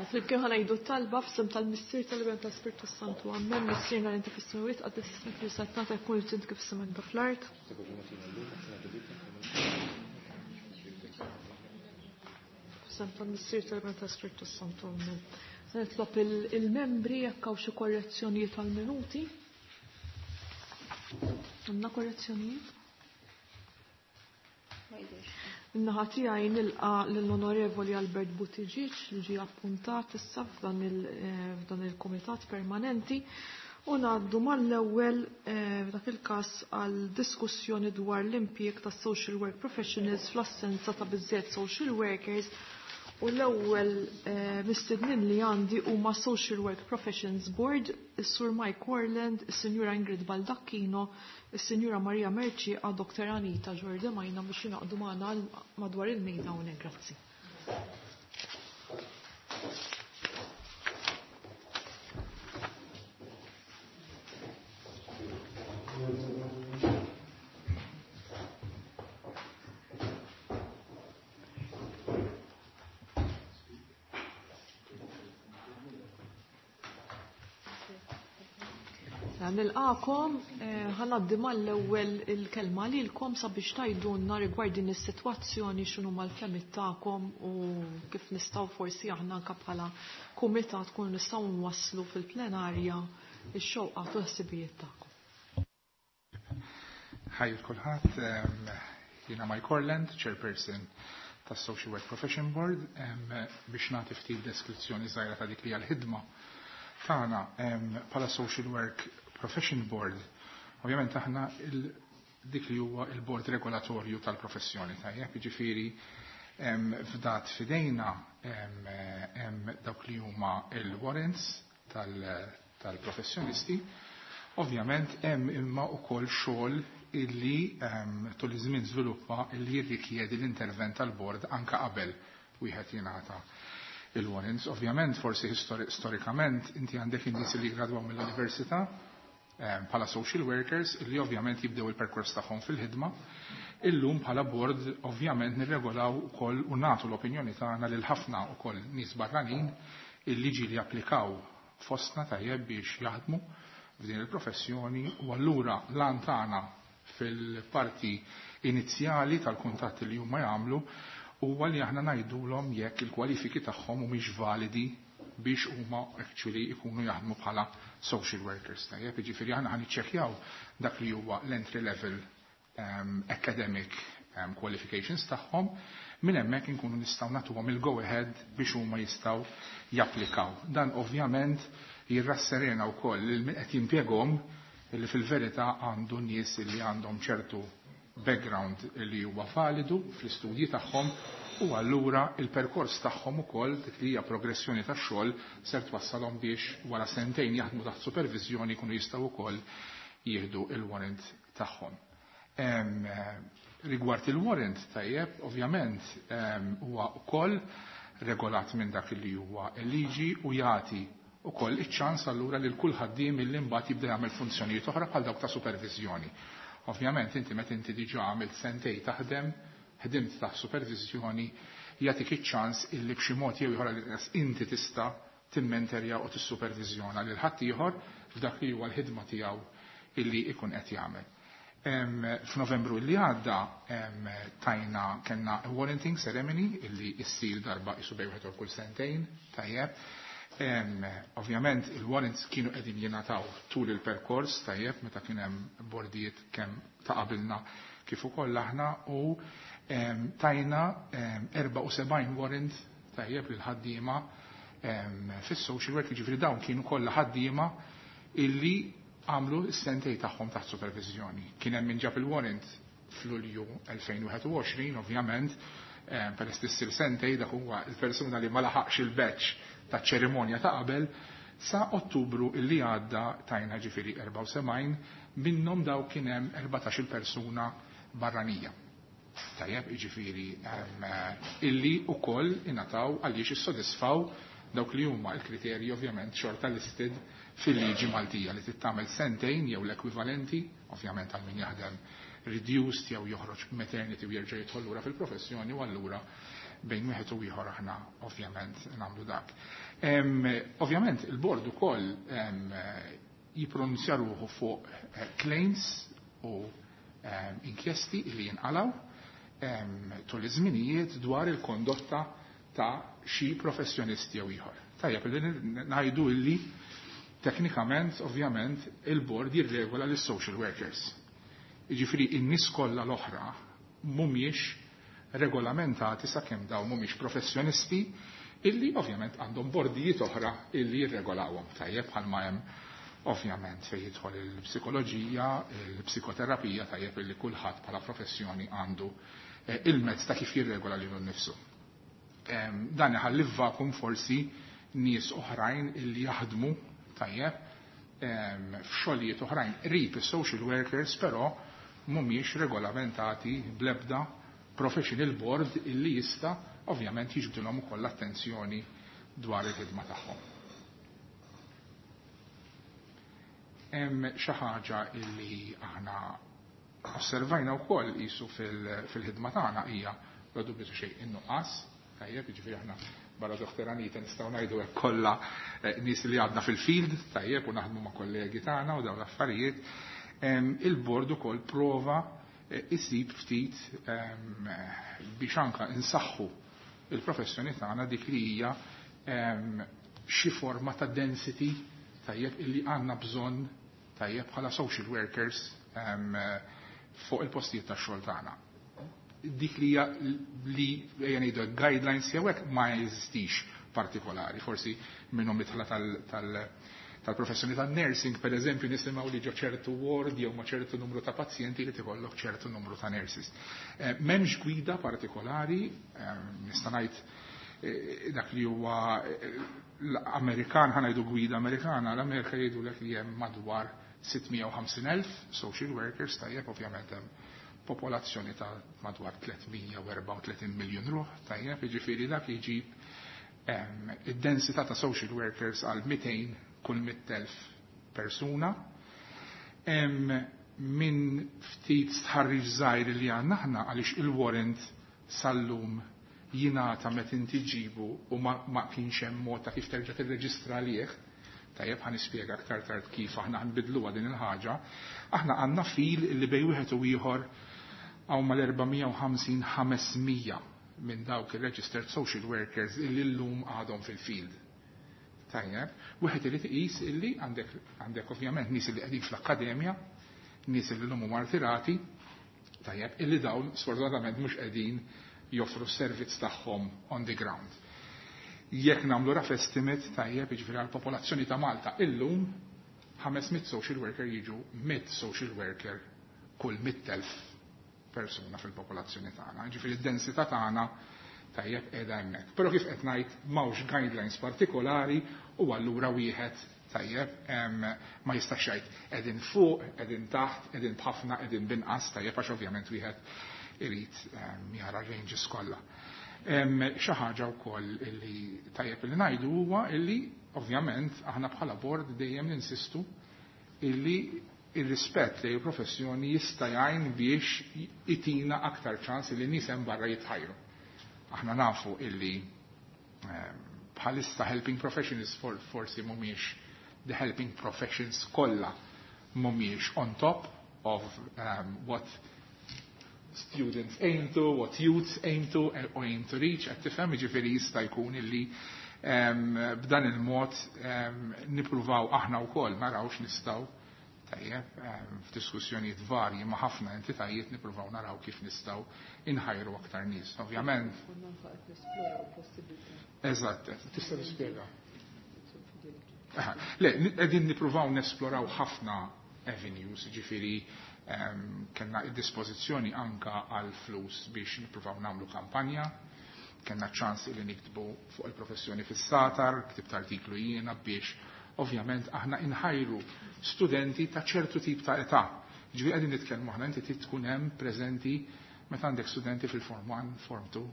Flimkien ħa ngħidu t-talba f'isem tal-Missier tal-Iben tal-Spirtu Santu. Ammen. Missierna li inti fis-smewwiet, qaddis ismek li saltnatek tkun li trid kif fis-sema anke fl-art. F'isem tal-Missier tal-Iben tal-Spirtu Santu. Ammen. Se nitlob il-membri jekk hawn xi korrezzjonijiet għall-minuti. Għandna korrezzjonijiet? Min-naħa tiegħi nilqa' lill-Onorevoli Albert Buttigieg li ġie appuntat issa f'dan eh, il-Kumitat Permanenti u ngħaddu mal-ewwel eh, f'dak il-każ għal diskussjoni dwar l-impjieg ta' social work professionals fl-assenza ta' biżżejjed social workers u l-ewwel eh, mistednin li għandi huma Social Work Professions Board, is-Sur Mike Warland, is-Sinjura Ingrid Baldacchino, Is-Sinjura Maria Mercieca, Dr. Anita Giordemaina biex jingħaqdu magħna madwar il-mejda hawnhekk. Grazzi. Nilqakom, eh, ħanaddi mal-ewwel il-kelma lilkom sabiex tgħidulna rigward din is-sitwazzjoni x'inhu mal-fehmiet tagħkom u kif nistgħu forsi aħna anke bħala kumitat tkunu nistgħu nwasslu fil-plenarja x-xewqat u l-ħsibijiet tagħkom. Ħaj kulħadd, jiena Mike Orland, chairperson tas Social Work Profession Board, biex nagħti ftit deskrizzjoni żgħira ta' dik li hija l-ħidma tagħna bħala Social Work Profession Board. Ovvjament aħna dik li huwa il-bord regolatorju tal-professjoni tajjeb, jiġifieri fdat fidejna dawk li huma il-warrants tal-professjonisti. Ovvjament hemm imma wkoll xogħol illi tul iż-żmien żviluppa illi jirrikjedi l-intervent tal-bord anka qabel wieħed jingħata il-warrants. Ovvjament forsi storikament inti għandek in-nies li jgradwaw mill-università bħala social workers illi ovvjament jibdew il-perkors tagħhom fil-ħidma. Illum bħala board ovvjament nirregolaw ukoll u nagħtu l-opinjoni tagħna lil ħafna ukoll nies barranin illi ġieli applikaw fostna tajjeb biex jaħdmu f'din il-professjoni u allura l-għan tagħna fil-parti inizjali tal-kuntatti li huma jagħmlu huwa li aħna ngħidulhom jekk il-kwalifiki tagħhom humiex validi biex huma actually ikunu jaħdmu bħala social workers. Tajjeb, jiġifieri aħna ħa niċċekkjaw dak li huwa l-entry level academic qualifications tagħhom, minn hemmhekk inkunu nistgħu nagħtuhom il-go ahead biex huma jistgħu japplikaw. Dan ovvjament jirrasserena wkoll lil min qed jimpjegahom li fil-verità għandu nies li għandhom ċertu background li huwa validu fl-istudji tagħhom u allura il-perkors tagħhom ukoll dik li hija progressjoni tax-xogħol ser twassalhom biex wara sentejn jaħdmu taħt supervizjoni jkunu jistgħu wkoll jieħdu il-warrant tagħhom. Rigward il-warrant tajjeb, ovvjament huwa wkoll regolat minn dak li huwa l-liġi u jagħti ukoll iċ-ċans allura li kull ħaddiem illi mbagħad jibda jagħmel funzjonijiet oħra bħal dawk ta' supervizjoni. Ovvjament inti meta inti diġà għamilt sentej taħdem, ħdimt taħt supervizjoni, jagħtik iċ-ċans illi b'xi mod jew ieħor inti tista' timmenterja u tissupervizjona lil ħadd ieħor f'dak li huwa l-ħidma tiegħu illi ikun qed jagħmel. F'Novembru li għadda tajna kellna warranting ceremony illi issir darba isu bejn wieħed kull sentejn, tajjeb. Ovvjament il-warrants kienu qegħdin jingħataw tul il-perkors tajjeb meta kien hemm bordijiet kemm ta' qabilna kif ukoll aħna u tajna 74 warrant tajjeb lil ħaddiema fis-social work, jiġifieri dawn kienu kollha ħaddiema illi għamlu s-sentej tagħhom taħt supervizjoni. Kien hemm min ġab il-warrant f'Lulju 2021, ovvjament, peress li ssir sentej dak huwa il-persuna li ma laħaqx il-batch ta' ċerimonja ta' qabel, sa' Ottubru illi għadda tajna ġifieri 74, minnhom daw kien hemm 14 persuna barranija. Tajjeb, jiġifieri illi ukoll ingħataw għaliex issodisfaw dawk li huma l-kriterji ovvjament xorta listed fil-liġi Maltija li tittamel sentejn jew l-ekwivalenti, ovvjament għal min jaħdem. reduced jew joħroġ maternity u jerġa' jidħol lura fil-professjoni u allura bejn wieħed u ieħor aħna ovvjament nagħmlu dak. Ovvjament il-bord ukoll jippronunzja ruħu fuq claims u inkjesti li jinqalaw tul iż-żminijiet dwar il-kondotta ta' xi professjonisti jew ieħor. Tajjeb li ngħidu illi teknikament ovvjament il-bord jirregola lis-social workers. Jiġifieri in-nies kollha l-oħra mhumiex regolamentati sakemm dawn mhumiex professjonisti illi ovvjament għandhom bordijiet oħra illi jirregolawhom. Tajjeb bħalma hemm ovvjament fejn jidħol il-psikoloġija, il-psikoterapija, tajjeb illi kulħadd bħala professjoni għandu il-mezz ta' kif jirregola lilu nnifsu. Dan iħalli vakum forsi nies oħrajn illi jaħdmu tajjeb f'xogħlijiet oħrajn qrib is-social workers, però mhumiex regolamentati bl-ebda professional board illi jista' ovvjament jiġbdilhom ukoll l-attenzjoni dwar il-ħidma tagħhom. Hemm xi ħaġa illi aħna osservajna wkoll qisu fil-ħidma tagħna hija bla dubju ta' xejn in-nuqqas, tajjeb, jiġifieri aħna barra Dr. Anita nistgħu ngħidu hekk kollha nies li għadna fil-field, tajjeb, u naħdmu ma' kollegi tagħna u dawn l-affarijiet. Il-bord ukoll prova isib ftit biex anka insaħħu il-professjoni tagħna dik li hija xi forma ta' density, tajjeb, illi għandna bżonn, tajjeb, bħala social workers fuq il-postijiet tax-xogħol tagħna. Dik li hija li ejja ngħidu guidelines jew hekk ma jeżistix partikolari, forsi minnhom mitħla tal-professjoni tan-nursing, per eżempju, nisimgħu li ġo ċertu ward jew ma' ċertu numru ta' pazjenti li tikollok ċertu numru ta' nurses. M'hemmx gwida partikolari, nista' ngħid dak li huwa l-Amerikan, ħa ngħidu gwida Amerikana, l-Amerika jgħidulek li hemm madwar 650,000 social workers, tajjeb, ovvjament hemm popolazzjoni ta' madwar 334 miljun ruħ, tajjeb, jiġifieri dak jġib id-densità ta' social workers għal 200 kull 100,000 persuna. Min ftit stħarriġ żgħir li għandna aħna għaliex il-warrant sal-lum jingħata meta inti ġibu u ma kienx hemm mod ta' kif terġa' tirreġistra għalih. Tajjeb, ħa nispjega aktar tard kif aħna ħanbidluha din il-ħaġa. Aħna għandna fil li bejn wieħed u ieħor hawn mal-450-500 minn dawk il-registered social workers illi llum għadhom fil-field. Tajjeb, wieħed irid iqis illi għandek ovvjament nies li qegħdin fl-akkademja, nies li llum huma rtirati, tajjeb, illi dawn sfortunatament mhux qegħdin joffru s-servizz tagħhom on the ground. Jekk nagħmlu rough estimate, tajjeb, jiġifieri għall-popolazzjoni ta' Malta illum 500 social worker jiġu 100 social worker kull 100,000 persuna fil-popolazzjoni tagħna. Jiġifieri d-densità tagħna, tajjeb, qiegħda hemmhekk. Però kif qed ngħid, m'hawnx guidelines partikolari u allura wieħed, tajjeb, ma jistax jgħid qegħdin fuq, qegħdin taħt, qegħdin b'ħafna, qegħdin binqas, tajjeb, għax ovvjament wieħed irid jara ranges kollha. Xi ħaġa wkoll illi tajjeb li ngħidu huwa illi ovvjament aħna bħala board dejjem ninsistu illi ir-rispett li l-professjoni jista' jgħin biex itina aktar ċans li nies hemm barra jitħajru. Aħna nafu illi bħalissa helping professions forsi mhumiex the helping professions kollha mhumiex on top of what students aim to, what youths aim to, or aim to reach, qed tifhem, jiġifieri jista' jkun illi b'dan il-mod nippruvaw aħna wkoll naraw x'nistgħu, tajjeb, f'diskussjonijiet varji ma' ħafna entitajiet nippruvaw naraw kif nistgħu inħajru aktar nies. Ovvjament. Eżatt, tista' tispjega. Le, qegħdin nippruvaw nesploraw ħafna avenues, ġifieri kellna id-dispożizzjoni anka għal flus biex nippruvaw nagħmlu kampanja, kellna ċans li niktbu fuq il-professjoni fis-satar, ktibt artiklu jiena biex ovvjament aħna inħajru studenti ta' ċertu tip ta' età. Ġifieri qegħdin nitkellmu aħna inti trid tkun hemm preżenti meta għandek studenti fil-form 1, form 2,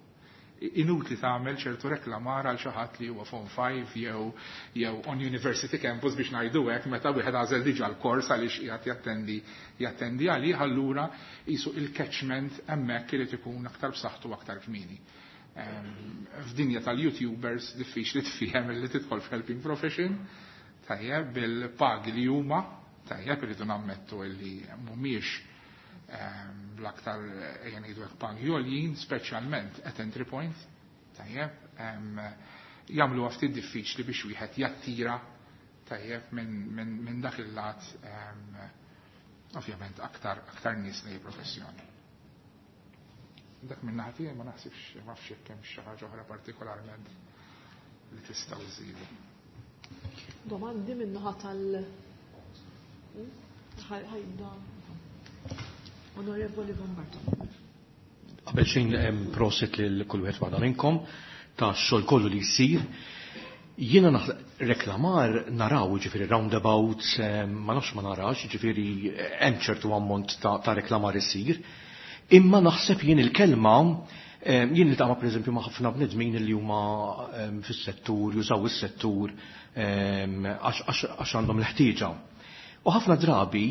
Inutli tagħmel ċertu reklamar għal xi ħadd li huwa Form 5 jew on university campus biex ngħidu hekk meta wieħed għażel diġà l-kors għaliex qiegħed jattendi għalih, allura qisu il-catchment hemmhekk irid ikun aktar b'saħħtu aktar kmieni. F'dinja tal-YouTubers diffiċli tfiehem li tidħol f'helping profession, tajjeb bil-pagi li huma, tajjeb irridu nammettu li mhumiex l-aktar ejja ngħidu hekk pagi għoljin, speċjalment at entry point, tajjeb, jagħmlu ftit diffiċli biex wieħed jattira tajjeb minn dak il-lat ovvjament aktar nies lejn professjoni. Dak minn naħa tiegħi ma naħsibx ma nafx jekk hemm xi ħaġa oħra partikolarment li tistgħu żżidu. Domandi minn naħa tal ħajda. Onorevoli Von Bartolo. Qabel xejn hemm prosit lil kull wieħed waħda minnkom ta' xogħol kollu li jsir. Jiena reklamar naraw ġifieri roundabouts, ma nafx ma narax, ġifieri hemm ċertu ammont ta' reklamar isir. Imma naħseb jien il-kelma, jien niltaqa' pereżempju ma' ħafna bnedmin li huma fis-settur, jużaw is-settur għax għandhom l-ħtieġa. U ħafna drabi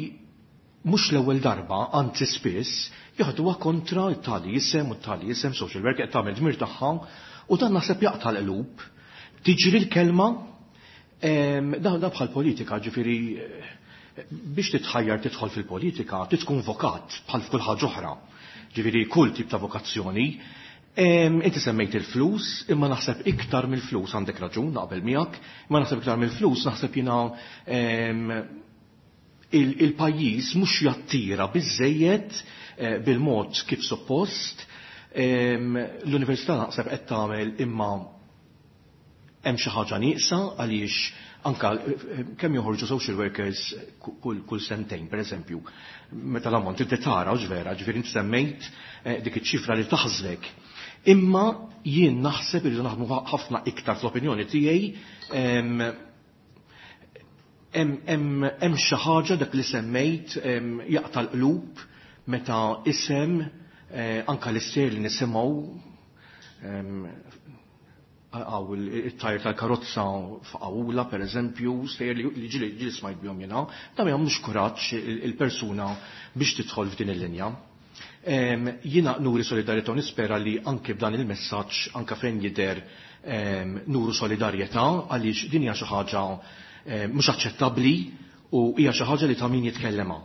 mhux l-ewwel darba, anzi spiss, jaħduha kontra t-tali isem u t-tali isem social work qed tagħmel dmir tagħha u dan naħseb jaqta' l-qlub. Tiġri l-kelma, da bħal politika, ġifieri biex titħajjar tidħol fil-politika, tkun vokat bħal f'kull ħaġa oħra. Ġifieri kull tip ta' vokazzjoni. Inti semmejt il-flus, imma naħseb iktar mill-flus għandek raġun naqbel miegħek, imma naħseb iktar mill-flus naħseb jiena il-pajjiż mhux jattira biżejjed bil-mod kif suppost. L-università naħseb qed tagħmel imma hemm xi ħaġa nieqsa għaliex anka kemm joħorġu social workers kull sentejn, pereżempju, meta l-ammont inti tara u vera, ġifieri inti semmejt dik iċ-ċifra li taħżlek. Imma jien naħseb irridu naħdmu ħafna iktar fl-opinjoni tiegħi hemm xi ħaġa dak li semmejt jaqta' l-qlub meta isem anka l-ister li nisimgħu għaw it-tajr tal-karozza f'Awla per eżempju, stejjer li ġili smajt bihom jiena, da ma jagħmlux kuraġġ il-persuna biex tidħol f'din il-linja. Jiena nuri solidarjetà u nispera li anke b'dan il-messaġġ anke fejn jidher nuru solidarjetà għaliex din hija xi ħaġa mhux aċċettabbli u hija xi ħaġa li ta' min jitkellema.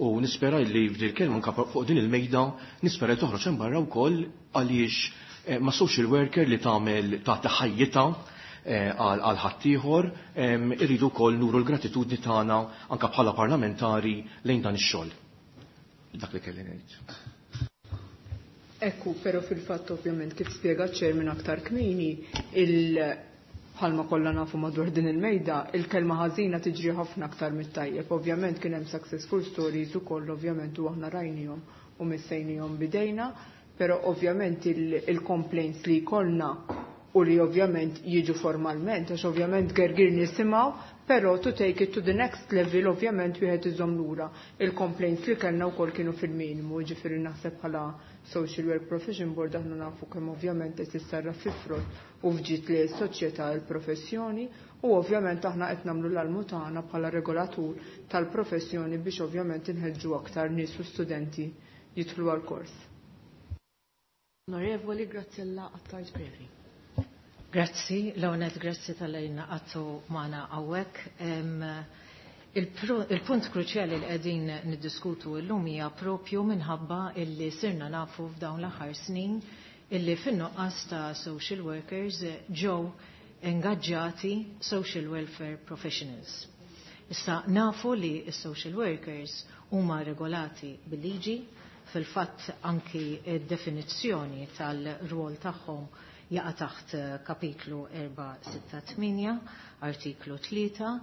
U nispera li f'din il-kelma anke fuq din il-mejda nispera li toħroġ hemm barra wkoll għaliex ma social worker li tagħmel tagħti ħajjitha għal ħaddieħor irridu wkoll nuru l-gratitudni tagħna anke bħala parlamentari lejn dan ix-xogħol. Dak li kelli ngħid. Ekku, però fil-fatt ovvjament kif spjega ċ-chairman aktar kmieni, bħalma kollha nafu madwar din il-mejda, il-kelma ħażina tiġri ħafna aktar mit-tajjeb. Ovvjament kien hemm successful stories ukoll ovvjament u aħna rajnihom u missejnihom bidejna, però ovvjament il-complaints li jkollna u li ovvjament jiġu formalment, għax ovvjament gergir nisimgħu, però to take it to the next level ovvjament wieħed iżomm lura. Il-complaints li kellna wkoll kienu fil-minimu, ġifieri naħseb bħala Social Work Profession Board aħna nafu kemm ovvjament qed issarraf fi frott u fġiet li s-soċjetà l-professjoni u ovvjament aħna qed nagħmlu l-almu tagħna bħala regolatur tal-professjoni biex ovvjament inħeġġu aktar nies u studenti jidħlu għall-kors. Onorevoli Graziella Attard Previ. Grazzi, l-għonet grazzi tal-lejna għattu maħna għawek. Il-punt kruċjali li qegħdin niddiskutu llum hija propju minħabba illi sirna nafu f'dawn l-aħħar snin illi fin-nuqqas ta' social workers ġew ingaġġati social welfare professionals. Issa nafu li s-social workers huma regolati bil-liġi, fil-fatt anki d-definizzjoni tal-rwol tagħhom jaqa' taħt kapitlu 468, artiklu 3,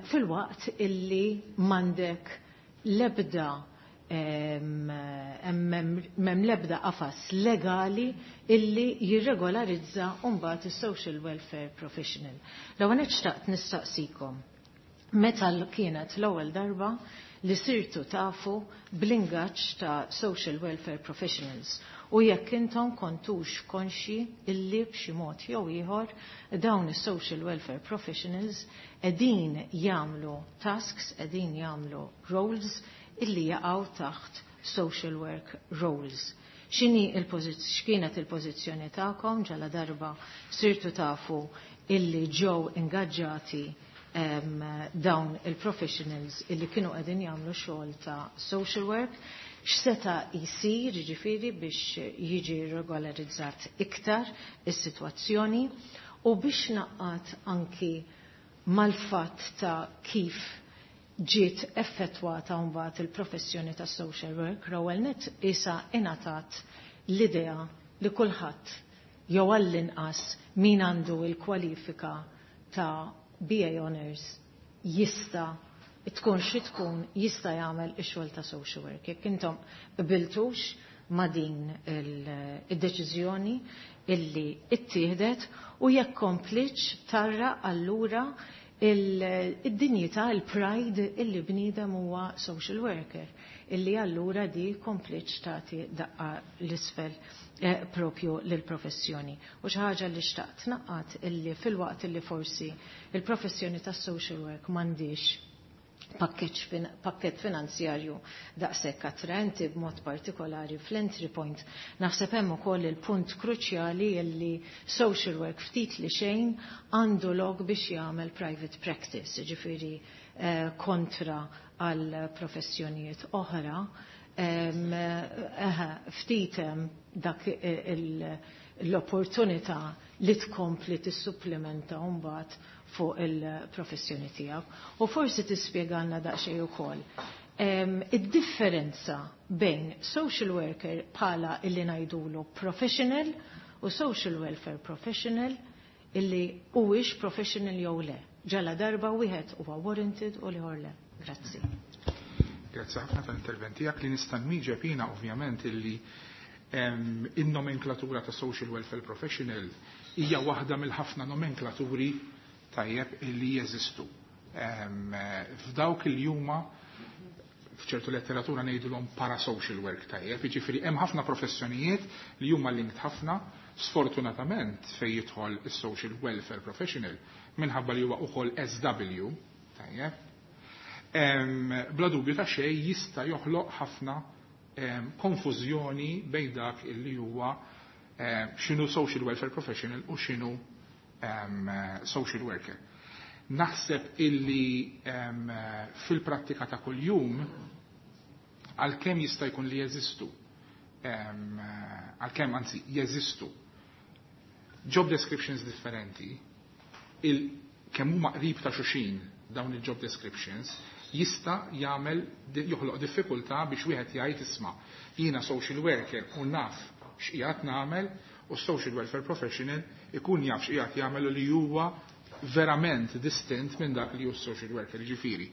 fil-waqt illi mandek lebda mem lebda qafas legali illi jirregolarizza mbagħad is-social welfare professional. L-ewwel xtaqt nistaqsikom meta kienet l-ewwel darba li sirtu tafu bl-ingaġġ ta' social welfare professionals. U jekk intom kontux konxi illi b'xi mod jew ieħor dawn is-social welfare professionals qegħdin jagħmlu tasks, qegħdin jagħmlu roles illi jaqgħu taħt social work roles. X'inhi x'kienet il-pożizzjoni tagħkom ġala darba sirtu tafu illi ġew ingaġġati dawn il-professionals illi kienu qegħdin jagħmlu xogħol ta' social work, x'seta' jsir jiġifieri biex jiġi regolarizzat iktar is-sitwazzjoni u biex naqqat anki mal-fatt ta' kif ġiet effettwata mbagħad il-professjoni ta' social work, l-ewwel nett isa ingħatat l-idea li kulħadd jew għall-inqas min għandu l-kwalifika ta' BA Honours jista' tkun xi tkun jista' jagħmel ix-xogħol ta' social work. Jekk intom qbiltux ma' din id-deċiżjoni illi ittieħdet u jekk komplitx tarra allura id-dinjità, il-pride illi bniedem huwa social worker, illi allura di komplitx tagħti daqqa l-isfel propju lill-professjoni. U xi ħaġa li xtaqt naqqat illi fil-waqt illi forsi il-professjoni tas-social work m'għandix pakket finanzjarju daqshekk attraenti b'mod partikolari fl-entry point. Naħseb hemm ukoll il-punt kruċjali illi social work ftit li xejn għandu lok biex jagħmel private practice, jiġifieri kontra għal professjonijiet oħra. Ftit hemm dak l-opportunità li tkompli tissupplementa mbagħad fuq il-professjoni tiegħek. U forsi tispjegalna daqsxejn ukoll id-differenza bejn social worker bħala illi ngħidulu professional u social welfare professional illi huwiex professional jew le. Ġala darba wieħed huwa warranted u l-ieħor le. Grazzi. Grazzi ħafna tal-intervent tiegħek. Li nista' nwieġeb jiena ovvjament illi in-nomenklatura ta' social welfare professional hija waħda mill-ħafna nomenklaturi, tajjeb, illi jeżistu. F'dawk il huma f'ċertu letteratura ngħidulhom parasocial work, tajjeb, jiġifieri hemm ħafna professjonijiet li huma linked ħafna. Sfortunatament fejn jidħol is-social welfare professional, minħabba li huwa ukoll SW, tajjeb, bla dubju ta' xejn jista' joħloq ħafna konfużjoni bejn dak illi huwa x'inhu social welfare professional u x'inhu social worker. Naħseb illi fil-prattika ta' kuljum, għalkemm jista' jkun li jeżistu, għalkemm anzi jeżistu job descriptions differenti, il kemm huma qrib ta' xulxin dawn il-job descriptions jista' jagħmel joħloq diffikultà biex wieħed jgħid, "Isma', jiena social worker u naf x'qiegħed nagħmel", u social welfare professional ikun jaf x'qiegħed jagħmel u li huwa verament distint minn dak li hu social worker. Ġifieri,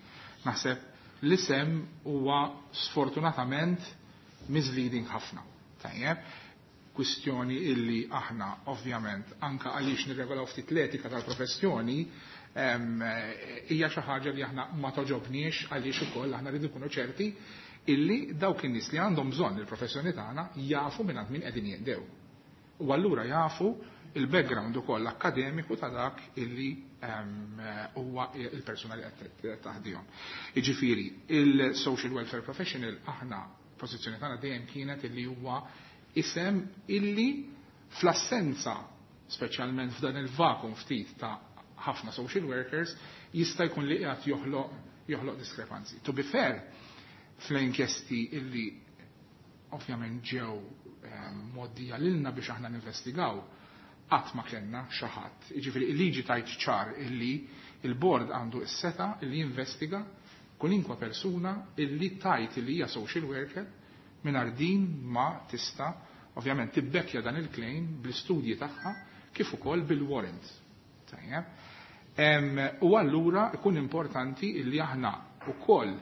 naħseb l-isem huwa sfortunatament misleading ħafna. Tajjeb, kwistjoni illi aħna ovvjament anka għaliex nirregolaw ftit l-etika tal-professjoni hija xi ħaġa li aħna ma toġobniex, għaliex ukoll aħna rridu nkunu ċerti illi dawk in-nies li għandhom bżonn il-professjoni tagħna jafu minn min qegħdin jinqdew. U allura jafu il-background ukoll akkademiku ta' dak illi huwa il-persuna li qed taħdihom. Jiġifieri, il-social welfare professional, aħna pożizzjoni tagħna dejjem kienet illi huwa isem illi fl-assenza, speċjalment f'dan il-vakum ftit ta' ħafna social workers, jista' jkun li qiegħed joħloq diskrepanzi. To be fair, fl-inkjesti illi ovvjament ġew mgħoddija lilna biex aħna ninvestigaw, qatt ma kellna xi ħadd. Jiġifieri il-liġi tajt ċar illi il-board għandu s-seta illi jinvestiga kulinkwa persuna illi tajt illi hija social worker mingħajr din ma tista' ovvjament tibbekkja dan il-claim bl-istudji tagħha kif ukoll bil-warrant. Tajjeb. U allura ikun importanti illi aħna ukoll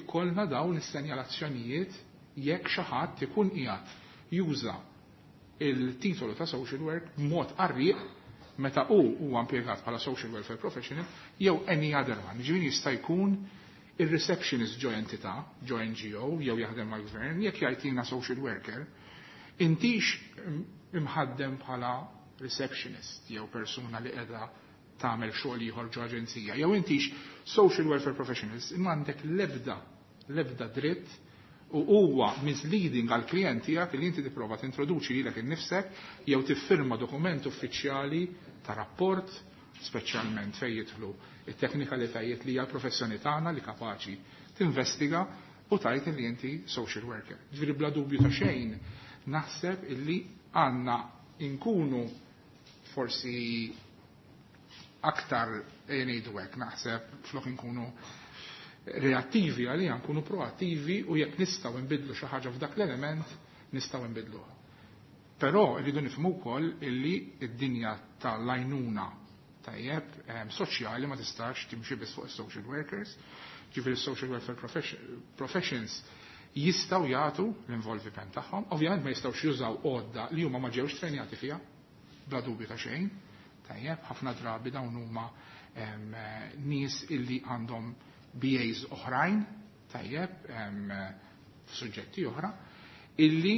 ikollna dawn is-senjalazzjonijiet jekk xi ħadd ikun qiegħed juża il-titolu ta' social work b'mod qarrieq meta hu huwa impjegat bħala social welfare professional jew any other one. Ġifieri jista' jkun il-receptionist ġo entità, ġo NGO, jew jaħdem mal-gvern, jekk jgħid jiena social worker, Intix imħaddem bħala receptionist jew persuna li qiegħda tagħmel xogħol ieħor ġo aġenzija, jew intix social welfare professionals, imma għandek l-ebda dritt u huwa misleading għal klient tiegħek li inti tipprova tintroduċi lilek innifsek jew tiffirma dokument uffiċjali ta' rapport, speċjalment fejn jidħlu it-teknikalitajiet li hija l-professjoni tagħna li kapaċi tinvestiga u tajt li inti social worker. Ġifieri bla dubju ta' xejn naħseb illi għandna inkunu forsi aktar ngħidu hekk, naħseb flok inkunu reattivi għalija nkunu proattivi u jekk nistgħu nbidlu xi ħaġa f'dak l-element nistgħu nbidluha. Però rridu nifhmu wkoll illi d-dinja tal-għajnuna tajjeb soċjali ma tistax timxi biss fuq is-social workers, ġifieri social welfare professions jistgħu jagħtu l-involviment tagħhom, ovvjament ma jistgħux jużaw għodda li huma ma ġewx trenjati fiha, bla dubju ta' xejn, tajjeb, ħafna drabi dawn huma nies illi għandhom BAs oħrajn, tajjeb, f'suġġetti oħra, illi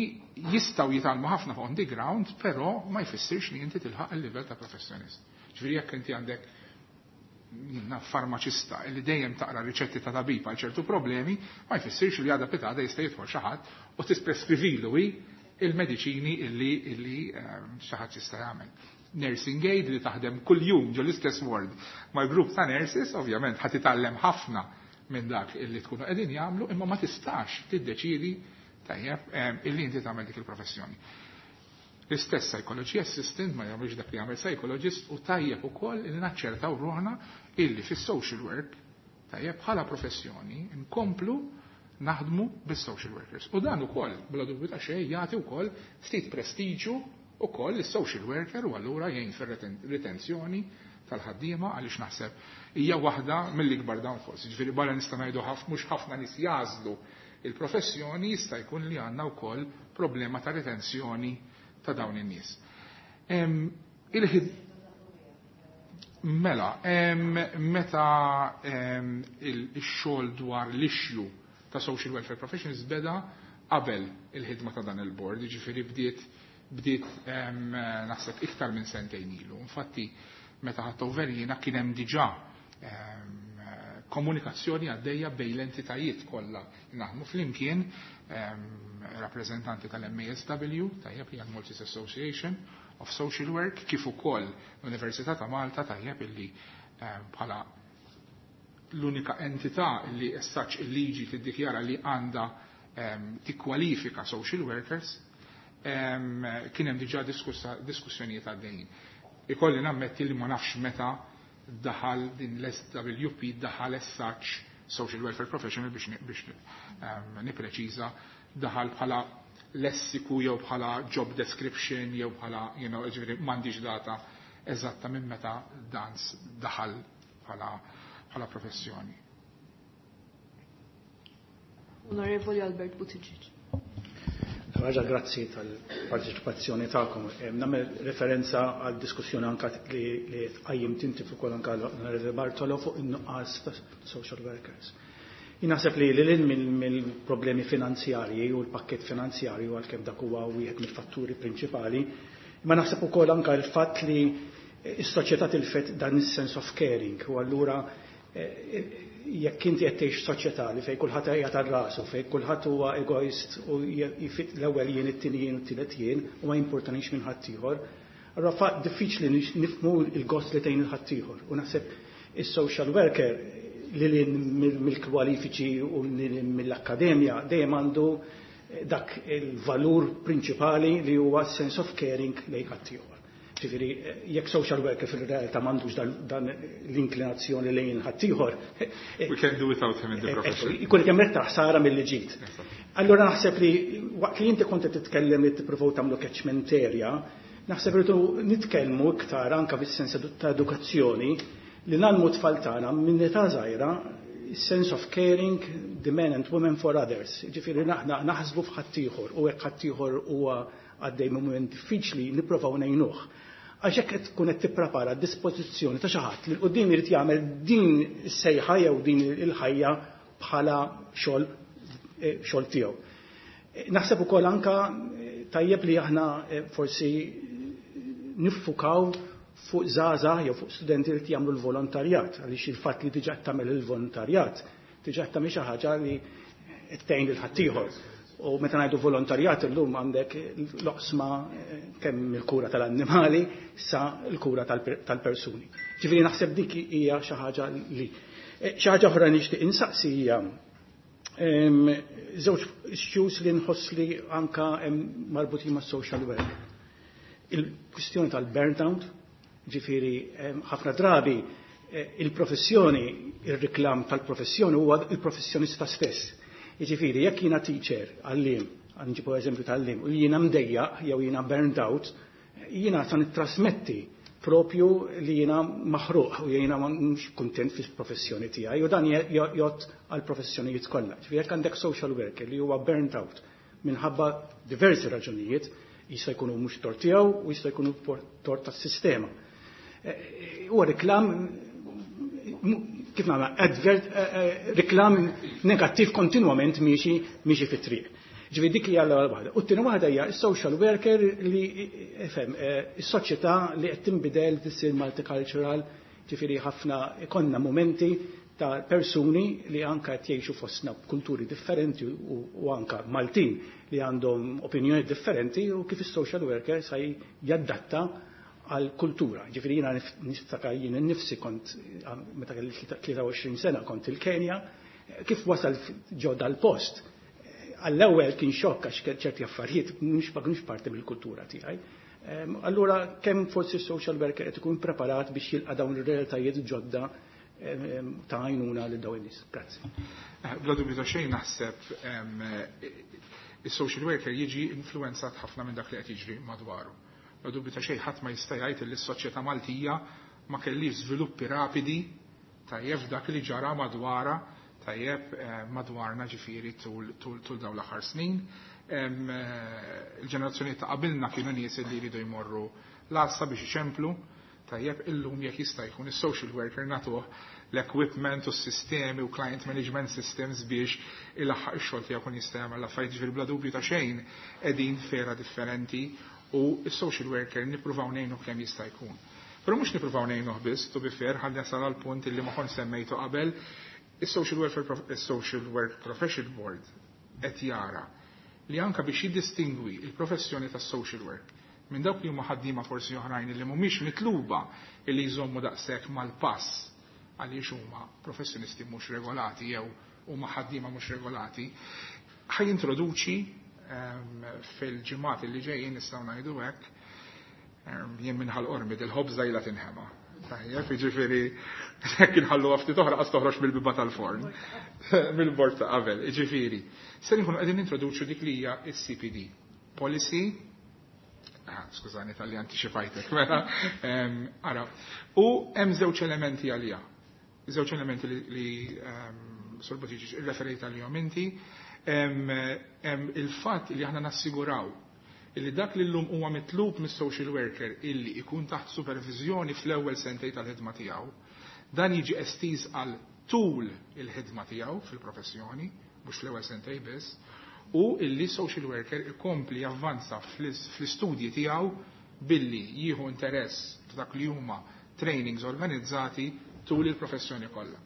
jistgħu jitgħallmu ħafna fuq on the ground, però ma jfissirx li inti tilħaq il-livell ta' professjonist. Ġifieri jekk inti għandek farmaċista illi dejjem taqra riċetti ta' tabib għal ċertu problemi, ma jfissirx li għada pitgħada jista' jidħol xi ħadd u tispreskrivilu il-mediċini illi xi ħadd jista' jagħmel. Nursing aid li taħdem kuljum ġo l-istess ward mal-grupp ta' nurses, ovvjament ħa titgħallem ħafna minn dak illi tkunu qegħdin jagħmlu, imma ma tistax tiddeċiedi tajjeb illi inti tagħmel dik il-professjoni. L-istess psychology assistant ma jagħmilx dak li jagħmel psychologist u tajjeb ukoll li naċċertaw ruħna illi fis-social work tajjeb bħala professjoni nkomplu naħdmu bis-social workers. U dan ukoll bla dubju ta' xejn jagħti wkoll ftit prestiġu ukoll is-social worker u allura jgħin fir-retenzjoni tal-ħaddiema għaliex naħseb hija waħda mill-ikbar downfalls. Ġifieri barra nista' ngħidu mhux ħafna nies jażlu il-professjoni, jista' jkun li għandna wkoll problema ta' retenzjoni ta' dawn in-nies. Mela, meta il-xogħol dwar l-issue ta' social welfare professions beda qabel il-ħidma ta' dan il-board, ġifieri bdiet naħseb iktar minn sentejn ilu. Infatti, meta ħadt over jiena kien hemm diġà komunikazzjoni għaddejja bejn l-entitajiet kollha li naħdmu flimkien, rappreżentanti tal-MASW, tajjeb, hija Maltese Association of Social Work, kif ukoll l-Università ta' Malta, tajjeb, illi bħala l-unika entità li essaċ il-liġi tiddikjara li għandha tikkwalifika social workers, kien hemm diġà diskussjonijiet għaddejjin. Ikolli nammetti li ma nafx meta daħal din l-SWP, daħal as social welfare professional, biex nipreċiża, daħal bħala lessiku jew bħala job description jew bħala, ġifieri m'għandix data eżatta minn meta dan daħal bħala professjoni. Onorevoli Albert Buttigieg. Raġa, grazzi tal-parteċipazzjoni tagħkom. Nagħmel referenza għal diskussjoni anka li tqajjim tinti fuq ukoll anka l-Onorevoli Bartolo fuq in-nuqqas ta' social workers. Jien naħseb li lil mill-problemi finanzjarji u l-pakket finanzjarju, għalkemm dak huwa wieħed mill-fatturi prinċipali, ma naħseb ukoll anka l-fatt li s-soċjetà tilfet dan is-sense of caring u allura jekk inti qed tgħix soċjetà li fejn kulħadd qiegħed għal rasu, fejn kulħadd huwa egoist u jfit l-ewwel jien, it-tieni jien u t-tielet jien u ma jimpurtanix minn ħaddieħor, allura fa diffiċli nifhmu l-gost li tgħin il-ħaddieħor. U naħseb is-social worker li mill-kwalifiċi u mill-akkademja dejjem għandu dak il-valur prinċipali li huwa sense of caring lejn ħaddieħor. Ġifieri, jekk social worker fil-realtà m'għandux dan l-inklinazzjoni lejn ħaddieħor. We can do without him in the profession. Ikun kemm iktar ħsara mill-ġid. Allura naħseb li waqt li inti kont qed titkellem li tippruvaw tagħmlu catchment area, naħseb li nitkellmu iktar anka fis-sens ta' edukazzjoni li ngħallmu tfal tagħna minn età żgħira sense of caring the men and women for others. Ġifieri aħna naħsbu f'ħaddieħor u jekk ħaddieħor huwa għaddej moment diffiċli nipprovaw ngħinuh. Għax hekk qed tkun qed tipprepara dispożizzjoni ta' xi ħadd li 'l quddiem irid jagħmel din is-sejħa jew din il-ħajja bħala xogħol tiegħu. Naħseb ukoll anka Tajjeb li aħna forsi niffukaw fuq żgħażagħ jew fuq studenti li jagħmlu l-volontarjat, għaliex il-fatt li diġà tagħmel il-volontarjat, diġà tagħmel xi ħaġa li tgħin lil ħaddieħor. U meta ngħidu volontarjat illum għandek l-oqsma kemm il-kura tal-annimali sa l-kura tal-persuni. Ġifieri naħseb dik hija xi ħaġa li. Xi ħaġa oħra nixtieq insaqsi hija żewġ issues li nħoss li anka marbutin ma' social work. Il-kwistjoni tal-burnout, ġifieri ħafna drabi il-professjoni, il-reklam tal-professjoni huwa il-professjonista stess. Jiġifieri jekk jiena teacher, għalliem, nġibu eżempju tal-għalliem, u jiena mdejjaq jew jiena burned out, jiena sa nittrasmetti propju li jiena maħruq u jiena mhux kuntent fil-professjoni tiegħi u dan jgħodd għal professjonijiet kollha. Ġifieri jekk għandek social worker li huwa burnt out minħabba diversi raġunijiet, jista' jkunu mhux tort tiegħu u jista' jkunu tort tas-sistema. Huwa reklam, kif nagħmel, advert, reklam negattiv kontinwament miexi miexi fit-triq. Ġifieri dik hija l-ewwel waħda. U t-tieni waħda hija s-social worker li ifhem is-soċjetà li qed tinbidel, tissir multicultural, ġifieri ħafna ikollna momenti ta' persuni li anka qed jgħixu fostna b'kulturi differenti u anka Maltin li għandhom opinjoni differenti u kif is-social worker sa jaddatta għal kultura. Ġifieri jiena niftakar jien innifsi kont meta kelli 23 sena kont il-Kenja, kif wasal ġo dal-post. Għall-ewwel kien xokk għax ċerti affarijiet mhux ma kienux parti mill-kultura tiegħi. Allura kemm forsi social worker qed ikun preparat biex jilqa' dawn ir-realtajiet ġodda ta' għajnuna lil dawn in-nies. Grazzi. Bla dubju ta' xejn naħseb is-social worker jiġi influenzat ħafna minn dak li qed jiġri madwaru. Bla dubju ta' xejn ħadd ma jista' jgħid li s-soċjetà Maltija ma kellix żviluppi rapidi, tajjeb, dak li ġara madwara, tajjeb, madwarna ġifieri tul dawn l-aħħar snin. Il-ġenerazzjoni ta' qabilna kienu nies li jridu jmorru l-għassa biex iċemplu, tajjeb, illum jekk jista' jkun is-social worker nagħtuh l-equipment u s-sistemi u client management systems biex ilaħħaq ix-xogħol tiegħu kun jista' jagħmel l-affarijiet. Ġifieri bla dubju ta' xejn qegħdin f'era differenti u s-social worker nippruvaw ngħinu kemm jista' jkun. Però mhux nippruvaw ngħinuh biss, to be fair, ħalli nasal għal punt illi ma kont semmejtu qabel, is-Social Work Profession Board qed jara li anka biex jiddistingwi il-professjoni tas-social work minn dawk li huma ħaddiema forsi oħrajn li mhumiex mitluba li jżommu daqshekk mal-pass għaliex huma professjonisti mhux regolati jew huma ħaddiema mhux regolati, ħa jintroduċi fil-ġimgħat li ġejjin, nistgħu ngħidu hekk, jien minn Ħal Qormi, il-ħobża ilha tinħema. Tajjeb, jiġifieri jekk inħallu ftit oħra qas toħroġ mill-biba tal-forn, mill-bord ta' qabel. Jiġifieri, se nkunu qegħdin introduċu dik li hija s-CPD. Policy. Ah, skużani talli anticipajtek, mela, ara, u hemm żewġ elementi għalija. Żewġ elementi li Sur Buttigieg irreferejt għalihom inti, hemm il-fatt li aħna nassiguraw illi dak li llum huwa mitlub mis-social worker illi ikun taħt supervizjoni fl-ewwel sentej tal-ħidma tiegħu, dan jiġi estiż għal tul il-ħidma tiegħu fil-professjoni, mhux fl-ewwel sentej biss, u illi social worker ikompli javvanza fl-istudji tiegħu billi jieħu interess f'dak li huma trainings organizzati tul il-professjoni kollha.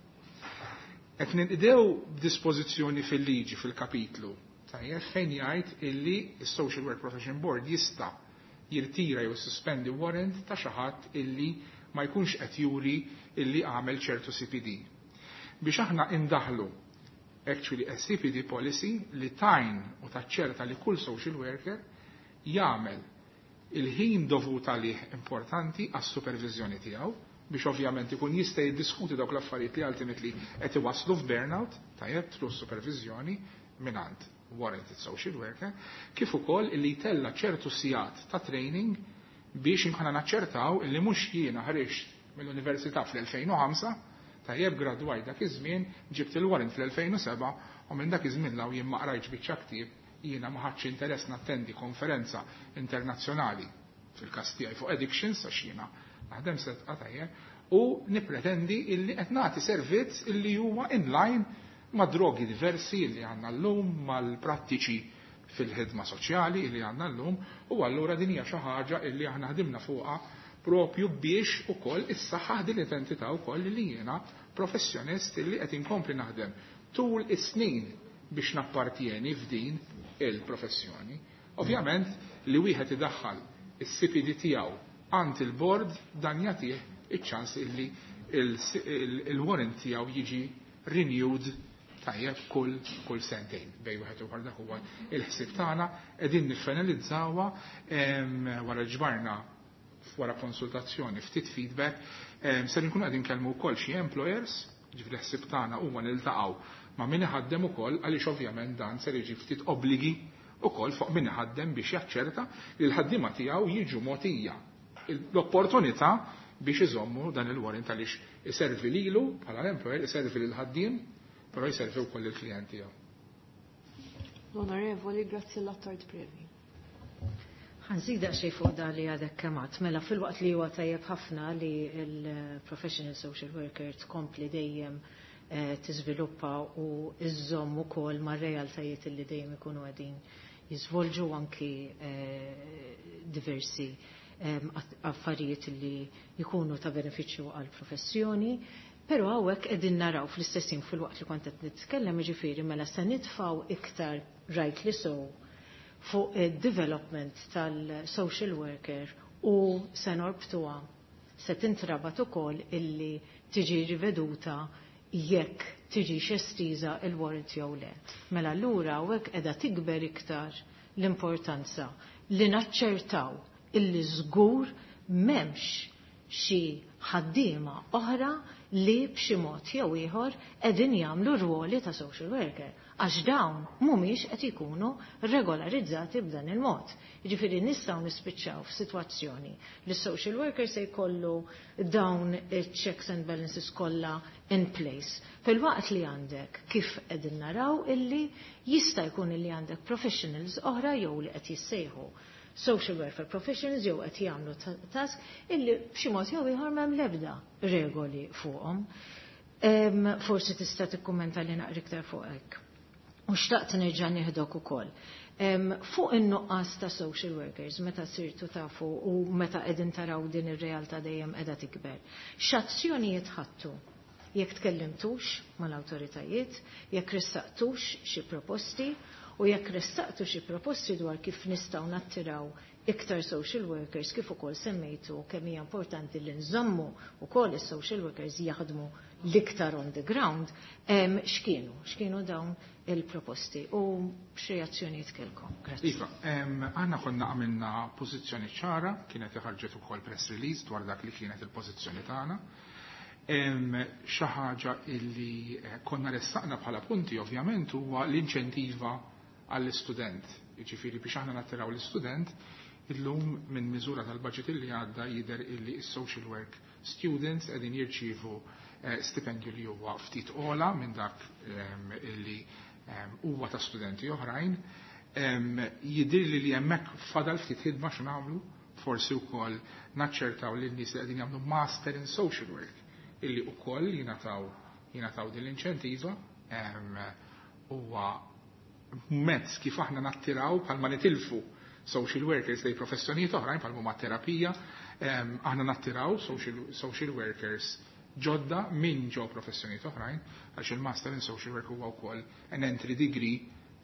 Qed ninqdew b'dispożizzjoni fil-liġi fil-kapitlu, tajjeb, fejn jgħid illi s-Social Work Profession Board jista' jirtira jew suspendi warrant ta' xi ħadd illi ma jkunx qed juri illi għamel ċertu CPD. Biex aħna indaħlu actually a CPD policy li tajn u taċċerta li kull social worker jagħmel il-ħin dovut għalih importanti għas supervizjoni tiegħu biex ovvjament ikun jista' jiddiskuti dawk l-affarijiet li ultimately qed iwasslu f'burnout, tajjeb, through supervizjoni mingħand warranted social worker, kif ukoll li jtella ċertu sigħat ta' training biex inkunu naċċertaw illi mhux jiena ħriġt mill-università fl-2005, tajjeb, gradwaj dak iż-żmien, ġibt il-warrant fl-2007 u minn dak iż-żmien 'l hawn jien ma qrajtx biċċa ktieb, jiena ma ħadx interess nattendi konferenza internazzjonali fil-każ tiegħi fuq addictions għax jiena naħdem Sedqa, tajjeb, u nipretendi illi qed nagħti servizz illi huwa in line ma' drogi diversi illi għandna llum, mal-prattiċi. fil-ħidma soċjali li għandna llum u allura din hija xi ħaġa illi aħna ħdimna fuqha propju biex ukoll issaħħaħ din l-identità wkoll li jiena professjonist illi qed inkompli naħdem tul is-snin biex nappartjeni f'din il-professjoni. Ovvjament li wieħed idaħħal is-CPD tiegħu għand il-bord dan jagħtih iċ-ċans illi il-warrant tiegħu jiġi renewed tajjeb kull sentejn bej wieħed u ieħor. Dak huwa il-ħsieb tagħna, qegħdin niffinalizzawha wara ġbarna wara konsultazzjoni ftit feedback, ser nkunu qegħdin nkellmu wkoll xi employers, ġifieri ħsieb tagħna huwa niltaqgħu ma' min iħaddem ukoll għaliex ovvjament dan ser jiġi ftit obbligi ukoll fuq min iħaddem biex jaċċerta li l-ħaddiema tiegħu jiġu mogħtija l-opportunità biex iżommu dan il-warrant għaliex iservi lilu bħala l-employer, iservi lil ħaddiem, però jservi wkoll il-klijent tiegħu. L-Onorevoli Graziella Attard Previ. Ħa nżid xi fuq da li għadek kemm għedt. Mela filwaqt li huwa tajjeb ħafna li il-professional social worker tkompli dejjem tiżviluppa u iżżomm ukoll mar-realtajiet li dejjem ikunu qegħdin jiżvolġu anki diversi affarijiet li jkunu ta' benefiċċju għal professjoni. Pero hawnhekk qegħdin naraw fl-istessin fil-waqt li kont qed nitkellem, jiġifieri mela se nitfgħu iktar, rightly so, fuq id-development tal-social worker u se norbtuha, se tintrabat ukoll illi tiġi riveduta jekk tiġi estiża il-warrant jew le. Mela allura hawnhekk qiegħda tikber iktar l-importanza li naċċertaw illi żgur m'hemmx xi ħaddiema oħra li b'xi mod jew ieħor qegħdin jagħmlu rwoli ta' social worker għax dawn mhumiex qed ikunu regolarizzati b'dan il-mod. Jiġifieri nistgħu nispiċċaw f'sitwazzjoni li social worker se jkollu dawn checks and balances kollha in place. Fil-waqt li għandek, kif qegħdin naraw, illi jista' jkun illi għandek professionals oħra jew li qed jissejħu social welfare professionals jew qed jagħmlu task illi b'xi mod jew ieħor m'hemm l-ebda regoli fuqhom. Forsi tista' tikkummenta li naqra iktar fuq hekk. U xtaqt nerġa' nieħdok ukoll. Fuq in-nuqqas ta' social workers, meta sirtu tafu u meta qegħdin taraw din ir-realtà dejjem qiegħda tikber. X'azzjonijiet ħadtu? Jekk tkellimtux mal-awtoritajiet, jekk ressaqtux xi proposti u jekk ressaqtu xi proposti dwar kif nistgħu nattiraw iktar social workers, kif ukoll semmejtu kemm hija importanti li nżommu ukoll is-social workers jaħdmu l-iktar on the ground, x'kienu dawn il-proposti u x'reazzjonijiet kellkom? Grazzi. Iva, aħna konna għamilna pożizzjoni ċara, kienet ħarġet ukoll press release dwar dak li kienet il-pożizzjoni tagħna. Xi ħaġa illi konna ressaqna bħala punti ovvjament huwa l-inċentiva għall-istudent. Jiġifieri biex aħna nattiraw l-istudent, illum minn miżura tal-budget illi għadda jidher illi s-social work students qegħdin jirċievu stipendju li huwa ftit ola minn dak illi huwa ta' studenti oħrajn. Jidhirli li hemmhekk fadal ftit ħidma x'nagħmlu, forsi wkoll naċċertaw lin nies li qegħdin jagħmlu master in social work illi wkoll jingħataw din l-inċentiva. Huwa mezz kif aħna nattiraw bħalma nitilfu social workers lejn professjonijiet oħrajn bħal huma terapija, aħna nattiraw social workers ġodda minn ġo professjonijiet oħrajn għax il-master in social work huwa wkoll an entry degree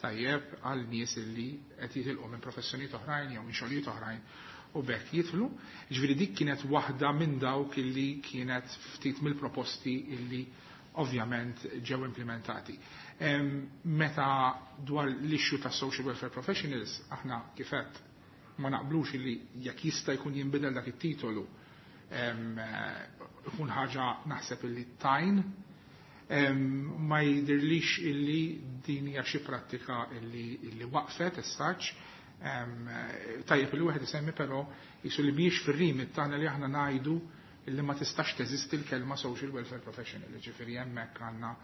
tajjeb għal nies illi qed jitilqu minn professjonijiet oħrajn jew minn xogħlijiet oħrajn u b'hekk jidħlu. Ġifieri dik kienet waħda minn dawk illi kienet ftit mill-proposti illi ovvjament ġew implementati. Meta dwar l-issue ta' social welfare professionals, aħna kif għedt ma naqblux illi jekk jista' jkun jinbidel dak it-titolu ikun ħaġa naħseb illi tajn, ma jidirlix illi din hija xi prattika illi waqfet essaċ. Tajjeb li wieħed isemmi però jisu li mhijiex fir-remit tagħna li aħna ngħidu illi ma tistax teżisti l-kelma social welfare professional, ġifieri hemmhekk għandna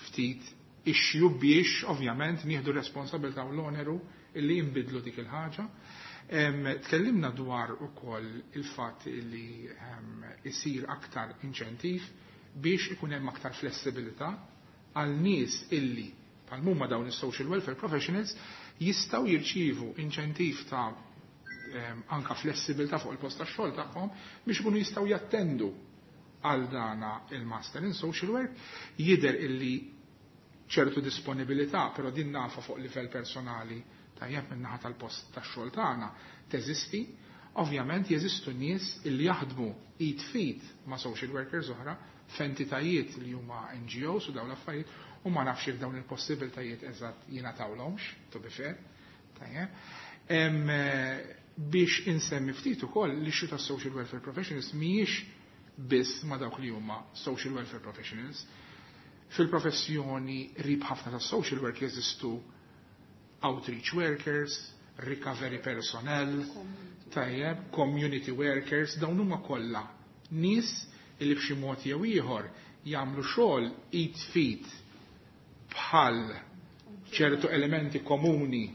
ftit issue biex ovvjament nieħdu responsabilità u l-oneru illi jinbidlu dik il-ħaġa. Tkellimna dwar ukoll il-fatt illi isir aktar inċentiv biex ikun hemm aktar flessibilità għal nies illi bħal huma dawn is-social welfare professionals. jistgħu jirċievu inċentiv ta' anka flessibilità fuq il-post tax-xogħol tagħhom biex ikunu jistgħu jattendu għal dana il-Master in Social Work. Jidher illi ċertu disponibilità, però din nafa fuq livell personali, tajjeb, min-naħa tal-post tax-xogħol tagħna teżisti. Ovvjament jeżistu nies illi jaħdmu id f'id ma' social workers oħra f'entitajiet li huma NGOs u dawn l-affarijiet, u ma nafx jekk dawn il-possibiltajiet eżatt jingħatawlhomx, to be fair. Tajjeb. Biex insemmi ftit ukoll li xi ta' social welfare professionals mhijiex biss ma' dawk li huma social welfare professionals. Fil-professjoni qrib ħafna ta' social work jeżistu outreach workers, recovery personnel, tajjeb, community workers, dawn huma kollha nies li b'xi mod jew ieħor jagħmlu xogħol id f'id bħal ċertu elementi komuni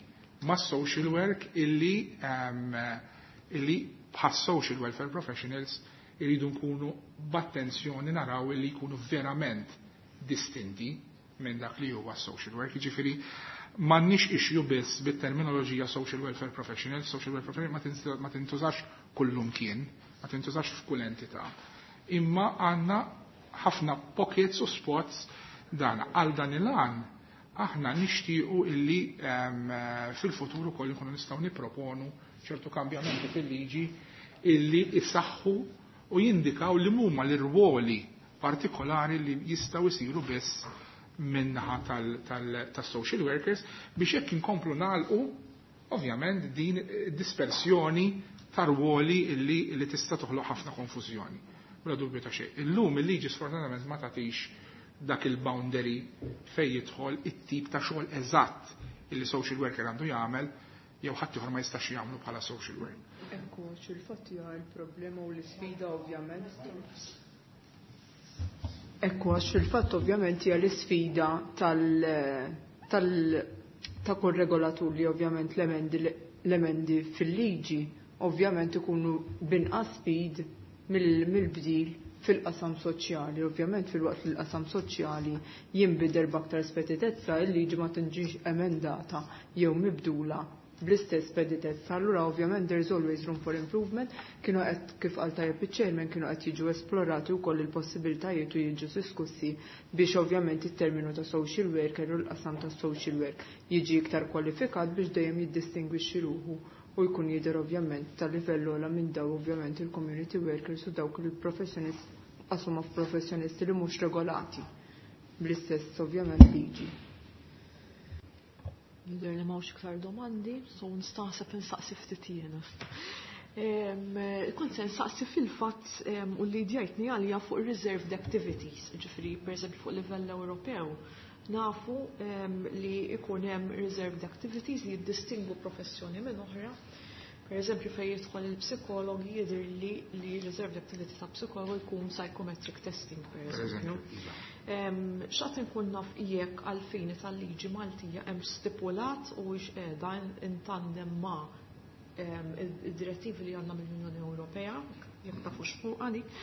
ma' social work illi bħal social welfare professionals iridu nkunu b'attenzjoni naraw illi jkunu verament distinti minn dak li huwa social work. Jiġifieri m'għandniex issue biss bit-terminoloġija social welfare professional, social welfare professional ma tintużax kullumkien, ma tintużax f'kull entità. Imma għandna ħafna pockets u spots dan. Għal dan il-għan aħna nixtiequ illi fil-futur ukoll nkunu nistgħu nipproponu ċertu kambjamenti fil-liġi illi isaħħu u jindikaw li huma l-irwoli partikolari li jistgħu jsiru biss minnaħa tal-social workers biex jekk inkomplu nagħlqu ovvjament din dispersjoni ta' rwoli illi tista' toħloq ħafna konfużjoni. Bla dubju ta' xejn. Illum il-liġi sfortunatament ma tagħtix dak il-boundary fej jidħol it-tip ta' xogħol eżatt illi social worker għandu jagħmel jew ħadd ieħor ma jistax jagħmlu bħala social work. Ekku, fil-fatt hija l-problema u l-isfida ovvjament. Ekku, għax fil-fatt ovvjament hija l-isfida tal, tal ta' kull regolatur li ovvjament l-emendi fil-liġi ovvjament ikunu binqas speed mill-bdil fil-qasam soċjali. Ovvjament fil-waqt li l-qasam soċjali jinbidel b'aktar speditezza, il-liġi ma tinġix emendata jew mibdula bl-istess speditezza. Allura ovvjament there is always room for improvement. Kienu qed, kif qal tajjeb iċ-chairman, kienu qed jiġu esplorati wkoll il-possibiltajiet u jiġu diskussi biex ovvjament it-terminu ta' social worker u l-qasam ta' social work jiġi iktar kwalifikat biex dejjem jiddistingwixxi ruħu u jkun jidher ovvjament ta' livell ogħla minn daw ovvjament il-community workers u dawk il-professjonist qasuma professjonisti li mhux regolati bl-istess ovvjament liġi. Jidher li m'hawnx iktar domandi, so nistaħseb insaqsi ftit jiena. Kont se nsaqsi fil-fatt u li djajtni għalija fuq reserved activities, ġifieri pereżempju fuq livell Ewropew nafu li ikun hemm reserved activities li jiddistingwu professjoni minn oħra. Per eżempju, fejn jidħol il-psikologi jidher li reserved activity ta' psikologu jkun psychometric testing, per eżempju. Xtaqt nkun naf jekk għal-fini tal-liġi Maltija hemm stipulat u qiegħda in tandem ma' id-direttivi li għandna mill-Unjoni Ewropea, jekk tafux fuq għalik.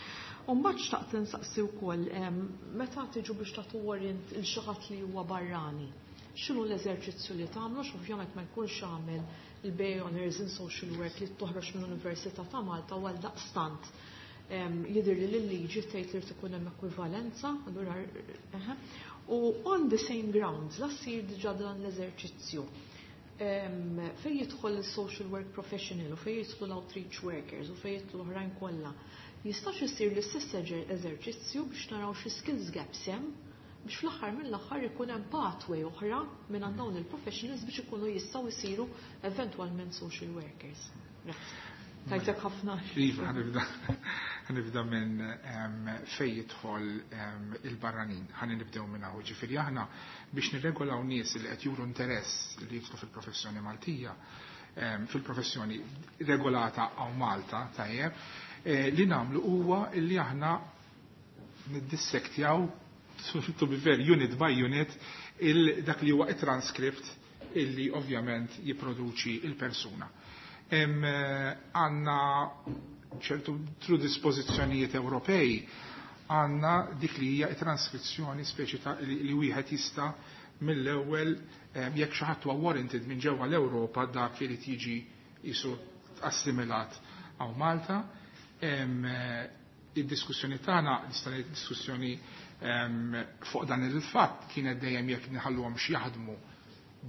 U mbagħad xtaqt insaqsi wkoll meta tiġu biex tagħtu warrant lil xi ħadd li huwa barrani. X'inhu l-eżerċizzju li tagħmlu? Ovvjament ma jkunx għamel il-BA Honors in Social Work li toħroġ mill-Università ta' Malta u għal daqstant jidher li l-liġi tgħid li tkun hemm ekwivalenza, allura u on the same grounds, la ssir diġà dan l-eżerċizzju. Fej jidħol il-social work professional u fej jidħol l-outreach workers u fej jidħol oħrajn kollha, jistax isir l-istess eżerċizzju biex naraw xi skills gaps hemm biex fl-aħħar mill-aħħar ikun hemm pathway oħra minn għand dawn il-professionals biex ikunu jistgħu jsiru eventwalment social workers? Grazzi. Tajtek ħafna. Iva, ħa nibda minn fej jidħol il-barranin. Ħa nibdew minn hawn. Ġifieri aħna biex nirregolaw nies li qed juru interess li jidħlu fil-professjoni Maltija, fil-professjoni regolata hawn Malta, tajjeb, li nagħmlu huwa li aħna niddissektjaw, to be fair, unit by unit, dak li huwa it-transcript illi ovvjament jipproduċi il-persuna. Għandna ċertu tru dispożizzjonijiet Ewropej, għandna dik li hija transkrizzjoni speċi ta' li wieħed jista' mill-ewwel jekk xi ħadd huwa warranted minn ġewwa l-Ewropa, dak irid jiġi jisu assimilat hawn Malta. Id-diskussjoni tagħna, nista' ngħid diskussjoni fuq dan il-fatt, kienet dejjem jekk nħalluhom jaħdmu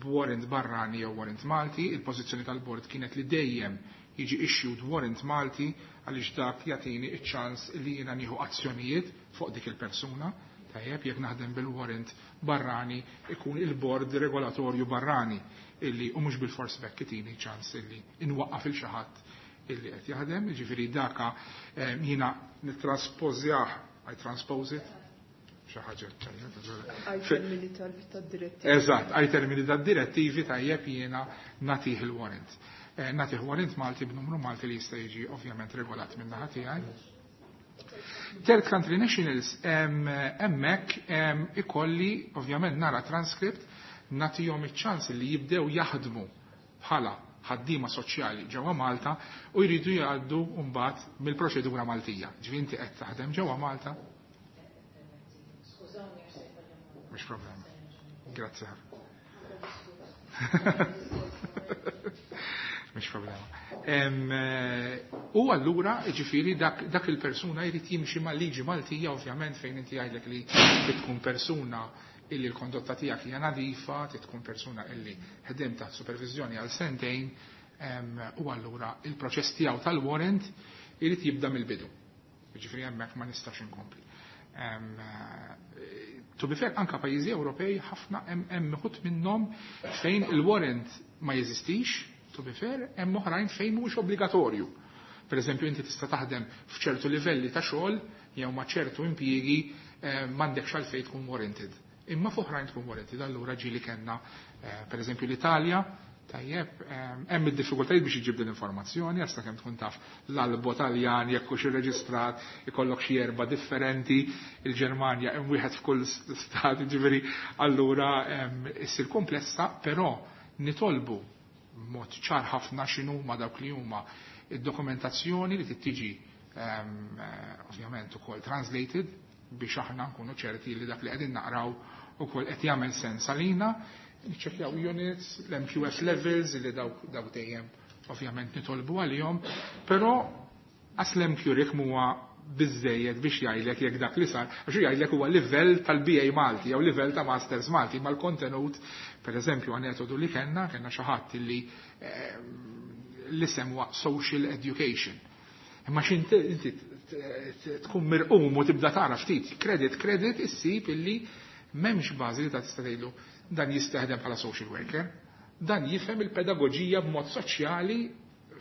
b'warrant barrani jew warrant Malti. Il-pożizzjoni tal-bord kienet li dejjem jiġi issued warrant Malti, għaliex dak jagħtini iċ-ċans li jiena nieħu azzjonijiet fuq dik il-persuna. Tajjeb, jekk naħdem bil-warrant barrani, ikun il-bord regolatorju barrani illi u mhux bil-fors bekk itini ċans illi inwaqqaf il xi ħadd illi qed jaħdem, jiġifieri daka jiena nittraspożjah, I transpose it, xi ħaġa. Ai termini tad-direttivi. Eżatt, ai termini tad-direttivi, tajjeb, jiena nagħtih il-warrant. Nagħtih warrant Malti b'numru Malti li jista' jiġi ovvjament regolat minn naħa tiegħi. Third country nationals, hemmhekk ikolli ovvjament nara transcript, nagħtihom iċ-ċans li jibdew jaħdmu bħala ħaddiema soċjali ġewwa Malta u jridu jgħaddu mbagħad mill-proċedura Maltija. Ġifieri inti qed taħdem ġewwa Malta. Mhux problema. Grazzi ħafna. Mhux problema. U allura, ġifieri, dak il-persuna jrid jimxi mal-liġi Maltija, ovvjament, fejn inti jgħidlek li tkun persuna illi l-kondotta tiegħek hija nadifa, tkun persuna illi ħdem taħt supervizjoni għal sentejn, u allura il-proċess tiegħu tal-warrant irid jibda mill-bidu. Ġifieri hemmhekk ma nistax inkompli. To be fair, anka pajjiżi Ewropej ħafna hemm uħud minnhom fejn il-warrant ma jeżistix, to be fair, hemm oħrajn fejn mhuwiex obbligatorju. Per eżempju, inti tista' taħdem f'ċertu livelli ta' xogħol jew ma' ċertu impjiegi, m'għandekx għalfejn tkun warranted. Imma f'oħrajn tkun warranted, allura ġieli kellna, per eżempju, l-Italja, tajjeb, hemm id-diffikultajiet biex iġib din l-informazzjoni, għax kemm tkun taf l-albo Taljan jekk hux irreġistrat, ikollok xi erba' differenti, il-Ġermanja hemm wieħed f'kull stat, ġifieri allura issir komplessa, però nitolbu mod ċar ħafna x'inhu ma dawk li huma id-dokumentazzjoni li tiġi ovvjament ukoll translated biex aħna nkunu ċerti li dak li qegħdin naqraw ukoll qed jagħmel sens għalina. Niċċekkjaw units, l-MQF levels li dawk dejjem ovvjament nitolbu għalihom, però għas l-MQRIC huwa biżejjed biex jgħidlek jekk dak li sar, għax jgħidlek huwa livell tal-BA Malti jew livell ta' Masters Malti, ma l-kontenut, per eżempju, metodu li kellna xi ħadd li l-isem huwa Social Education. Imma x'inti inti tkun mirqum u tibda tara ftit credit credit, issib illi m'hemmx bażi li ta' tista' tgħidlu dan jistaħdem bħala social worker, dan jifhem il-pedagogija b'mod soċjali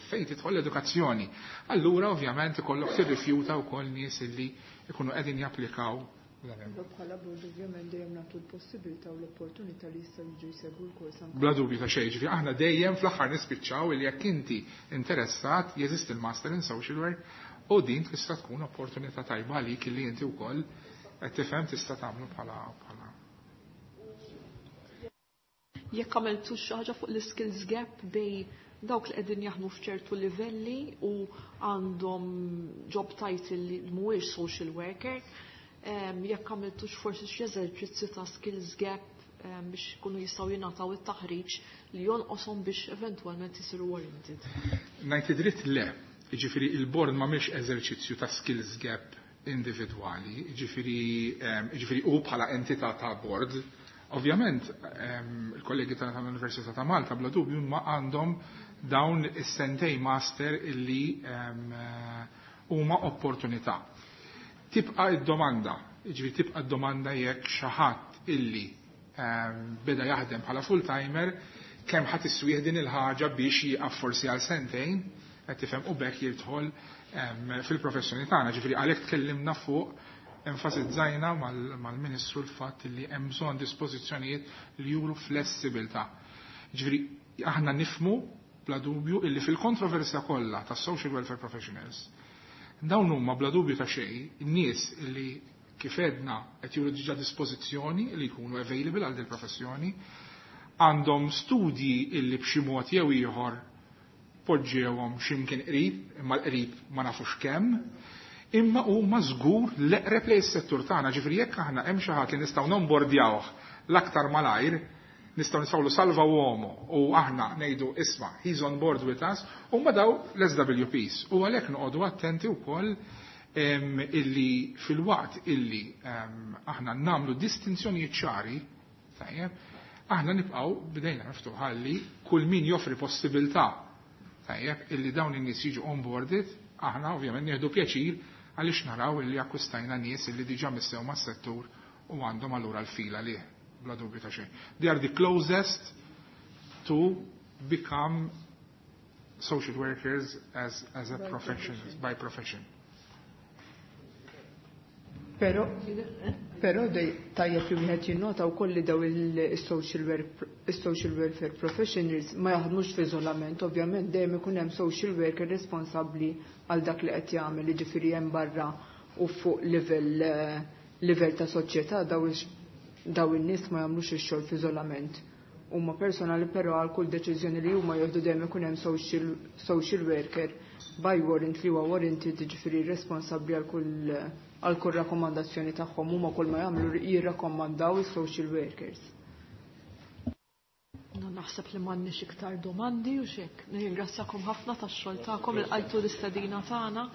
fejn tidħol l-edukazzjoni. Allura ovvjament ikollok tirrifjuta wkoll nies illi ikunu qegħdin japplikaw. Bħala bord ovvjament dejjem nagħtu l-possibilità u l-opportunità li jistgħu jiġu jsegwu l-kors anke. Bla dubju ta' xejn, ġifieri aħna dejjem fl-aħħar nispiċċaw li jekk inti interessat jeżisti il-Master in Social Work u din tista' tkun opportunità tajba għalik li inti wkoll qed tifhem tista' tagħmlu bħala Jekk għamiltu xi ħaġa fuq l-skills gap bejn dawk li qegħdin jaħdmu f'ċertu livelli u għandhom job title li mhuwiex social worker, jekk għamiltux forsi xi eżerċizzju ta' skills gap biex kunu jistgħu jingħataw it-taħriġ li jonqoshom biex eventwalment isiru warranted. Ngħid dritt, le, jiġifieri il-board m'għamilx eżerċizzju ta' skills gap individwali, jiġifieri u bħala entità ta' board. Ovvjament, il-kollegi tal-Università ta' Malta bla dubju ma għandhom dawn is-sentej master illi huma opportunità. Tibqa' id-domanda, jiġifieri tibqa' id-domanda jekk xi ħadd illi beda jaħdem bħala full-timer kemm ħadd iswieħ din il-ħaġa biex jieqaf forsi għal sentejn, qed tifhem, u bekk jidħol fil-professjoni tagħna. Ġifieri għalhekk tkellimna fuq, enfasizzajna mal-Ministru l-fatt li hemm bżonn dispożizzjonijiet li juru flessibilità. Ġifieri aħna nifmu bla dubju illi fil-kontroversja kollha tas social welfare professionals, dawn huma bla dubju ta' xejn nies illi, kif edna, qed juru diġà dispożizzjoni li jkunu available għal din professjoni, għandhom studji illi b'xi mod jew ieħor poġġewhom x'imkien qrib, imma l-qrib ma nafux kemm, imma huma żgur l-eqreb lejn is-settur tagħna, ġifieri jekk aħna hemm xi ħadd li nistgħu nombordjawh. l-aktar malajr nistgħu nisawlu salva uomo u aħna ngħidu isma' he's on board with us u ma daw l-SWPs. U għalhekk noqogħdu attenti wkoll illi fil-waqt illi aħna nagħmlu distinzjonijiet ċari, tajjeb, aħna nibqgħu bdejna miftuħa li kull min joffri possibilità tajjeb illi dawn in-nies jiġu onboarded, aħna ovvjament nieħdu pjaċir għaliex naraw illi akkwistajna nies illi diġà missew mas-settur u għandhom allura l-fila lih, bla dubju ta' xejn. They are the closest to become social workers as a profession, by profession. Pero, pero tajjeb li wieħed jinnota wkoll li daw il-social work social welfare professionals ma jaħdmux f'iżolament, ovvjament dejjem ikun hemm social worker responsabbli għal dak li qed jagħmel, jiġifieri hemm barra u fuq livell livell ta' soċjetà daw in-nies ma jagħmlux ix-xogħol f'iżolament. Huma personali però għal kull deċiżjoni li huma jieħdu dejjem ikun hemm social worker by warrant li huwa warranted, jiġifieri responsabbli għal kull rakkomandazzjoni tagħhom. Huma kull ma jagħmlu jirrakkomandaw is-social workers. No, naħseb li m'għandniex iktar domandi u xek. Nirringrazzjakom ħafna tax-xogħol tagħkom, il-qaltu l-istedina tagħna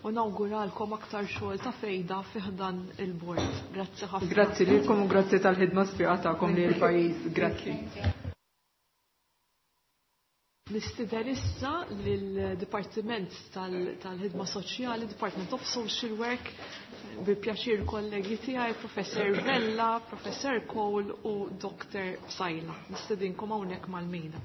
u nawguralkom aktar xogħol ta' fejda fi ħdan il-bord. Grazzi ħafna. Grazzi lilkom u grazzi tal-ħidma sfiqa tagħkom lil pajjiż. Grazzi. Nistieden issa lill-Dipartiment tal-Ħidma Soċjali, Department of Social Work, bi pjaċir kollegi tiegħi, Professor Vella, Professor Cole u Dr. Sajla. Nistedinkom hawnhekk mal-mejda.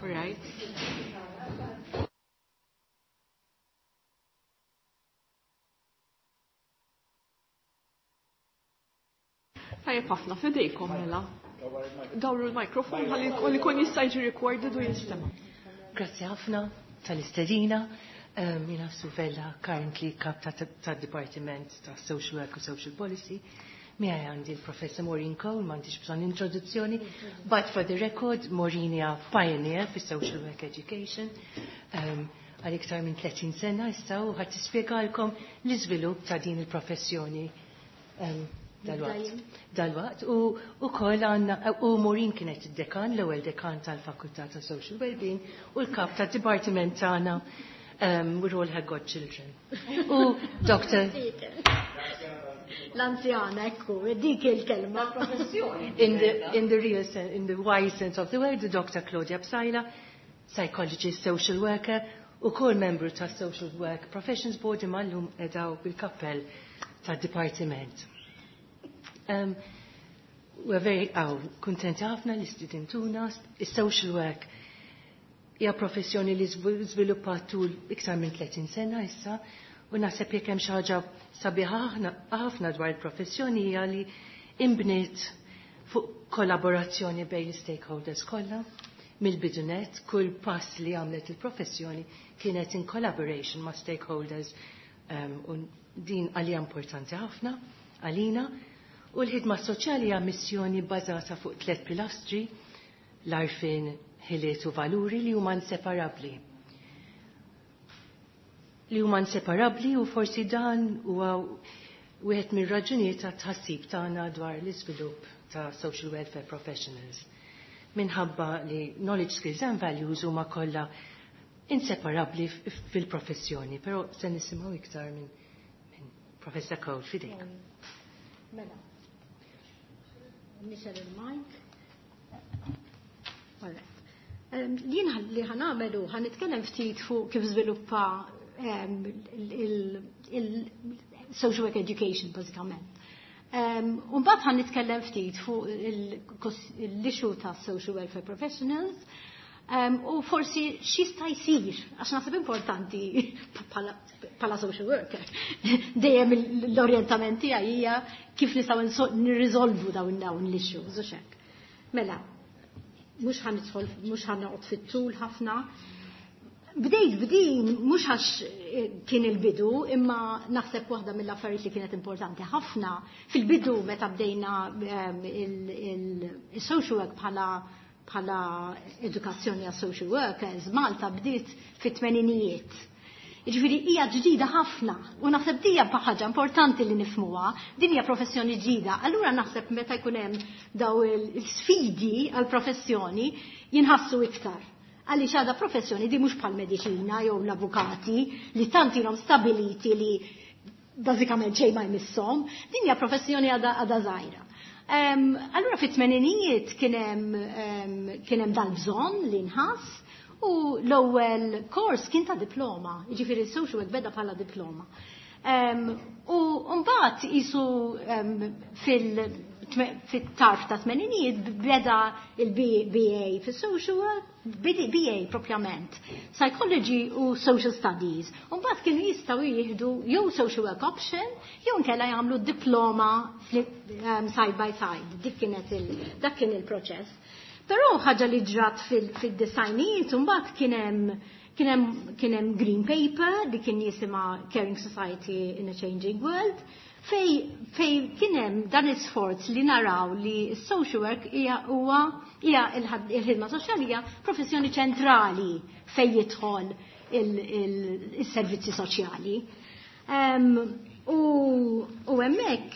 Right. Tajjeb ħafna, fidejkom mela. Dawru l-mikrofon ħalli jkun jista' jiġi recorded u jinstema'. Grazzi ħafna tal-istedina. Jiena Sue Vella, currently kap ta' Departiment ta' Social Work u Social Policy. Miegħi għandi l-Professor Maureen Cole, m'għandix bżonn introduzzjoni, but for the record, Maureen hija pioneer fi social work education. Għal iktar minn 30 sena issa u ħa tispjegalkom l-iżvilupp ta' din il-professjoni dalwaqt. Dalwaqt u ukoll għandna u Maureen kienet id-dekan, l-ewwel dekan tal-Fakultà ta' Social Wellbeing u l-kap ta' dipartiment tagħna. We're all her godchildren. U Dr. L-anzjana, ekku, dik il-kelma. In the real sense, in the wide sense of the word, the Dr. Claudia Psaila, psychologist, social worker, u kol membru ta' Social Work Professions Board imma llum qegħda bil-kappell ta' Departiment. We're very kuntenti ħafna li stidintuna, is-social work hija professjoni li żviluppat tul iktar minn 30 sena issa u naħseb jekk hemm xi ħaġa sabiħa ħafna dwar il-professjoni hija li imbniet fuq kollaborazzjoni bejn l-stakeholders kollha mill-bidunet, kull pass li għamlet il-professjoni kienet in collaboration ma' stakeholders u din għalija importanti ħafna għalina. U l-ħidma soċjali hija missjoni bbażata fuq tliet pilastri: l-għarfien, ħiliet u valuri li huma inseparabbli. Li huma inseparabbli u forsi dan huwa wieħed mir-raġunijiet ta' tħassib tagħna dwar l-iżvilupp ta' social welfare professionals. minħabba li knowledge, skills and values huma kollha inseparabbli fil-professjoni, però se nisimgħu iktar minn Professor Cole f'idejk. Mela. Nixgħel il-mic. All right. Jien li ħa nagħmlu ħa nitkellem ftit fuq kif żviluppa il-social work education bażikament. Mbagħad ħa nitkellem ftit fuq l-issue ta' social welfare professionals u forsi x'jista' jsir, għax naħseb importanti bħala social worker. Dejjem l-orjentament tiegħi hija kif nistgħu nirriżolvu dawn l-issues u hekk. Mela, mhux ħa nidħol, mhux ħa noqgħod fit-tul ħafna. Bdejt b'din mhux għax kien il-bidu, imma naħseb waħda mill-affarijiet li kienet importanti ħafna fil-bidu meta bdejna il-social work bħala edukazzjoni għas social workers, Malta bdiet fit-tmeninijiet. Jiġifieri hija ġdida ħafna u naħseb dija ħaġa importanti li nifhmuha, din hija professjoni ġdida. Allura naħseb meta jkun hemm daw il-sfidi għal professjoni jinħassu iktar. Għaliex għadha professjoni di mhux bħal mediċina jew l-avukati li tant ilhom stabiliti li bażikament xejn ma jmisshom, din hija professjoni għadha żgħira. Allura fit-tmeninijiet kien hemm dal-bżonn li nħass u l-ewwel kors kien ta' diploma, jiġifieri social work beda bħala diploma. U mbagħad isu fit-tarf ta' tmeninijiet beda il-BA fis-social work, BA propjament, Psychology u Social Studies. U mbagħad kienu jistgħu jieħdu jew social work option jew nkella jagħmlu diploma side by side. Dik kienet il, dak kien il-proċess. Però ħaġa li ġrat fid-disgħinijiet mbagħad kien hemm green paper li kien jisimha Caring Society in a Changing World fej kien hemm dan is-sforz li naraw li s-social work hija il-ħidma soċjali hija professjoni ċentrali fej jidħol il-servizzi soċjali. U hemmhekk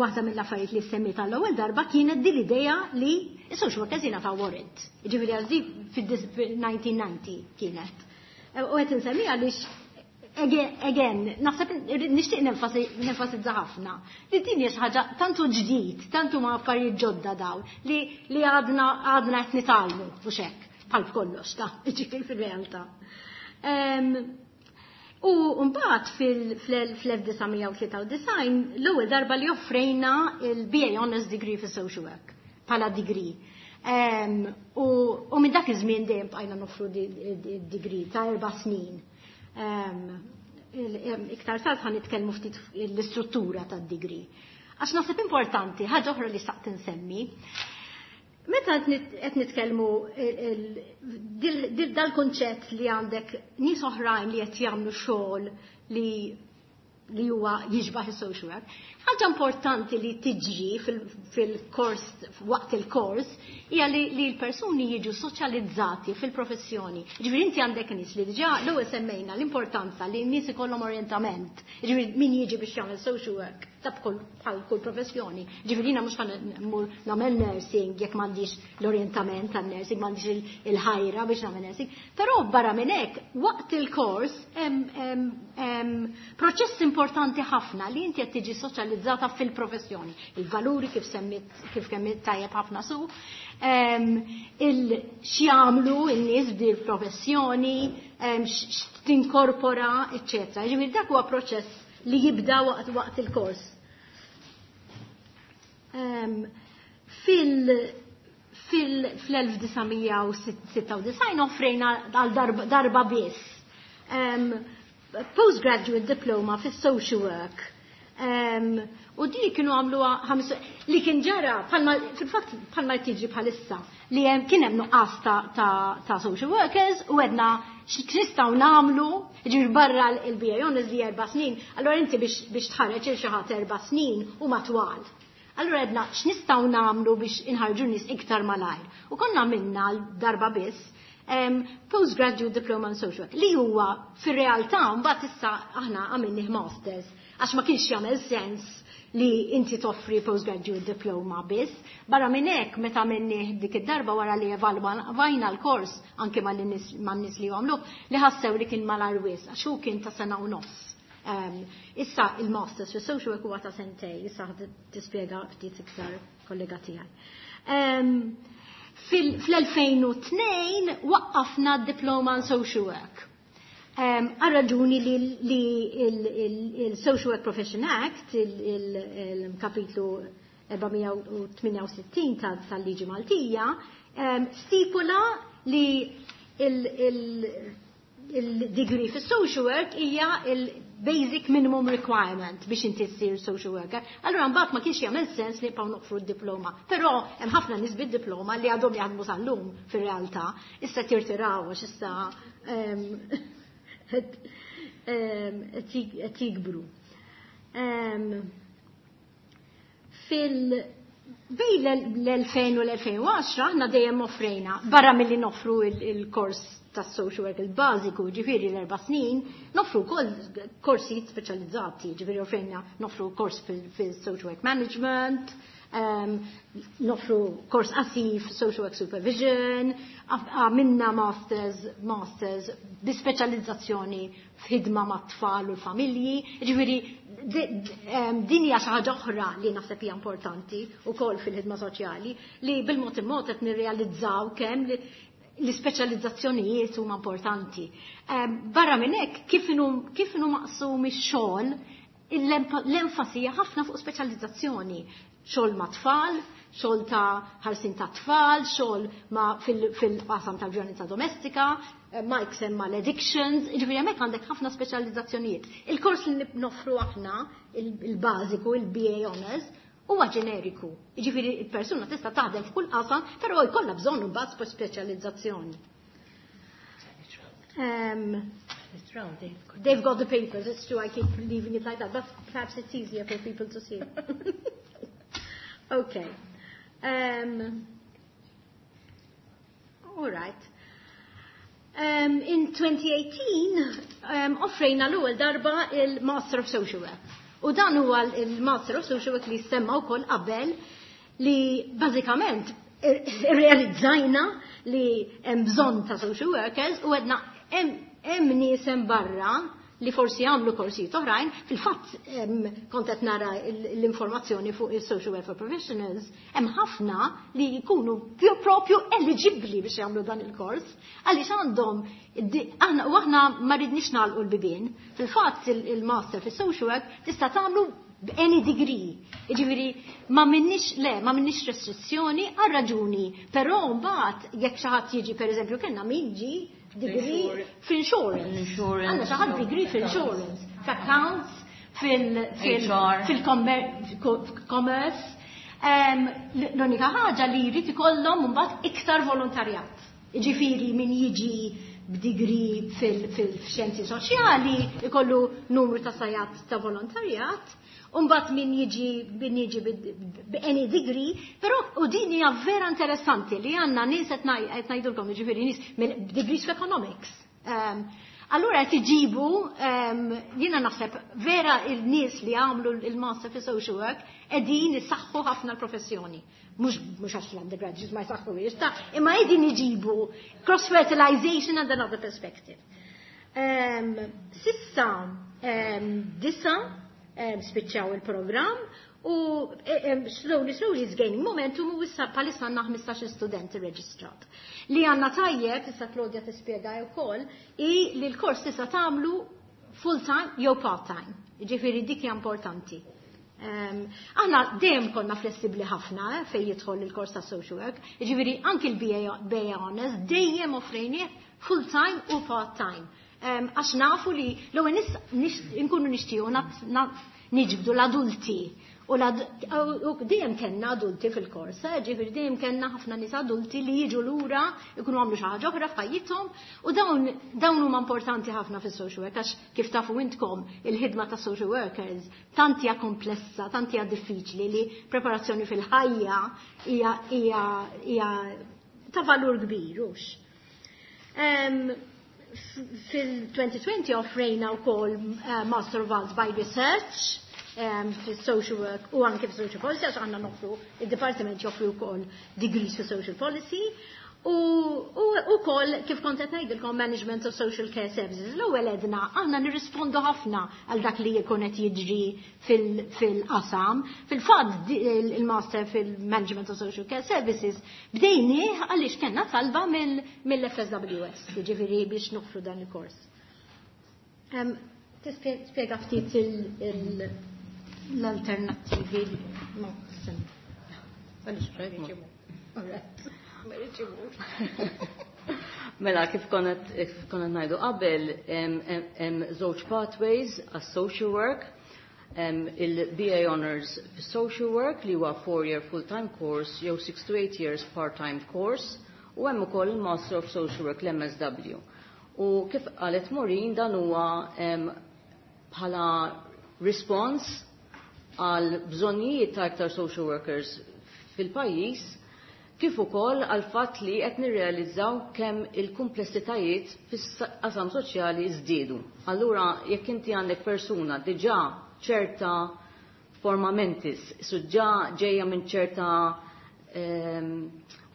waħda mill-affarijiet li semmiet għall-ewwel darba kienet din l-idea li s-social workers jingħataw warrant. Ġifieri għal fil-1990 kienet. U qed insemmi għaliex again, naħseb nixtieq nenfasizza ħafna li din hija xi ħaġa tantu ġdid, tantu ma affarijiet ġodda dawn li għadna qed nitgħallmu u hekk bħal kollox ta' ġifieri fil-realtà. U mbagħad fil-1993 l-ewwel darba li offrejna il-BA Honours Degree fi Social Work bħala degree. U minn dak iż-żmien dejjem bqajna noffru degree ta' 4 snin. Iktar tard ħa nitkellmu ftit l-istruttura tad-degree. Għax naħseb importanti, ħaġa oħra li xtaqt insemmi. Meta qed nitkellmu dal-konċett li għandek nies oħrajn li qed jagħmlu xogħol li huwa jiġbaħ is-social work. Ħaġa importanti li tiġri fil-kors, waqt il-kors, hija li l-persuni jiġu soċjalizzati fil-professjoni. Ġifieri inti għandek nies li diġà l-ewwel semmejna l-importanza li n-nies ikollhom orientament. Ġifieri min jiġi biex jagħmel social work ta' bħal kull professjoni. Ġifieri jiena mhux ħa mmur nagħmel nursing jekk m'għandix l-orientament tan-nursing, m'għandix il-ħajra biex nagħmel nursing. Però barra minn hekk, waqt il-kors hemm proċess importanti ħafna li inti qed tiġi soċjalizzata fil-professjoni. Il-valuri kif semmit kif kemm tajjeb ħafna su, il x'jagħmlu n-nies b'dil professjoni, x'tinkorpora, eċċetera. Ġifieri dak huwa proċess li jibda waqt il-kors. Fil-1996 offrejna għal darba biss postgraduate diploma fis social work. U di kienu għamlu li kien ġara fil-fatt bħalma tiġi bħalissa li kien hemm nuqqas ta' social workers u għedna x'nistgħu nagħmlu ġir barra l-BA Honours li 4 snin, allora inti biex tħarreġ il xi ħadd 4 snin u matwal. Allora għedna x'nistgħu nagħmlu biex inħarġu nies iktar malajr. U konna minna darba biss postgraduate diploma in social work li huwa fir-realtà mbagħad issa aħna għamilnih masters. Għax ma kienx jagħmel sens li inti toffri postgraduate diploma biss. Barra minn hekk meta minni dik id-darba wara li evalwajna l-kors anke man-nies li għamlu li ħassew li kien malajr wisq għax hu kien ta' sena u nofs. Issa il-masters fis social work huwa ta' sentejn, issa tispjega ftit iktar kollega tiegħi. Fl-2002 waqqafna d-diploma in social work. Għal raġuni li il-Social Work Profession Act, il-kapitlu 468 tal-liġi Maltija, stipula li il-degree fis social work hija il-basic minimum requirement biex inti ssir social worker. Allura mbagħad ma kienx jagħmel sens li nibqgħu noffru d-diploma. Però hemm ħafna nies bid-diploma li għadhom jaħdmu sal-lum fir-realtà. Issa tirtiraw għax issa qed jikbru. Bejn l-2000 u l-2010 aħna dejjem offrejna, barra milli noffru il-kors tas social work il-bażiku, ġifieri l-4 snin, noffru wkoll korsijiet speċjalizzati, ġifieri offrejna noffru kors fil-social work management, noffru kors qasir social work supervision, għamilna masters bi speċjalizzazzjoni f'ħidma ma' tfal u l-familji, ġifieri din hija xi ħaġa oħra li naħseb hija importanti wkoll fil-ħidma soċjali li bil-mod il-mod qed nirrealizzaw kemm li l-ispeċjalizzazzjonijiet huma importanti. Barra minn hekk kif inhu maqsum ix-xogħol, l-enfasi hija ħafna fuq speċjalizzazzjoni. Xogħol ma' tfal, xogħol ta' ħarsin ta' tfal, xogħol ma' fil-qasam tal-vjolenza domestika, Mike semma l-addictions, ġifieri hemmhekk għandek ħafna speċjalizzazzjonijiet. Il-kors li noffru aħna, il-bażiku, il-BA Honors, huwa ġeneriku. Ġifieri il-persuna tista' taħdem f'kull qasam, però jkollha bżonn imbagħad speċjalizzazzjoni. They've got the papers, it's true, I keep leaving it like that, but perhaps it's easier for people to see. Okay. All right. In 2018, offrejna l-ewwel darba il-Master of Social Work. U dan huwa il-Master of Social Work li semma wkoll qabel li bażikament irrealizzajna li hemm bżonn ta' social workers u għedna hemm nies hemm barra li forsi għamlu korsijiet oħrajn, fil-fatt kont qed nara l-informazzjoni fuq il-social welfare professionals, hemm ħafna li jkunu propju eligibli biex jagħmlu dan il-kors, għaliex għandhom aħna u aħna ma ridniex nagħlqu l-bibien. Fil-fatt il-master fis-social work tista' tagħmlu b'any degree. Jiġifieri ma minnix le, ma minnix restrizzjoni għal raġuni, però mbagħad jekk xi ħadd jiġi, pereżempju kellna min ġie degree f'insurance. Għandna xi ħadd degree f'insurance, f'accounts, fil-commerce. L-unika ħaġa li jrid ikollhom mbagħad iktar volontarjat. Ġifieri min jiġi b'degree fil-xjenzi soċjali ikollu numru ta' sigħat ta' volontarjat, Umbat min jiġi b'any degree, però u din hija vera interessanti li għandna nies qed ngħidulkom, jiġifieri nies degrees f'economics. Allura qed iġibu, jiena naħseb vera il-nies li għamlu il-master fi social work qegħdin isaħħu ħafna l-professjoni. Mhux għax l-undergraduates ma jsaħħu ta' imma qegħdin iġibu cross-fertilization and another perspective. S'issa 9 spiċċaw il-programm u slowly, slowly is gaining momentum u issa bħalissa għandna 15 studenti reġistrat. Li għandna tajjeb, issa Claudia tispjega wkoll, i li l-kors tista' tagħmlu full time jew part time. Ġifieri dik hija importanti. Aħna dejjem konna flessibbli ħafna fejn jidħol il-kors ta' social work, ġifieri anki l-BA Honors dejjem offrejnieh full time u part time. Għax nafu li l-ewwel nkunu nixtiequ niġbdu l-adulti. U dejjem kellna adulti fil-kors, ġifieri dejjem kellna ħafna nies adulti li jiġu lura, ikunu għamlu xi ħaġa oħra f'ħajjithom, u dawn huma importanti ħafna fis-social work, għax kif tafu intkom il-ħidma ta' social workers tant hija komplessa, tant hija diffiċli li preparazzjoni fil-ħajja hija ta' valur kbir, hux. Fil-2020 offrejna wkoll Master of Arts by Research fil-social work u anke fil-social policy, għax għandna noffru, il-Departiment joffri wkoll degrees fil social policy. U wkoll kif kont qed ngħidilkom, Management of Social Care Services. L-ewwel edna aħna nirrispondu ħafna għal dak li jkun qed jiġri fil-qasam. Fil-fatt il-Master fil-Management of Social Care Services bdejnieh għaliex kellna talba mill-FSWS, jiġifieri biex noffru dan il-kors. Tispjega ftit l-alternattivi. No, All right. Mela, kif konna ngħidu qabel, hemm żewġ pathways għas social work, il-BA Honors Social Work li huwa 4-year full-time course jew 6 to 8 years part-time course, u hemm ukoll il-Master of Social Work, l-MSW. U kif qalet Maureen, dan huwa bħala response għal bżonnijiet ta' aktar social workers fil-pajjiż, kif ukoll għal fatt li qed nirrealizzaw kemm il-kumplessitajiet fis-qasam soċjali żdiedu. Allura jekk inti għandek persuna diġà ċerta forma mentis, suġġa ġejja minn ċerta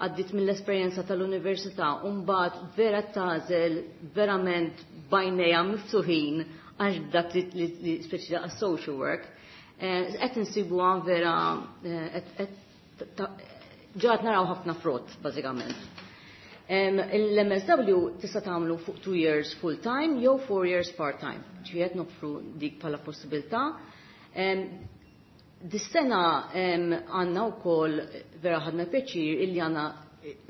għaddit mill-esperjenza tal-università u mbagħad vera tagħżel verament b'għajnejha miftuħin għax dak li speċi għas social work, qed insibuha vera ġat naraw ħafna frott, bażikament. Il-MSW tista' tagħmlu fuq 2 years full time jew 4 years part time. Ġifieri noffru dik bħala possibilità. Dis-sena għandna wkoll, vera ħadna pjaċir illi għandna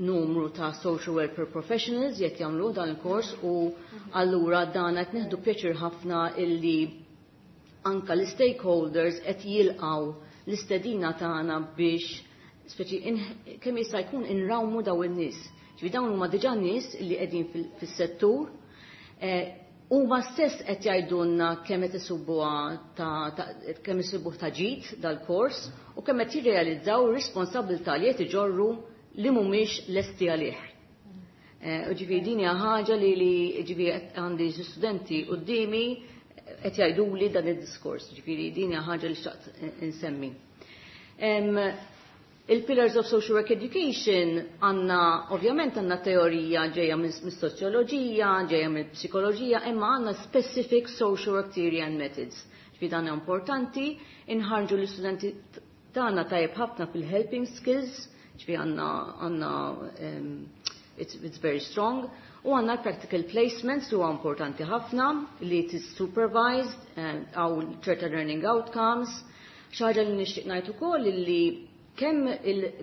numru ta' social welfare professionals qed jagħmlu dan il-kors, u allura dan qed nieħdu pjaċir ħafna illi anka l-stakeholders qed jilqaw l-istedina tagħna biex speċi kemm jista' jkun inrawmu daw in-nies. Ġifi dawn huma diġà nies li qegħdin fis-settur, huma stess qed jgħidulna kemm qed isibuha ta' kemm isibuh ta' ġid dal-kors u kemm qed jirrealizzaw ir-responsabilità li qed iġorru li mhumiex lesti għalih. U ġifieri din hija ħaġa li ġifieri għandi studenti quddiemi qed jgħiduli dan id-diskors, ġifieri din hija ħaġa li xtaqt insemmi. Il-Pillars of Social Work Education għandna, ovvjament għandna teorija ġeja mis-soċjoloġija, ġeja mill-psikoloġija, imma għandna specific social work theory and methods. Ġifieri dan importanti, inħarġu l-istudenti tagħna tajjeb ħafna fil-helping skills, ġifieri għandna it's very strong. U għandna practical placements li huwa importanti ħafna li it is supervised għaw ċerta learning outcomes. Xi ħaġa li nixtieq ngħid ukoll li kemm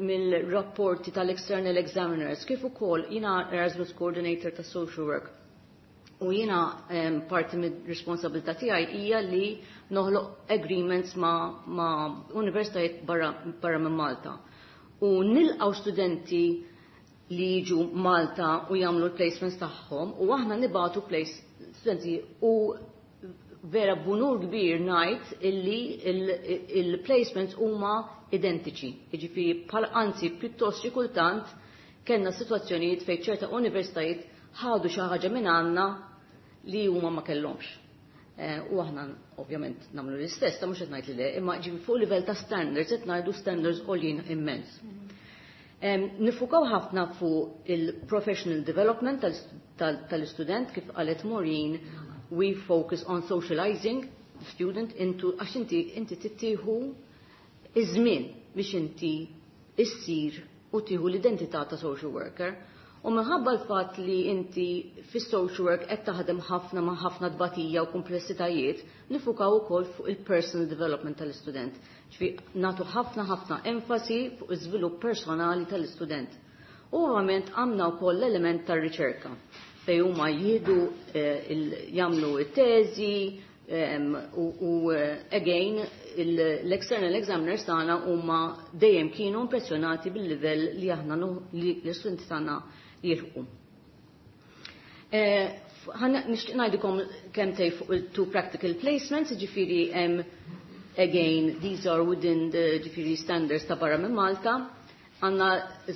mill-rapporti tal-external examiners kif ukoll jiena Erasmus Coordinator ta' Social Work u jiena parti mid-responsabilità tiegħi hija li noħloq agreements ma universitajiet barra minn Malta. U nilqgħu studenti li jiġu Malta u jagħmlu l-placements tagħhom u aħna nibagħtu place studenti, u vera b'unur kbir ngħid illi il-placements huma identiċi. Jiġifieri bħal anzi pjuttost xi kultant kellna sitwazzjonijiet fejn ċerta universitajiet ħadu xi ħaġa minn għandna li huma ma kellhomx. U aħna ovvjament nagħmlu l-istess, ta' mhux qed ngħid li le, imma ġifieri fuq livell ta' standards qed ngħidu standards għoljin immens. Niffukaw ħafna fuq il-professional development tal-istudent. Kif qalet Maureen, we focus on socializing the student into, għax inti tittieħu iż-żmien biex inti issir u tieħu l-identità ta' social worker. U minħabba l-fatt li inti fis-social work qed taħdem ħafna ma' ħafna tbatija u komplessitajiet, niffukaw ukoll fuq il-personal development tal-istudent. Ġifi nagħtu ħafna ħafna enfasi fuq iż-żvilupp personali tal-istudent. U ovvjament għandna wkoll l-element tar-riċerka fejn huma jieħdu jagħmlu it-teżi u again l-external examiners tagħna huma dejjem kienu impressjonati bil-livell li aħna li l-istudenti tagħna jilħqu. Nixtieq ngħidilkom kelmtejn fuq il-two practical placements, ġifieri again these are within the ġifieri standards ta' barra minn Malta. Għandna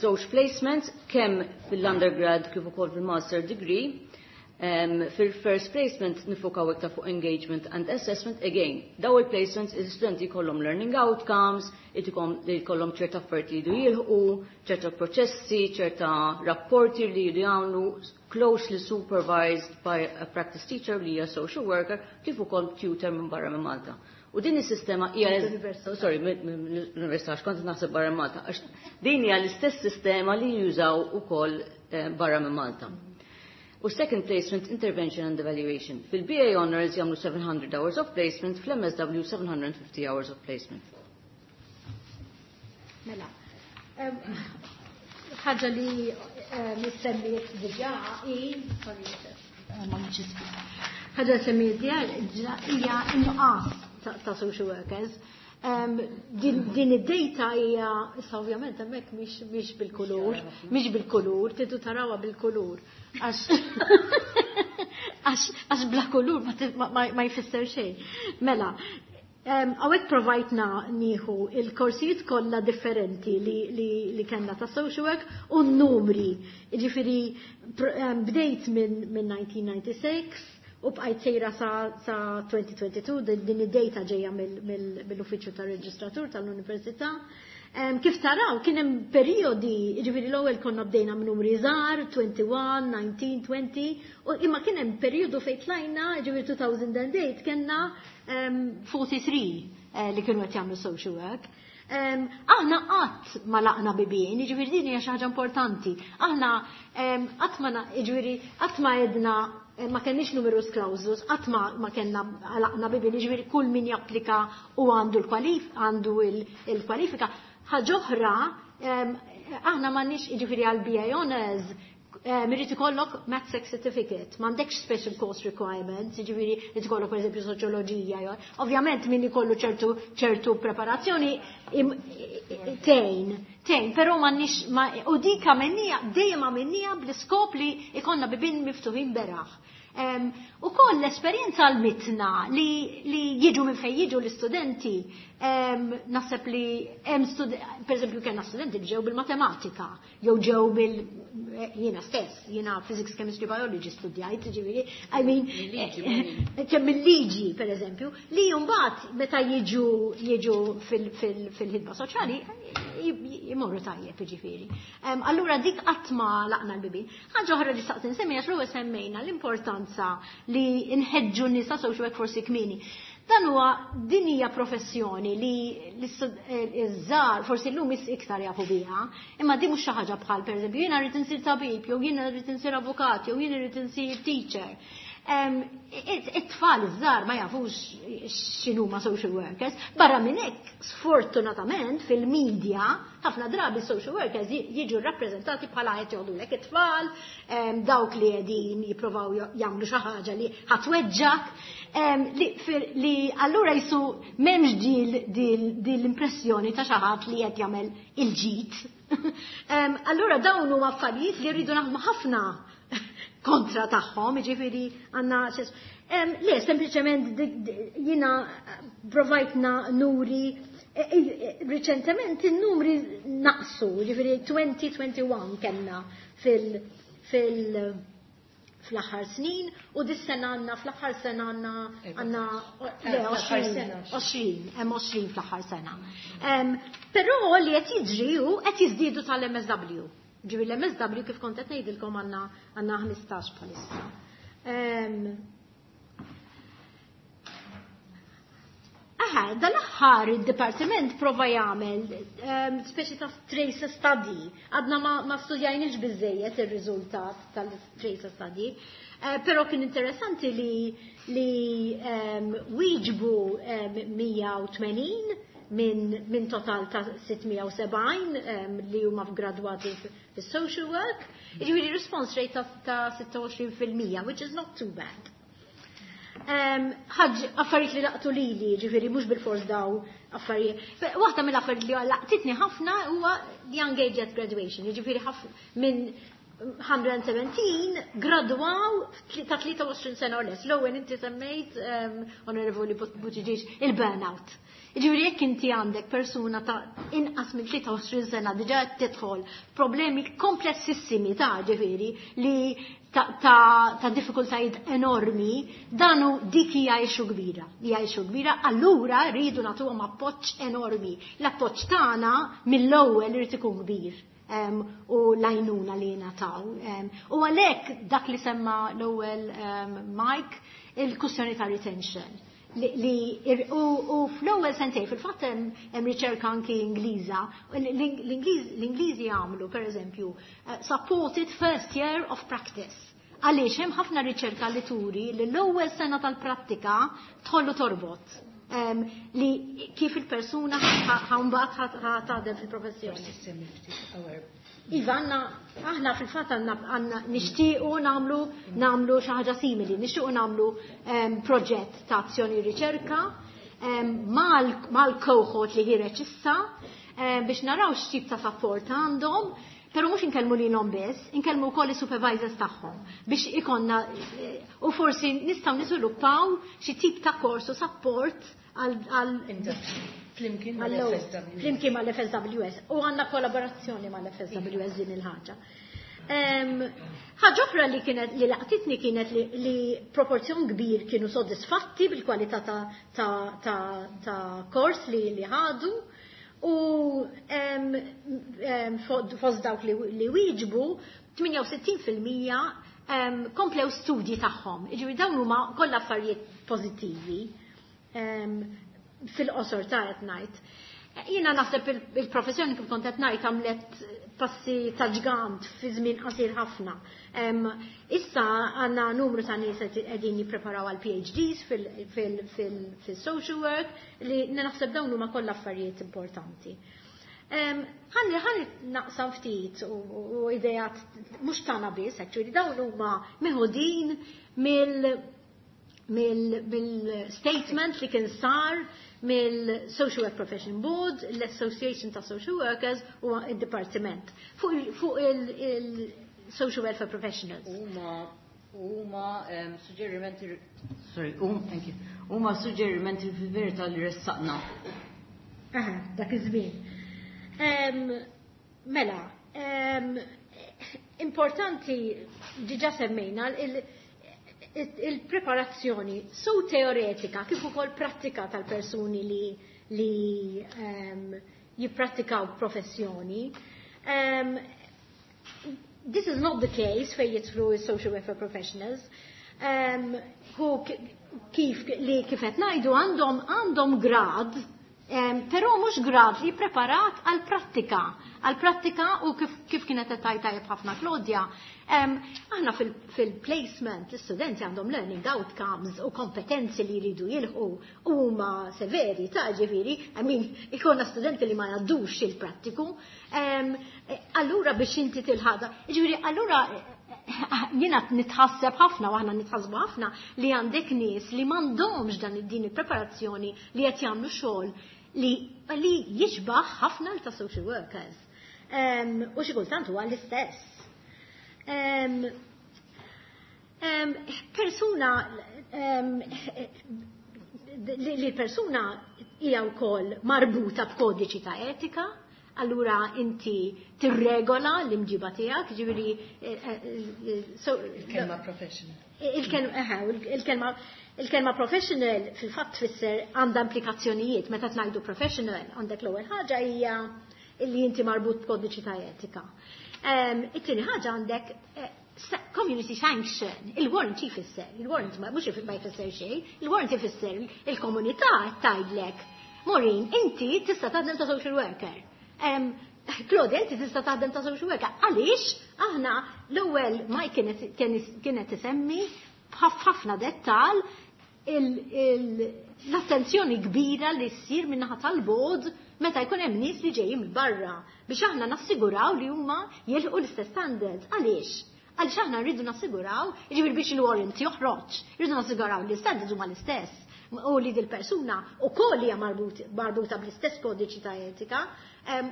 żewġ placements kemm fil-undergrad kif ukoll fil-master degree. Fil-first placement nifokaw iktar fuq engagement and assessment. Again, daw il-placements il-studenti jkollhom learning outcomes, li jkollhom ċerta affarijiet li jridu jilħqu, ċerta proċessi, ċerta rapporti li jridu jagħmlu closely supervised by a practice teacher li hija social worker kif ukoll tutor minn barra minn Malta. U din is-sistema hija, sorry, mill-università, għax kont naħseb barra minn Malta, għax din hija l-istess sistema li jużaw ukoll barra minn Malta. U second placement, intervention and evaluation. Fil-BA Honors jagħmlu 700 hours of placement, fl-MSW 750 hours of placement. Mela, ħaġa li semmiet diġà hi, sorry, ma ħaġa semmiet diġà hija n-nuqqas ta' social workers. Din id-data hija, issa ovvjament hemmhekk mhix bil-kulur, mhix bil-kulur, tridu tarawha bil-kulur. Għax bla kulur ma jfisser xejn. Mela, hawnhekk provajtna nieħu il-korsijiet kollha differenti li kellna ta' social work u n-numri. Ġifieri bdejt minn 1996 u bqajt sejra sa 2022, din id-data ġejja mill-Uffiċċju tar-Reġistratur tal-Università. Kif taraw, kien hemm perjodi, ġifieri l-ewwel konna bdejna minn numri żgħar, 21, 19, 20, u imma kien hemm perjodu fejn tlajna, ġifieri 2008 kellna 43 li kienu qed jagħmlu social work. Aħna qatt ma għalaqna bibien, ġifieri din hija xi ħaġa importanti. Aħna qatt ma, ġifieri qatt ma għedna, ma kenniex numerus clausus, qatt ma kellna għalaqna bibien, ġifieri kull min japplika u għandu il-kwalifika. Ħaġa oħra, aħna m'għandniex, ġifieri għal BA Honors, irid ikollok MATSEC certificate, m'għandekx special course requirements, ġifieri irid ikollok pereżempju soċjoloġija. Ovvjament min ikollu ċertu preparazzjoni tgħin, però m'għandniex, u dik għamilnieha, dejjem għamilnieha bl-iskop li ikollna bibien miftuħin beraħ. U koll l-esperjenza għallmitna li jiġu minn fejn jiġu l-istudenti, naħseb li hemm, per eżempju, kellna studenti li ġew bil-matematika, jew ġew bil jiena stess, jiena physics, chemistry, biology studjajt, ġifieri, I mean, kemm il-liġi, per eżempju, li mbagħad meta jiġu fil-ħidma soċjali jmorru tajjeb, ġifieri. Allura dik qatt ma għalaqna l-bibien. Ħaġa oħra li xtaqt insemmi, għax l-ewwel semmejna l-importanza li nħeġġu n-nisa social work forsi kmieni. Dan huwa din hija professjoni li iż-żgħar forsi llum iktar jafu biha, imma di mhux xi ħaġa bħal, pereżempju, jiena rrid insir tabib, jew jiena rrid insir avukat, jew jiena rrid insir teacher. It-tfal iż-żgħar ma jafux x'inhuma social workers. Barra minn hekk, sfortunatament fil-medja ħafna drabi social workers jiġu rappreżentati bħala qed joħdulek it-tfal, dawk li qegħdin jippruvaw jagħmlu xi ħaġa li ħa tweġġgħek, li allura jisu m'hemmx dil l-impressjoni ta' xi ħadd li qed jagħmel il-ġid. Allura dawn huma affarijiet li rridu naħdmu ħafna kontra tagħhom, ġifieri għandna. Le, sempliċement jiena provajtna nuri riċentement il-numri naqsu, ġifieri 2021 kellna fil fl-aħħar snin u dis-sena għandna, fl-aħħar sena għandna, le, 20, 20, hemm 20 fl-aħħar sena. Però li qed jiġri hu qed jiżdiedu tal-MSW. Ġifieri l-MSW, kif kont qed ngħidilkom, għandna 15 bħalissa. Aha, dal-aħħar il-dipartiment prova jagħmel speċi ta' trace study. Għadna ma studjajniex biżejjed ir-riżultat tal-trace study. Però kien interessanti li wieġbu 180 minn total ta' 670 li huma gradwati fis-social work. Jiġifieri response rate ta' 26%, which is not too bad. Ħaġ affarijiet li laqtu lili, ġifieri mhux bil-fors daw affarijiet. Waħda mill-affarijiet li laqtitni ħafna huwa young age at graduation, ġifieri minn 117 gradwaw ta' 23 sena u less. L-ewwel inti semmejt, Onorevoli Buttigieg, il-burnout. Ġifieri jekk inti għandek persuna ta' inqas minn 23 sena diġà qed tidħol problemi komplessissimi ta' ġifieri li ta' diffikultajiet enormi, danu dik hija issue kbira. Hija issue kbira, allura rridu nagħtuhom appoġġ enormi. L-appoġġ tagħna mill-ewwel irid ikun kbir. U l-għajnuna li nataw. U għalhekk dak li semma l-ewwel Mike, il-kwistjoni ta' retention. Li, u fl-ewwel sentej, fil-fatt hemm riċerka anki Ingliża, l-Ingliżi jagħmlu pereżempju supported first year of practice. Għaliex hemm ħafna riċerka li turi li l-ewwel sena tal-prattika tħollu torbot. Li kif il-persuna mbagħad taħdem fil-professjoni. Iva, aħna fil-fatt għandna nixtiequ nagħmlu xi ħaġa simili, nixtiequ nagħmlu proġett ta' azzjoni riċerka mal-cohort li ħireġ issa biex naraw x'tip ta' support għandhom, però mhux inkellmu lilhom biss, inkellmu wkoll is-supervisors tagħhom biex ikonna u forsi nistgħu niżviluppaw xi tip ta' kors u support għal Flimkien mal-FSWS. Flimkien mal-FSWS. U għandna kollaborazzjoni mal-FSWS din il-ħaġa. Ħaġa oħra li kienet li laqtitni kienet li proporzjon kbir kienu soddisfatti bil-kwalità ta' kors li ħadu u fost dawk li wieġbu 68% komplew studji tagħhom. Jiġifieri dawn huma kollha affarijiet pożittivi fil-qosor ta' qed ngħid. Jiena naħseb il-professjoni kif kont qed ngħid għamlet passi ta' ġgant fi żmien qasir ħafna. Issa għandna numru ta' nies qegħdin jippreparaw għal PhDs fil-social work li naħseb dawn huma kollha affarijiet importanti. Ħalli naqsam ftit u idejat mhux tagħna biss, actually dawn huma meħudin mill-statement li kien sar mill-Social Work Profession Board, l-Association ta' Social Workers u il-Departiment fuq il-Social Welfare Professionals. Huma suġġerimenti, sorry, thank you. Huma suġġerimenti fil-verità li ressaqna. Aha, dak iż-żmien. Mela, importanti diġà semmejna il-preparazzjoni su teoretika kif ukoll prattika tal-persuni li jipprattikaw professjoni. This is not the case fejn jidħlu social welfare professionals. Hu kif li kif qed ngħidu għandhom grad, però mhux grad li preparat għal prattika. Għal prattika u kif kienet qed tgħid tajjeb ħafna Claudia, aħna fil-placement l-istudenti għandhom learning outcomes u kompetenzi li jridu jilħqu u huma severi ta' ġifieri, I mean, ikollna studenti li ma jgħaddux il-prattiku. Allura biex inti tilħaqha, ġifieri allura jiena nitħasseb ħafna u aħna nitħassbu ħafna li għandek nies li m'għandhomx dan din il-preparazzjoni li qed jagħmlu xogħol li jixbaħ ħafna ta' social workers. U xi kultant huwa l-istess. Persuna li persuna hija wkoll marbuta b'kodiċi ta' etika, allura inti tirregola l-imġiba tiegħek, ġifieri Il-kelma professional. Il-kelma professional fil-fatt tfisser għandha implikazzjonijiet. Meta tgħidu professional għandek l-ewwel ħaġa hija li inti marbut b'kodiċi ta' etika. It-tieni ħaġa għandek community sanction, il-warrant jfisser, il-warrant mhux ma jfisser xejn, il-warrant jfisser il-komunità tgħidlek, Maureen, inti tista' taħdem ta' social worker. Claudia, inti tista' taħdem ta' social worker. Għaliex aħna l-ewwel ma kienet tisemmi b'ħafna dettal l-attenzjoni kbira li ssir min-naħa tal-board meta jkun hemm nies li ġejjin minn barra biex aħna nassiguraw li huma jilħqu l-istess standards. Għaliex? Għaliex aħna rridu nassiguraw, jiġifieri biex il-warrant joħroġ, rridu nassiguraw li l-standards huma l-istess. U li dil-persuna ukoll hija marbuta bl-istess kodiċi ta' etika.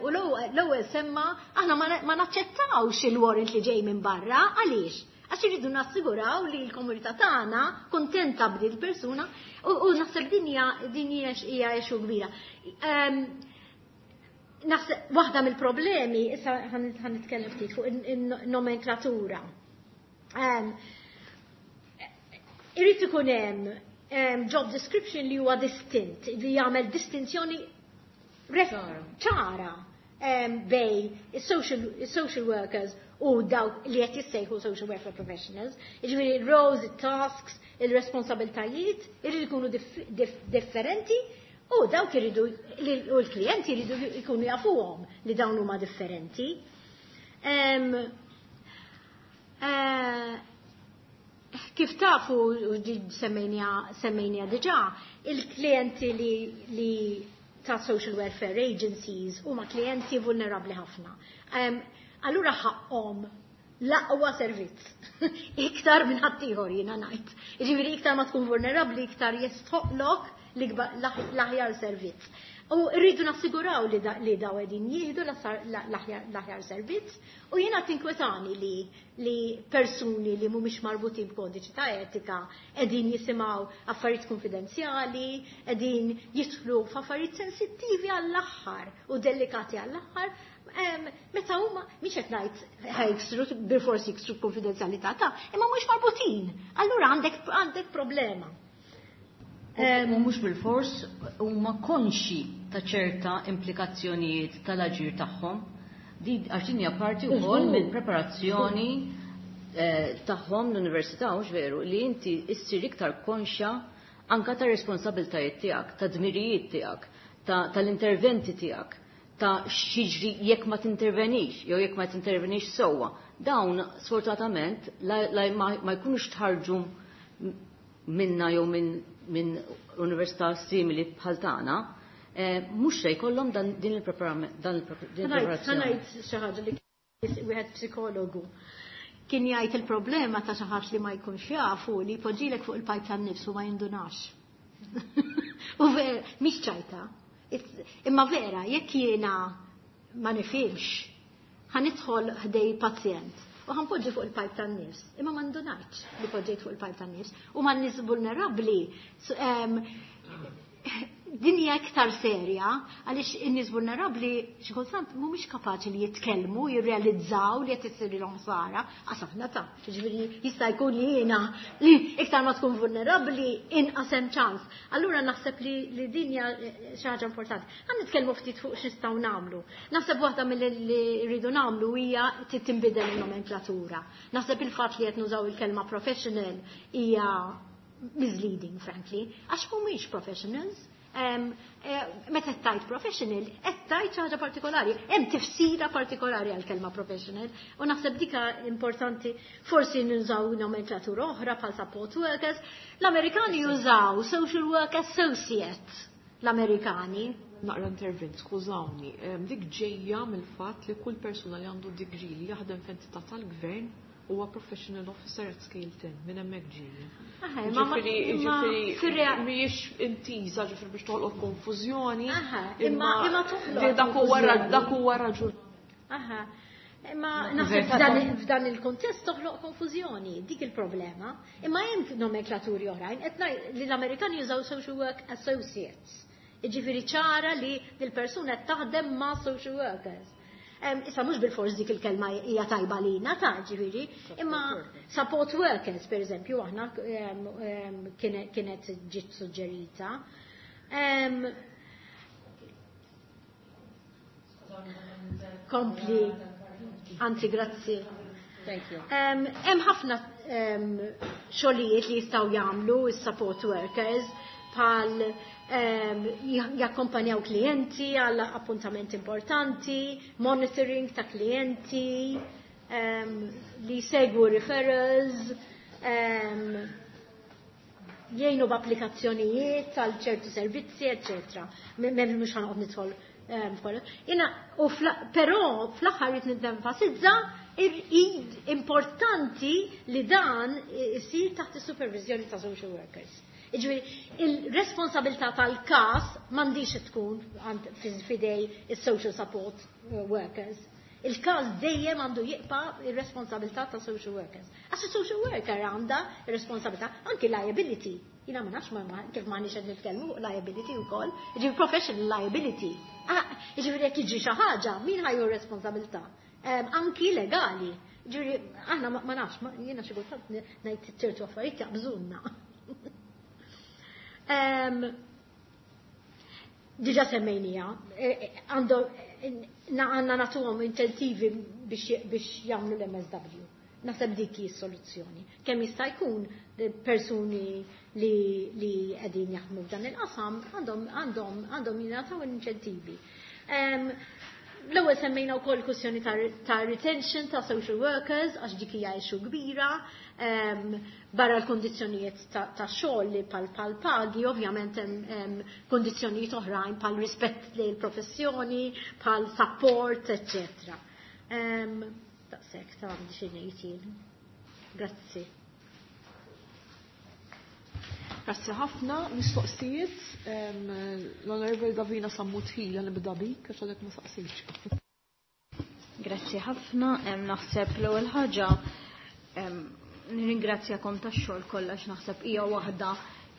U l-ewwel semma aħna ma naċċettawx il-warrant li ġej minn barra, għaliex? Għax irridu nassiguraw li l-komunità tagħna kuntenta b'din il-persuna u naħseb din hija issue kbira. Naħseb waħda mill-problemi, issa ħa nitkellem ftit fuq in-nomenklatura. Irid ikun hemm job description li huwa distint, li jagħmel distinzjoni ċara bejn is-social workers u dawk li qed jissejħu social welfare professionals. Jiġifieri il-roles, il-tasks, il-responsabiltajiet irridu jkunu differenti u dawk iridu u l-klijenti jridu jkunu jafuhom li dawn huma differenti. Kif tafu, u semmejnija diġà, il-klijenti li ta' social welfare agencies huma klijenti vulnerabli ħafna. Allura ħaqhom l-aqwa servizz. Iktar minn ħaddieħor, jiena ngħid. Jiġifieri iktar ma tkun vulnerabbli, iktar jistħoqlok l-aħjar servizz. U rridu nassiguraw li daw qegħdin jieħdu l-aħjar servizz u jiena tinkwetani li persuni li mhumiex marbutin b'kodiċi ta' etika qegħdin jisimgħu affarijiet konfidenzjali, qegħdin jidħlu f'affarijiet sensittivi għall-aħħar u delikati għall-aħħar, meta huma mhix qed ngħid ħa jiksru, bilfors jiksru konfidenzjalità ta' imma mhux marbutin. Allura għandek problema. U mhux bil-fors huma konxi ta' ċerta implikazzjonijiet tal-aġir tagħhom. Di għax din hija parti wkoll mill-preparazzjoni tagħhom l-università, hux veru, li inti issir iktar konxja anka ta' responsabiltajiet tiegħek, ta' dmirijiet tiegħek, tal-interventi tiegħek, ta' x'jiġri jekk ma tintervenix jew jekk ma tintervenix sewwa. Dawn sfortunatament ma jkunux tħarġu minna jew minn università simili bħal tagħna, mhux se jkollhom dan din il-preparazzjoni. Ħa ngħid xi ħaġa li wieħed psikologu kien jgħid: il-problema ta' xi ħadd li ma jkunx jafu li jpoġġilek fuq il-pajp tan-nifs u ma jindunax. U vera, mhix ċajta. Imma vera, jekk jiena ma nifhimx, ħa nidħol ħdejn pazjent u ħa npoġġi fuq il-pajp tan-nifs, imma ma ndunajtx li poġġejt fuq il-pajp tan-nifs u ma nies vulnerabbli din hija iktar serja, għaliex in-nies vulnerabbli xi kultant mhumiex kapaċi li jitkellmu, jirrealizzaw li qed issirilhom ħsara, għax aħna ta' jiġifieri jista' jkun li jiena li iktar ma tkun vulnerabbli inqas hemm ċans. Allura naħseb li din hija xi ħaġa importanti. Ħa nitkellmu ftit fuq x'nistgħu nagħmlu. Naħseb waħda mill li rridu nagħmlu hija tinbidel il-nomenklatura. Naħseb il-fatt li qed nużaw il-kelma professional hija misleading, frankly, għax mhumiex professionals. Meta tgħid professional, qed tgħid xi ħaġa partikolari, hemm tifsira partikolari għal kelma professional, u naħseb dika importanti. Forsi nużaw nomenklatura oħra bħal support workers. L-Amerikani jużaw social work associate, l-Amerikani. Naqra intervent, skużawni, dik ġejja mill-fatt li kull persuna li għandu degree li jaħdem f'entità tal-gvern huwa professional officer at scale 10, minn hemmhekk ġejja. Ġifieri mhijiex intiża ġifieri biex toħloq konfużjoni. Imma toħloq Dak huwa raġun. Aha. Imma naħseb f'dan il-kontest toħloq konfużjoni, dik il-problema. Imma hemm nomenklaturi oħrajn, qed ngħid li l-Amerikani jużaw social work associates. Jiġifieri ċara li dil-persuna qed taħdem ma' social workers. Issa mhux bil-fors dik il-kelma hija tajba lina ta' ġifieri, imma support workers, per eżempju, aħna kienet ġiet suġġerita. Kompli, anzi, grazzi. Thank you. Hemm ħafna xogħlijiet li jistgħu jagħmlu is-support workers, bħal jakkompanjaw klijenti għal appuntamenti importanti, monitoring ta' klijenti, li segwu referrals, jgħinu b'applikazzjonijiet għal ċertu servizzi, eccetera. Mhux ħa noqgħod nidħol f'kollox. Jiena, però fl-aħħar rrid nenfasizza importanti li dan isir taħt is-supervizjoni ta' social workers. Jiġifieri il-responsabilità tal-każ m'għandix tkun f'idej is-social support workers. Il-każ dejjem għandu jibqa' ir-responsabilità ta' social workers. Għax social worker għandha ir-responsabilità anki liability. Jiena ma nafx kif m'aħniex qed nitkellmu fuq liability wkoll. Jiġifieri professional liability. Ah, jiġifieri jekk jiġri xi ħaġa, min ħa jieħu responsabilità? Anki legali. Ġifieri aħna ma nafx, jiena xi kultant ngħid ċertu affarijiet jaqbżunna. Diġà semmejnija, għandna nagħtuhom inċentivi biex jagħmlu l-MSW. Naħseb dik hi s-soluzzjoni. Kemm jista' jkun persuni li qegħdin jaħdmu f'dan il-qasam għandhom jingħataw inċentivi. L-ewwel semmejna wkoll kwistjoni ta' retention ta' social workers għax dik hija issue kbira. Barra l-kondizzjonijiet ta' xogħol li pal pagi, ovvjament hemm kondizzjonijiet oħrajn pal rispett lejn il-professjoni, pal support, eccetera. Daqshekk ta' għandi xi ngħid jien. Grazzi. Grazzi ħafna, mistoqsijiet, l-Onorevoli Davina Sammut Hila nibda bik, għax għadek ma saqsejtx. Grazzi ħafna, naħseb l-ewwel ħaġa nirringrazzjakom tax-xogħol kollha għax naħseb hija waħda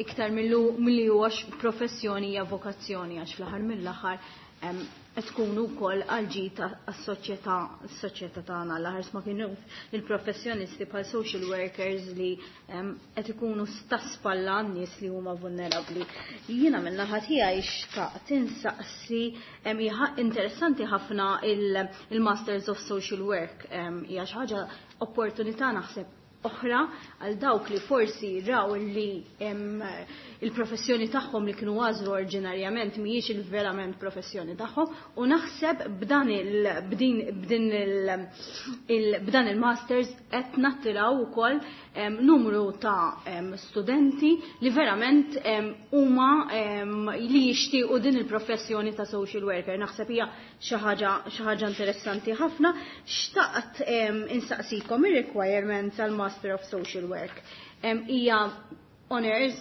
iktar milli huwa professjoni hija vokazzjoni għax fl-aħħar mill-aħħar qed tkunu wkoll għal ġid għas-soċjetà s-soċjetà tagħna l-aħħar ma kienu il-professjonisti bħal social workers li qed ikunu ta' spalla għan-nies li huma vulnerabbli. Jiena min-naħa tiegħi xtaqt insaqsi hija interessanti ħafna il-Masters of Social Work, hija xi ħaġa opportunità naħseb oħra għal dawk li forsi raw li il-professjoni tagħhom li kienu għażlu oriġinarjament mhijiex il-verament professjoni tagħhom u naħseb b'dan il b'din b'din il b'dan il-masters qed nattiraw ukoll numru ta' studenti li verament huma li jixtiequ din il-professjoni ta' social worker. Naħseb hija xi ħaġa interessanti ħafna. Xtaqt insaqsikom ir-requirements għal Master of Social Work. Hija honors,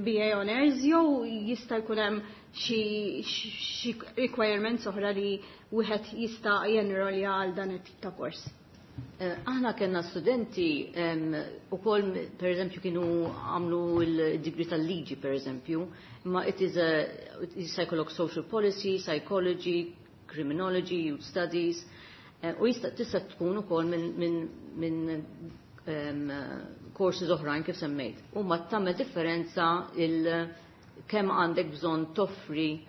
BA honors, jew jista' jkun hemm xi requirements oħra li wieħed jista' jenrolja għal dan it-tip ta' kors? Aħna kellna studenti ukoll, per eżempju, kienu għamlu l-degree tal-liġi, per eżempju, ma it is jkollok social policy, psychology, criminology, youth studies, u jista' tista' tkun ukoll minn courses oħrajn kif semmejt. U ma tagħmel differenza il kemm għandek bżonn toffri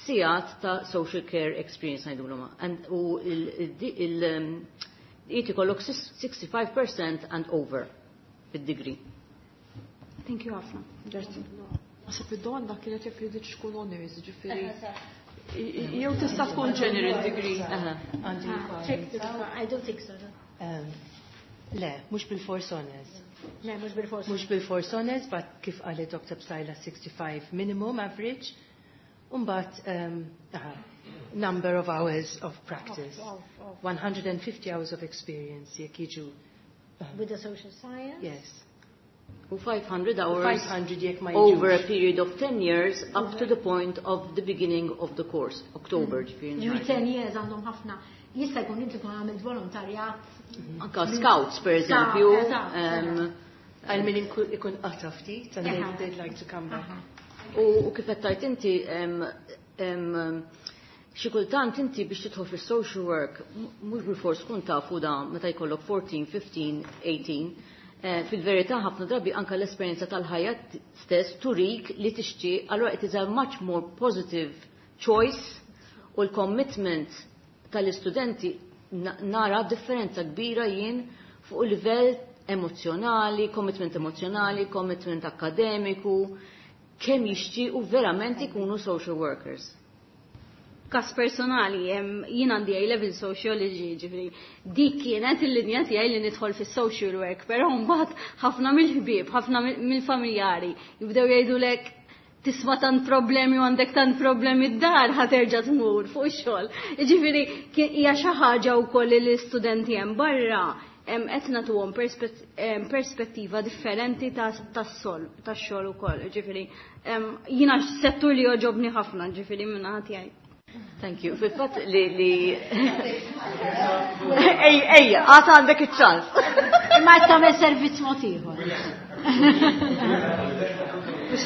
sigħat ta' social care experience ngħidulhom. U il ikollok 65% and over fid-degree. Thank you ħafna. Grazzi. Naħseb id-domanda kienet jekk jridx tkun honors, ġifieri. Jew tista' tkun general degree. I don't think so. Le, mhux bil-force honors. Le, mhux bil-force. Mhux bil-force honors, but kif qalet Dr. Psaila 65 minimum average. Umbat, number of hours of practice. Of 150 hours of experience, jekk jiġu. With the social science? Yes. U 500 hours 500 jekk ma over a jiġux. Period of 10 years up to the point of the beginning of the course, October, ġifieri. Ġifieri 10 years għandhom ħafna. Jista' jkun inti tkun għamilt volontarjat. Anka scouts, per eżempju. Għal min ikun qata ftit, and they'd like to come back. U kif qed tgħid inti, xi kultant inti biex tidħol fis-social work mhux bil-fors tkun tafu da meta jkollok 14, 15, 18. Fil-verità ħafna drabi anka l-esperjenza tal-ħajja stess turik li tixtieq, allura it is a much more positive choice u l-commitment tal-istudenti nara differenza kbira jien fuq il-livell emozjonali, commitment emozjonali, commitment akademiku, kemm jixtiequ verament ikunu social workers. Kas personali, jien għandi A-level sociology, ġifieri, dik kienet il-linja tiegħi li nidħol fis-social work, però mbagħad ħafna mill-ħbieb, ħafna mill-familjari jibdew jgħidulek tisma' tant problemi u għandek tant problemi d-dar, ħa terġa' tmur fuq ix-xogħol. Ġifieri hija xi ħaġa wkoll li l-istudenti hemm barra. Qed nagħtuhom perspettiva differenti tas-sol, tax-xogħol ukoll. Ġifieri jiena settur li jogħġobni ħafna, ġifieri minn naħa tiegħi. Thank you. Fil-fatt li Ej, ej, għata għandek iċ-ċans. Imma qed tagħmel servizz mod ieħor.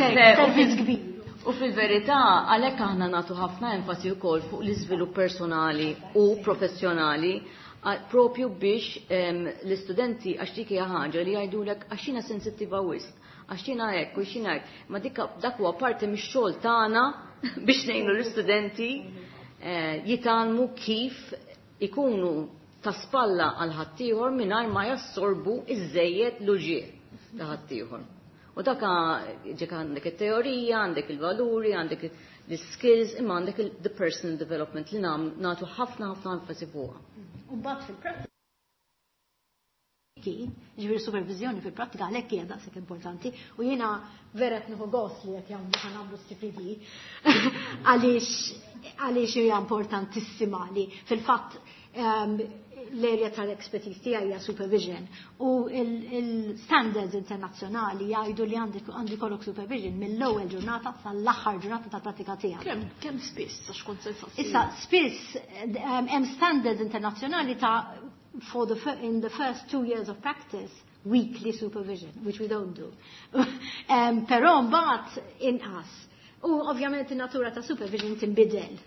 Servizz kbir. U fil-verità, għalhekk aħna nagħtu ħafna enfasi wkoll fuq l-iżvilupp personali u professjonali propju biex l-istudenti għax dik hija ħaġa li jgħidulek għax jiena sensittiva wisq, għax jiena hekk u jiena hekk. Ma dik dak huwa parti mix-xogħol tagħna biex ngħinu l-istudenti jitgħallmu kif ikunu ta' spalla għal ħaddieħor mingħajr ma jassorbu iż-żejjed l-uġigħ ta' ħaddieħor. U dak ġek għandek it-teorija, għandek il-valuri, għandek l-skills, imma għandek the personal development li nagħtu ħafna ħafna enfasi fuqha. U mbagħad fil-prattika, ġifieri supervizjoni fil-prattika għalhekk hija daqshekk importanti u jiena vera qed nieħu gost li qed jagħmlu ħa nagħmlu CPD għaliex hija importantissima li fil-fatt l-area tal-expertise tiegħi hija supervision u il-standards internazzjonali jgħidu li għandi kollok supervision mill-ewwel ġurnata sal-aħħar ġurnata tal-pratika tiegħek. Kemm spiss għax kont se nsaqsi. Issa spiss hemm standards internazzjonali ta' in the first 2 years of practice weekly supervision, which we don't do. Però mbagħad inqas. U ovvjament in-natura ta' supervision tinbidel.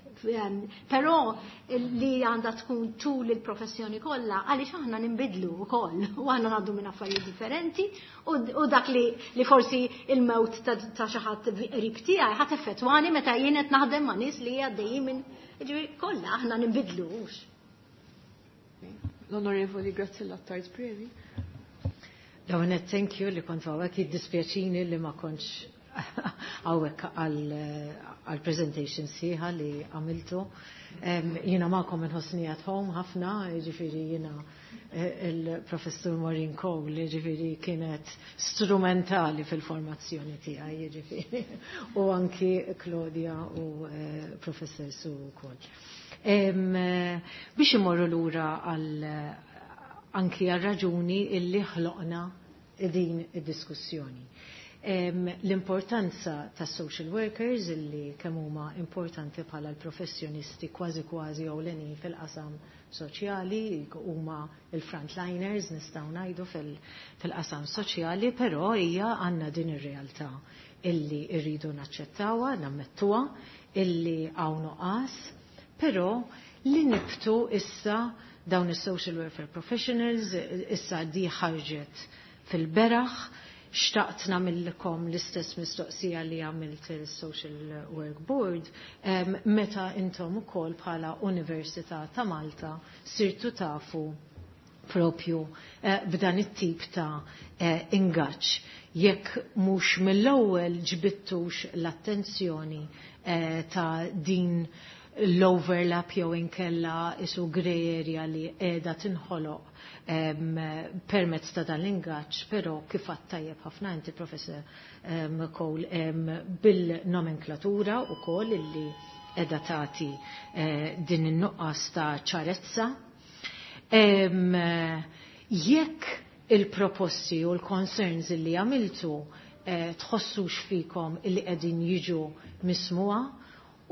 Però li għandha tkun tul il-professjoni kollha għaliex aħna ninbidlu wkoll u aħna ngħaddu minn affarijiet differenti u dak li forsi il-mewt ta' xi ħadd qrib tiegħi ħadd effettwani meta jien qed naħdem ma' nies li għaddejjin minn ġifieri kollha aħna ninbidlux. L-Onorevoli Graziella Attard Previ. Dawn thank you li kont hawnhekk, jiddispjaċini li ma kontx hawnhekk għal presentation sħiħa li għamiltu. Jiena magħkom inħossni at home ħafna, ġifieri jiena il-professur Maureen Cole, ġifieri kienet strumentali fil-formazzjoni tiegħi, ġifieri, u anki Claudia u professor Su wkoll. Biex imorru lura għal anki għal raġuni illi ħloqna din id-diskussjoni. L-importanza ta' social workers illi kemm huma importanti bħala l-professjonisti kważi kważi ewlenin fil-qasam soċjali, huma il-frontliners nistgħu ngħidu fil-qasam soċjali, però hija għandna din ir-realtà illi rridu naċċettawha, nammettuha, illi hawn nuqqas, però li nibtu issa dawn is-social welfare professionals, issa di ħarġet fil-beraħ. Xtaqt nagħmilkom l-istess mistoqsija li għamilt il-Social Work Board, meta intom ukoll bħala Università ta' Malta sirtu tafu propju b'dan it-tip ta' ingaġġ. Jekk mhux mill-ewwel ġbittux l-attenzjoni ta' din l-overlap jew inkella isu grey area li qiegħda tinħoloq permezz ta' dan l-ingaġġ, però kif għadt tajjeb ħafna inti Professor Cole bil-nomenklatura wkoll illi qiegħda tagħti din in-nuqqas ta' ċarezza. Jekk il-proposti u l-concerns illi għamiltu tħossux fikom illi qegħdin jiġu mismuha,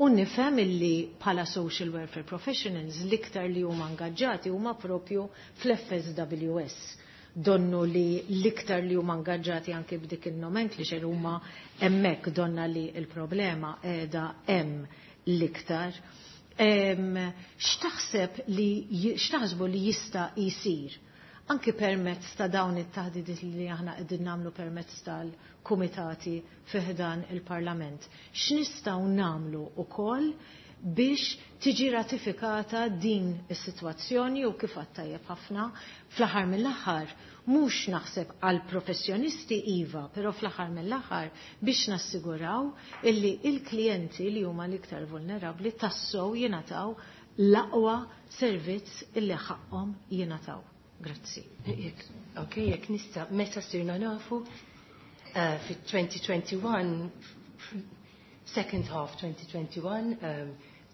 u nifhem illi bħala social welfare professionals l-iktar li huma ingaġġati huma propju fl-FSWS. Donnu li l-iktar li huma ingaġġati anke b'dik il-nomenclature huma hemmhekk, donna li l-problema qiegħda hemm l-iktar. X'taħseb li x'taħsbu li jista' jsir anki permezz ta' dawn it-taħdidiet li aħna qegħdin nagħmlu permezz tal-kumitati fi ħdan il-Parlament? X'nistgħu nagħmlu wkoll biex tiġi ratifikata din is-sitwazzjoni u kif għadt tajjeb ħafna fl-aħħar mill-aħħar mhux naħseb għal professjonisti iva, però fl-aħħar mill-aħħar biex nassiguraw illi il-klijenti li huma l-iktar vulnerabbli tassew jingħataw l-aqwa servizz illi ħaqhom jingħataw. Grazzi. Ok, jekk nista', meta sirna nafu fit-2021, second half 2021,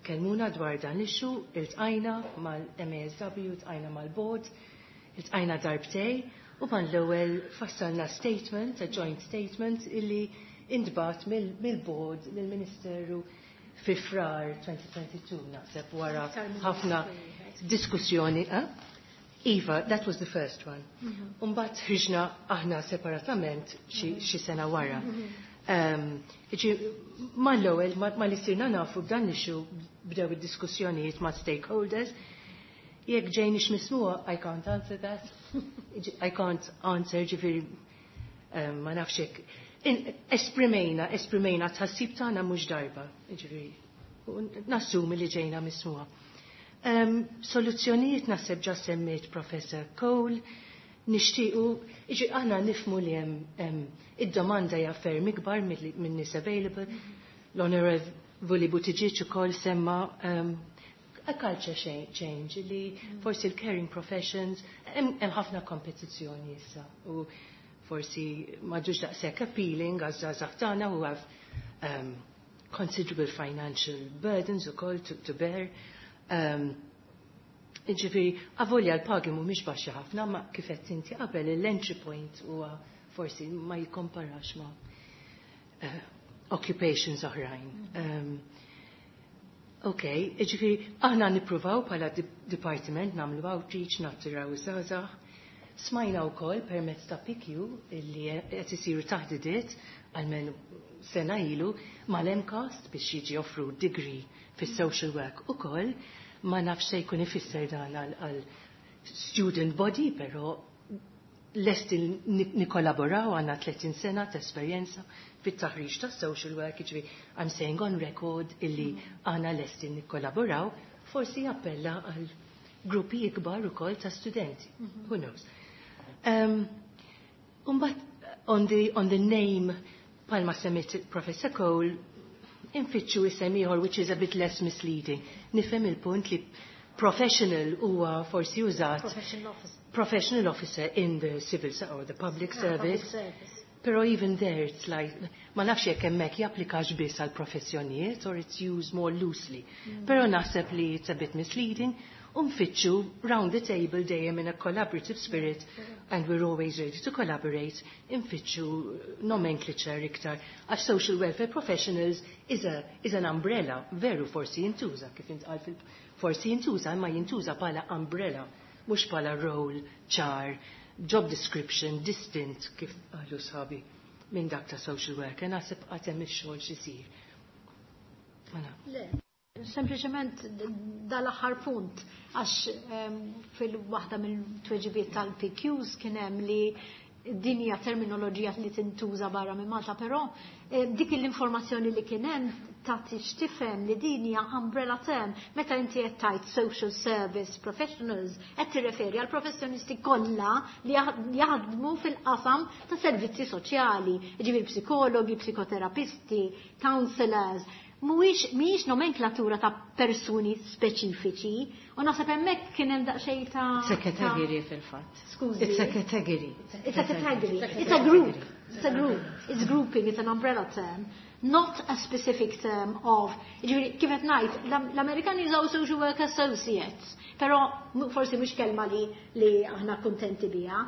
kellmuna dwar dan l-issue, iltqajna mal-MASW, iltqajna mal-board. Iltqajna darbtejn u mal-ewwel fassalna statement, a joint statement, illi intbagħat mill-board lill-Ministeru fi Frar 2022, naħseb, wara ħafna diskussjoni. Eh? Iva, that was the first one. Umbagħad ħriġna aħna separatament xi sena wara. Mal-ewwel ma li sirna nafu b'dan l-issue, bdew id-diskussjonijiet ma' stakeholders. Jekk ġejniex mismugħa, I can't answer that. I can't answer, ġifieri ma nafx hekk. Esprimejna tħassib tagħna mhux darba, ġifieri nassumi li ġejna mismugħa. Soluzzjonijiet naħseb ġa semmiet Professor Cole, nixtiequ, iġi aħna nifhmu li hemm id-domanda hija ferm ikbar minn nies available. L-Onorevoli Buttigieg ukoll semma a culture change li forsi l-caring professions hemm ħafna kompetizzjoni issa u forsi m'għadux daqshekk appealing għaż-żgħażagħ tagħna who have considerable financial burdens ukoll to bear. Ġifieri, avolja l-pagi mhumiex baxxi ħafna, ma kif qed inti qabel, l-entry point huwa forsi ma jikkomparax ma' occupations oħrajn. Ok, ġifieri, aħna nippruvaw bħala departiment nagħmlu outreach, nattiraw żgħażagħ. Smajna wkoll permezz ta' PQ illi qed isiru taħdidiet, għalmenu sena ilu, mal-MCAST biex jiġi offru degree fis-social work ukoll. Ma nafx se jkun ifisser dan għal student body, però lesti nikkollaboraw, għandna 30 sena ta' esperjenza fit-taħriġ ta' social work, ġifieri I'm saying on record illi għandna lesti nikkollaboraw, forsi jappella għal gruppi ikbar ukoll ta' studenti. Who knows? Umbagħad on the name, bħalma semmiet Professor Cole, infittxu isem ieħor which is a bit less misleading. Nifhem il-punt li professional huwa forsi użat Professional officer. Professional officer in the civil or the public Public service. Service. Pero even there it's like, ma nafx jekk hemmhekk japplikax biss għal professjonijiet or it's used more loosely. Pero naħseb li it's a bit misleading. U nfittxu round the table dejjem in a collaborative spirit, and we're always ready to collaborate, infittxu nomenclature iktar. Għax social welfare professionals is an umbrella, veru forsi jintuża, kif intqal fil, forsi jintuża, imma jintuża bħala umbrella, mhux bħala role ċar, job description distinct, kif qalu sħabi, minn dak ta' social worker. Naħseb għad hemm ix-xogħol x'isir. Mela. Le. Sempliċement dal-aħħar punt, għax fil-waħda mill-tweġibiet tal-PQs kien hemm li din hija terminoloġija li tintuża barra minn Malta, però dik l-informazzjoni li kien hemm tagħti x'tifhem li din hija umbrella term. Meta inti qed tgħid social service professionals, qed tirreferi għal professjonisti kollha li jaħdmu fil-qasam ta' servizzi soċjali, jiġifieri psikologi, psikoterapisti, counselors. Mhuwiex, mhijiex nomenklatura ta' persuni speċifiċi, u naħseb hemmhekk kien hemm daqsxejn ta' It's a category fil-fatt. Skużi. It's a category. It's a category. It's a group. It's a group. It's grouping. It's an umbrella term. Not a specific term of, ġifieri, kif qed ngħid, l-Amerikani jużaw social work associates, però forsi mhux kelma li aħna kuntenti biha.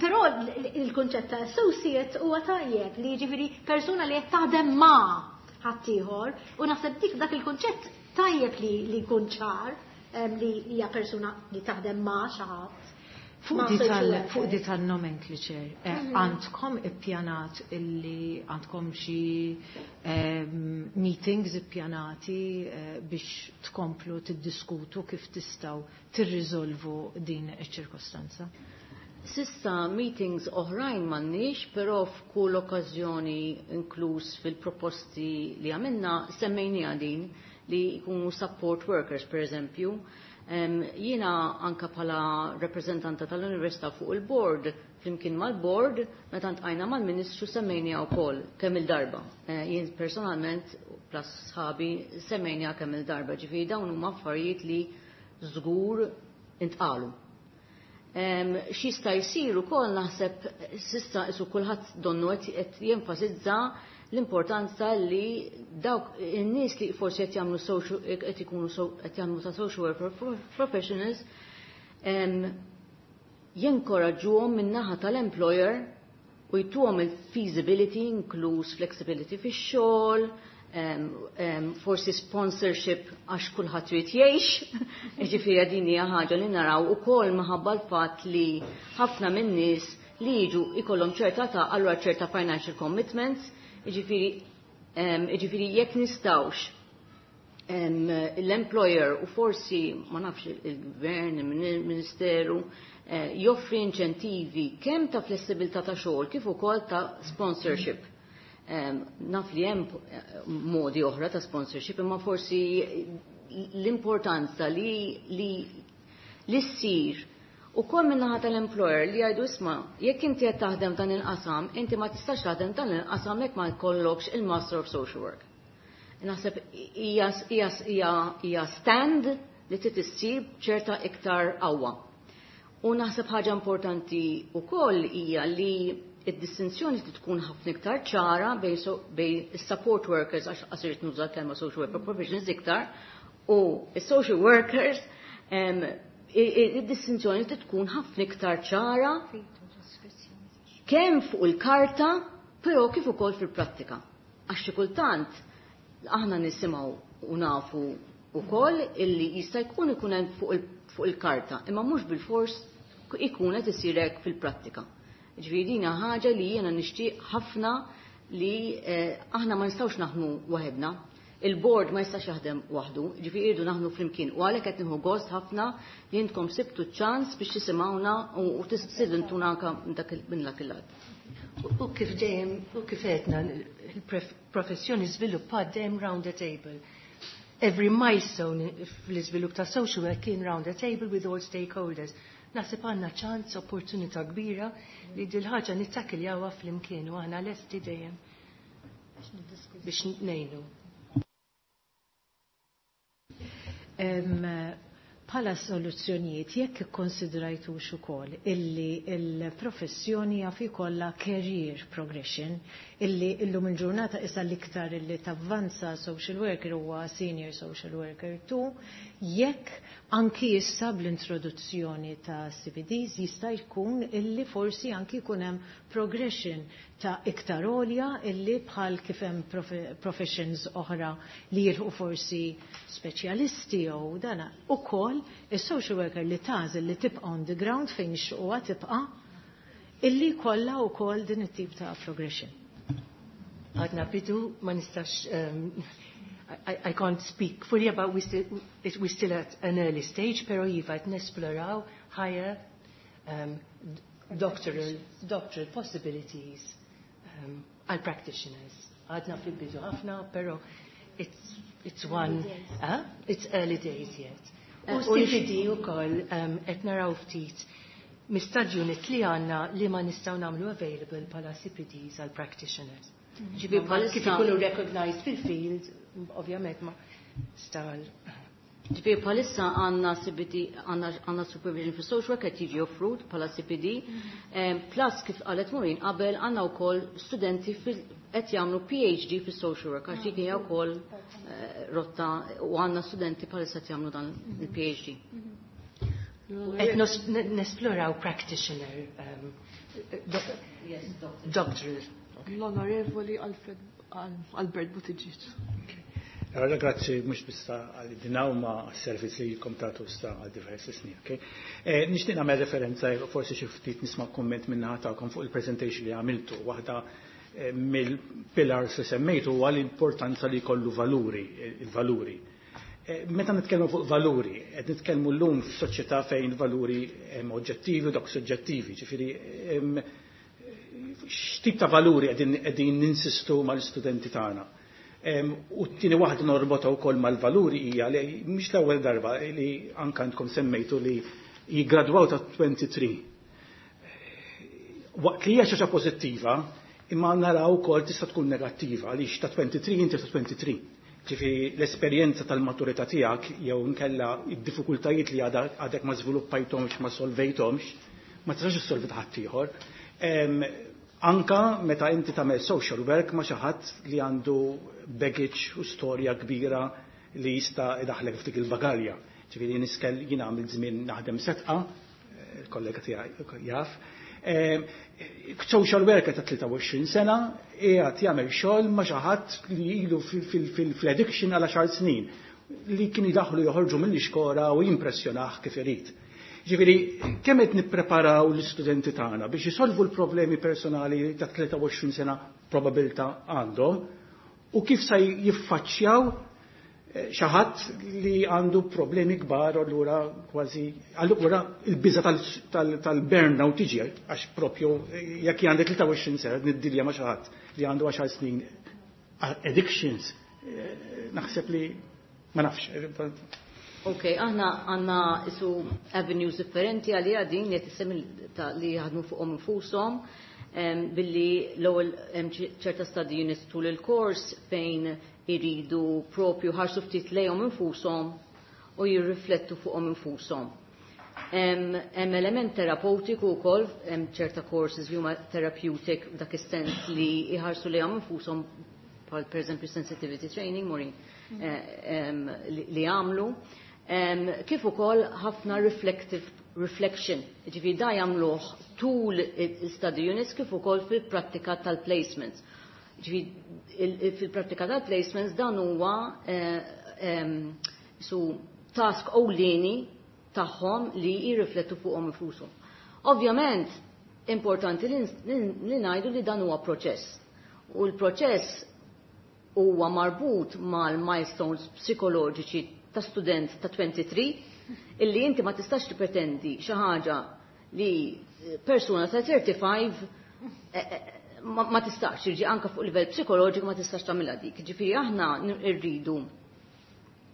Però il-kunċett ta' associate huwa tajjeb, li ġifieri persuna li qed taħdem ma' ħaddieħor, u naħseb dak il-kunċett tajjeb li jkun ċar, li hija persuna li taħdem ma' xi ħadd. Fuq Ma' di social worker. Fuq di tal-nomenclature, għandkom ippjanat illi għandkom xi meetings ippjanati biex tkomplu tiddiskutu kif tistgħu tirriżolvu din iċ-ċirkostanza? S'issa meetings oħrajn m'għandniex, però f'kull okkażjoni, inkluż fil-proposti li għamilna, semmejnija din li jkunu support workers, per eżempju. Jiena anka bħala rappreżentanta tal-Università fuq il-board, flimkien mal-board, meta ltqajna mal-Ministru semmejnija wkoll kemm il-darba. Jien personalment, plus sħabi, semmejnija kemm il-darba, ġifieri dawn huma affarijiet li żgur intqalu. X'jista' jsir ukoll, naħseb s'issa isu kulħadd donnu qed jenfasizza l-importanza li dawk in-nies li forsi qed jagħmlu social, qed ikunu so, qed jagħmlu ta' social worker professionals. Jinkoraġġuhom min-naħa tal-employer u jtuhom il-feasibility, inkluż flexibility fix-xogħol, forsi sponsorship għax kulħadd trid jgħix. Ġifieri din hija ħaġa li naraw ukoll minħabba l-fatt li ħafna min-nies li jiġu ikollhom ċerta ta' allura ċerta financial commitments, jiġifieri jekk nistgħux l-employer u forsi ma nafx il-gvern, il-ministeru, joffri inċentivi kemm ta' flessibilità ta' xogħol kif ukoll ta' sponsorship. Naf li hemm modi oħra ta' sponsorship, imma forsi l-importanza li ssir ukoll min-naħa tal-employer li jgħidu: "Isma', jekk inti qed taħdem dan il-qasam, inti ma tistax taħdem dan il-qasam jekk ma jkollokx il-Master of Social Work." Naħseb hija stand li trid issir ċerta iktar qawwa. U naħseb ħaġa importanti wkoll hija li id-distinzjoni trid tkun ħafna iktar ċara bejn is-support workers, għax qasirt nuża kelma social worker professionals iktar, u is-social workers, id-distinzjoni trid tkun ħafna iktar ċara kemm fuq il-karta, però kif ukoll fil-prattika. Għax xi kultant aħna nisimgħu u nafu ukoll illi jista' jkun ikun hemm fuq il-karta, imma mhux bil-fors ikun qed isir hekk fil-prattika. Ġifieri din ħaġa li jiena nixtieq ħafna li aħna ma nistgħux naħdmu waħedna. Il-board ma jistax jaħdem waħdu, ġifieri irridu naħdmu flimkien. U għalhekk qed nieħu gost ħafna li intkom sibtu ċans biex tisimgħuna u tistidintuna anke minn dak il-lat. U kif dejjem, u kif għedna, il-professjoni żviluppat dejjem round the table. Every milestone fl-iżvilupp ta' social work kien round the table with all stakeholders. Naħseb għandna ċans, opportunità kbira li dil-ħaġa nittakkiljawha flimkien u aħna lesti dejjem biex ngħinu. Bħala soluzzjonijiet, jekk ikkonsidrajtux ukoll illi il-professjoni jaf ikollha career progression, illi illum il-ġurnata issa l-iktar illi tavvanza social worker huwa senior social worker 2, jekk anki issa bl-introduzzjoni ta' CPDs jista' jkun illi forsi anki jkun hemm progression ta' iktar għolja, illi bħal kif hemm professions oħra li jilħu forsi speċjalisti jew dana ukoll is-social worker li tagħżel li tibqa' on the ground fejn ixuqha tibqa', illi kollha wkoll din it-tip ta' progression. Għadna bidu, ma nistax, I can't speak fully about, we still at an early stage, pero iva qed nesploraw higher doctoral possibilities għal practitioners. Għadna fil-bidu ħafna, pero it's one, it's early days yet. U CPD u koll qed naraw ftit mill-study unit li għandna li ma nistgħu nagħmlu available bħala CPDs għal practitioners. Ġifieri bħalissa Kif ikunu recognized fil-field, ovvjament ma stal. Ġifieri bħalissa għandna CPD, għandna supervision for social work qed jiġi offrut bħala CPD. Plus, kif qalet Maureen qabel, għandna wkoll studenti qed jagħmlu PhD fis social work, għax dik hija wkoll rotta u għandna studenti bħalissa qed jagħmlu dan il-PhD. Qed nesploraw practitioner doctoral. L-Onorevoli Alfred Albert Buttigieg. Allora, grazzi mhux biss għal dinaw ma servizz li jilkom tagħtu sta għal diversi snin. Okay? Nixtieq nagħmel referenza, forsi xi ftit nisma' komment minn tagħkom fuq il-presentation li għamiltu. Waħda mill-pillars li semmejtu huwa l-importanza li jkollu valuri, il-valuri. Meta nitkellmu fuq valuri, qed nitkellmu llum f'soċjetà fejn valuri hemm oġġettivi u dak soġġettivi, ġifieri x'tip ta' valuri qegħdin ninsistu mal-istudenti tagħna? U t-tieni waħda norbota wkoll mal-valuri hija li mhix l-ewwel darba li anke għandkom semmejtu li jiggradwaw ta' 23. Waqt li hija xi ħaġa pożittiva, imma naraw ukoll tista' tkun negattiva għaliex ta' 23 inti ta' 23. Ġifieri l-esperjenza tal-maturità tiegħek jew inkella id-diffikultajiet li għadek ma żviluppajthomx, ma solvejthomx, ma tistax issolvi ta' ħaddieħor. Anka meta inti tagħmel social work ma' xi ħadd li għandu baggage u storja kbira li jista' idaħlek f'dik il-bagalja. Ġifieri niskel jien għamilt żmien naħdem Sedqa. Il-kollega tiegħi jaf. Social worker ta' 23 sena qiegħed jagħmel xogħol ma' xi ħadd li ilu fl-addiction għal 10 snin li kien jidaħlu joħorġu mill-iskola u jimpressjonah kif irid. Ġifieri, kemm qed nippreparaw l-istudenti tagħna biex jisolvu l-problemi personali ta' 23 sena probabilità għandhom u kif sa jiffaċċjaw xi ħadd li għandu problemi kbar, allura kważi allura il-biża tal-burnout tiġi, għax propju jekk għandek 23 sena niddilja ma' xi ħadd li għandu 10 snin addictions, naħseb li ma nafx. Ok, aħna għandna isu avenues differenti għalija din li qed li jaħdmu fuqhom infushom billi l-ewwel hemm ċerta study units tul il-kors fejn iridu propju ħarsu ftit lejhom infushom u jirriflettu fuqhom infushom. Hemm element terapeutiku wkoll, hemm ċerta courses li huma therapeutic f'dak is-sens li jħarsu lejhom infushom, bħal pereżempju sensitivity training, Maureen, li għamlu. Kif ukoll ħafna reflective reflection, ġifieri da jagħmluh tul il-study units kif ukoll fil-prattika tal-placements. Ġifieri fil-prattika tal-placements dan huwa su task ewlieni tagħhom li jirriflettu fuqhom infushom. Ovvjament, importanti li ngħidu li dan huwa proċess. U l-proċess huwa marbut mal-milestones psikoloġiċi ta' student ta' 23, illi inti ma tistax tippretendi xi ħaġa li persuna ta' 35 ma tistax, jiġi anka fuq livell psikoloġiku ma tistax tagħmilha dik. Ġifieri aħna rridu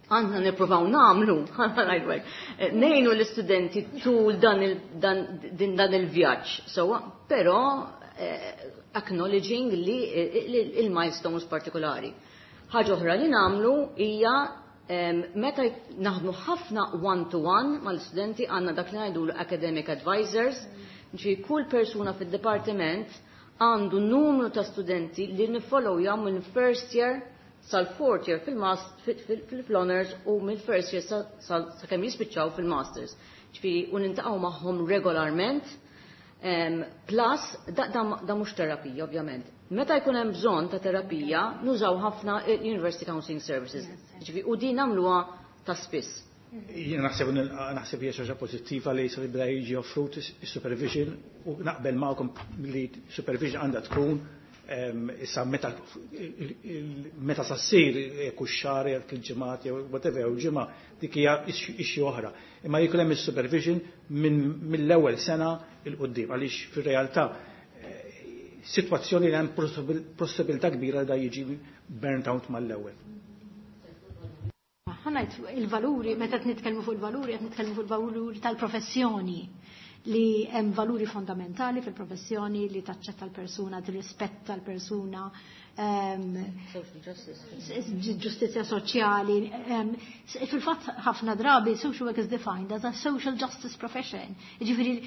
għandna nippruvaw nagħmlu, ngħinu l-istudenti tul dan il-vjaġġ, so, però acknowledging li il-milestones partikolari. Ħaġa oħra li nagħmlu hija meta naħdmu ħafna one-to-one mal-studenti, għandna dak li ngħidu academic advisors, ġi kull persuna fid-dipartiment għandu numru ta' studenti li nifollowjaw minn first year sal-fourth year fil-honors u mill-first year sa kemm jispiċċaw fil-masters. Ġifieri u niltaqgħu magħhom regolarment. Plus, da mhux terapija, ovvjament. Meta jkun hemm bżonn ta' terapija, nużaw ħafna University Counseling Services. Ġifieri u din nagħmluha ta' spiss. Jiena naħseb hija xi ħaġa pożittiva li se jibda jiġi offrut is-supervision u naqbel magħkom li supervision għandha tkun issa meta sa ssir, kull xahar jew il-ġimgħat jew whatever jew ġimgħa, dik hija issue oħra. Imma jkun hemm is-supervision mill-ewwel sena 'l quddiem, għaliex fir-realtà sitwazzjoni li hemm possibilità kbira da jiġi burnt out mal-ewwel. Ħa ngħid il-valuri, meta qed nitkellmu fuq il-valuri, qed nitkellmu fuq il-valuri tal-professjoni, li hemm valuri fondamentali fil-professjoni li taċċetta l-persuna, tirrispetta l-persuna, Social justice. Ġustizzja soċjali. Fil-fatt ħafna drabi social work is defined as a social justice profession. Ġifieri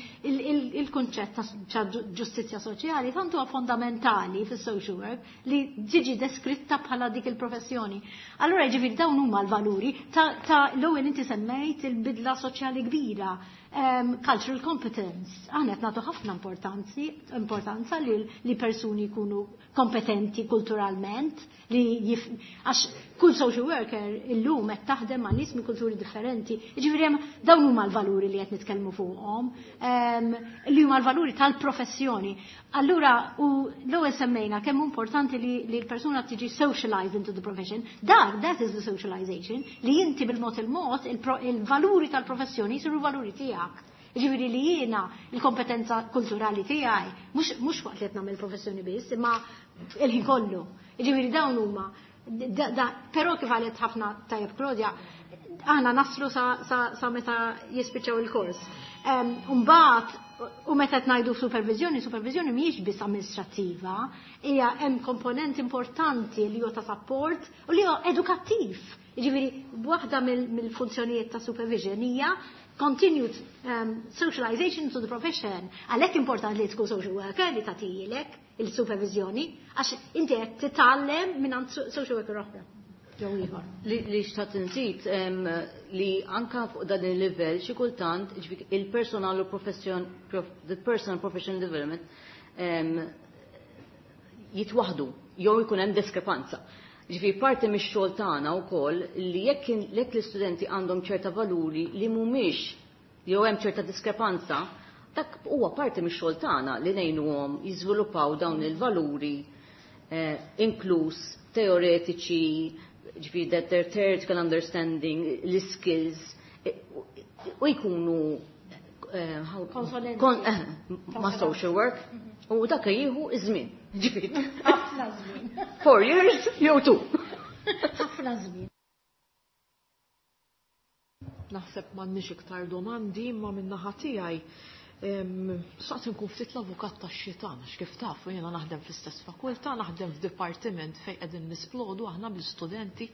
il-kunċett ta' ġustizzja soċjali tant huwa fondamentali fis-social work li ġiġi deskritta bħala dik il-professjoni. Allura ġifieri dawn huma l-valuri ta' l-ewwel inti semmejt il-bidla soċjali kbira. Cultural competence. Aħna qed nagħtu ħafna importanza li persuni jkunu kompetenti kulturalment, li għax kull social worker illum qed taħdem ma' nies minn kulturi differenti. Jiġifieri hemm dawn huma l-valuri li qed nitkellmu fuqhom, li huma l-valuri tal-professjoni. Allura u l-ewwel semmejna kemm importanti li l-persuna tiġi socialized into the profession. Dak, that is the socialization, li inti bil-mod il-mod il-valuri tal-professjoni jsiru valuri tiegħek. Ġifieri li jiena il-kompetenza kulturali tiegħi mhux waqt li qed nagħmel professjoni biss, imma il-ħin kollu. Ġifieri dawn huma però kif qalet ħafna tajjeb Claudia, aħna naslu sa meta jispiċċaw il-kors. Mbagħad u meta qed ngħidu supervizjoni, supervizjoni mhijiex biss amministrattiva, hija hemm komponent importanti li huwa ta' support u li huwa edukattiv. Ġifieri waħda mill-funzjonijiet ta' supervision hija continued socialization to the profession. Għalhekk importanti li tkun social worker li tagħtilek il-supervizjoni, għax inti qed titgħallem minn social worker oħra. Jew ieħor. Li xtaqt inżid li anka fuq dan il-livell xi kultant il-personal u profession the personal professional development jitwaħdu jew ikun hemm diskrepanza. Ġifieri parti mix-xogħol tagħna wkoll li jekk l-istudenti għandhom ċerta valuri li mhumiex jew hemm ċerta diskrepanza, dak huwa parti mix-xogħol tagħna li ngħinuhom jiżviluppaw dawn il-valuri inkluż teoretiċi, ġifieri that their theoretical understanding, l-skills, u jkunu ma' social work, u dak jieħu iż-żmien. Ġifieri. Ħafna żmien. 4 years jew 2. Ħafna żmien. Naħseb m'għandniex iktar domandi, imma min-naħa tiegħi saqt nkun ftit l-avukat tax-xitan, għax kif tafu jiena naħdem fl-istess fakultà, naħdem f'dipartiment fejn qegħdin nisplodu aħna bl-istudenti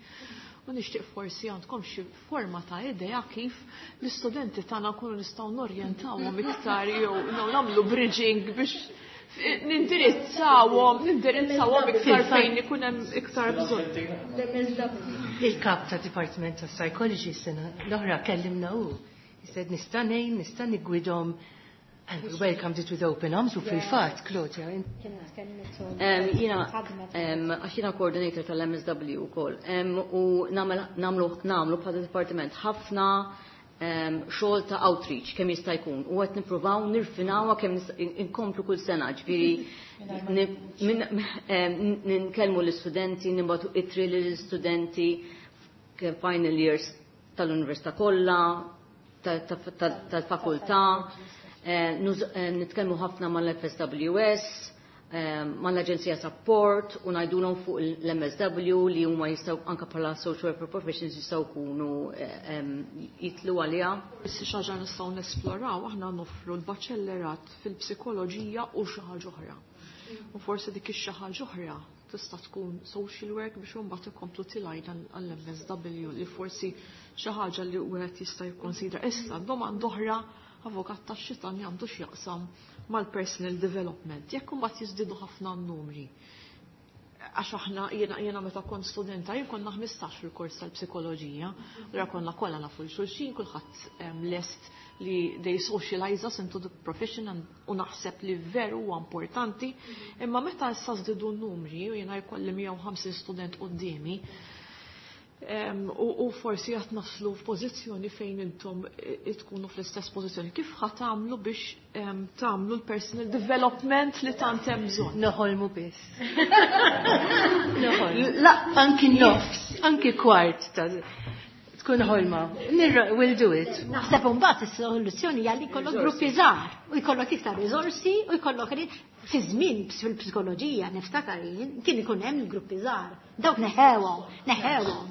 u nixtieq forsi għandkom xi forma ta' idea kif l-istudenti tagħna nkunu nistgħu norjentawhom iktar jew nagħmlu bridging biex nindirizzawhom iktar fejn ikun hemm iktar bżonn. Il-kap ta' Department of Psychology sena l-oħra kellimna hu. He said nista' ngħin, nista' niggwidhom. And we welcomed it with open arms u fil-fatt, Claudia. Jiena, għax jiena coordinator tal-MSW ukoll, u nagħmlu bħala departiment ħafna xogħol ta' outreach kemm jista' jkun u qed nippruvaw nirfinawha kemm inkomplu kull sena, ġifieri ninkellmu l-istudenti, nibagħtu ittri lill-istudenti final years tal-università kollha, tal-fakultà, nitkellmu ħafna mal-FSWS, mal-Aġenzija Support u ngħidulhom fuq l-MSW li huma jistgħu anke bħala social worker professions jistgħu jkunu jitlu għaliha. Forsi xi ħaġa nistgħu nesploraw, aħna noffru l-baċellerat fil-psikoloġija u xi ħaġa oħra. U forsi dik ix-xi ħaġa oħra tista' tkun social work biex imbagħad ikomplu tilgħin għall-MSW li forsi xi ħaġa li wieħed jista' jikkonsidra. Issa domanda oħra, avukat tax-xitan, għandu x'jaqsam mal-personal development. Jekk imbagħad jiżdiedu ħafna n-numri. Għax aħna jiena meta kont studenta jien konna 15 fil-kors tal-psikoloġija, allura konna kollha nafu lil xulxin, kulħadd lest li they socialize us into the profession u naħseb li veru huwa importanti, imma meta issa żdiedu n-numri u jiena jkolli 150 student quddiemi, u forsi qed naslu f'pożizzjoni fejn intom tkunu fl-istess pożizzjoni. Kif ħa tagħmlu biex tagħmlu l-personal development li tant hemm bżonn? Noħolmu biss. Noħolmu. La, anki nofs, anki kwart ta' tkun ħolma. We'll do it. Naħseb imbagħad is-soluzzjoni hija li jkollok gruppi żgħar u jkollok iktar riżorsi u jkollok fi żmien fil-psikoloġija niftakar jien kien ikun hemm il-gruppi żgħar. Dawk neħewhom, neħewhom.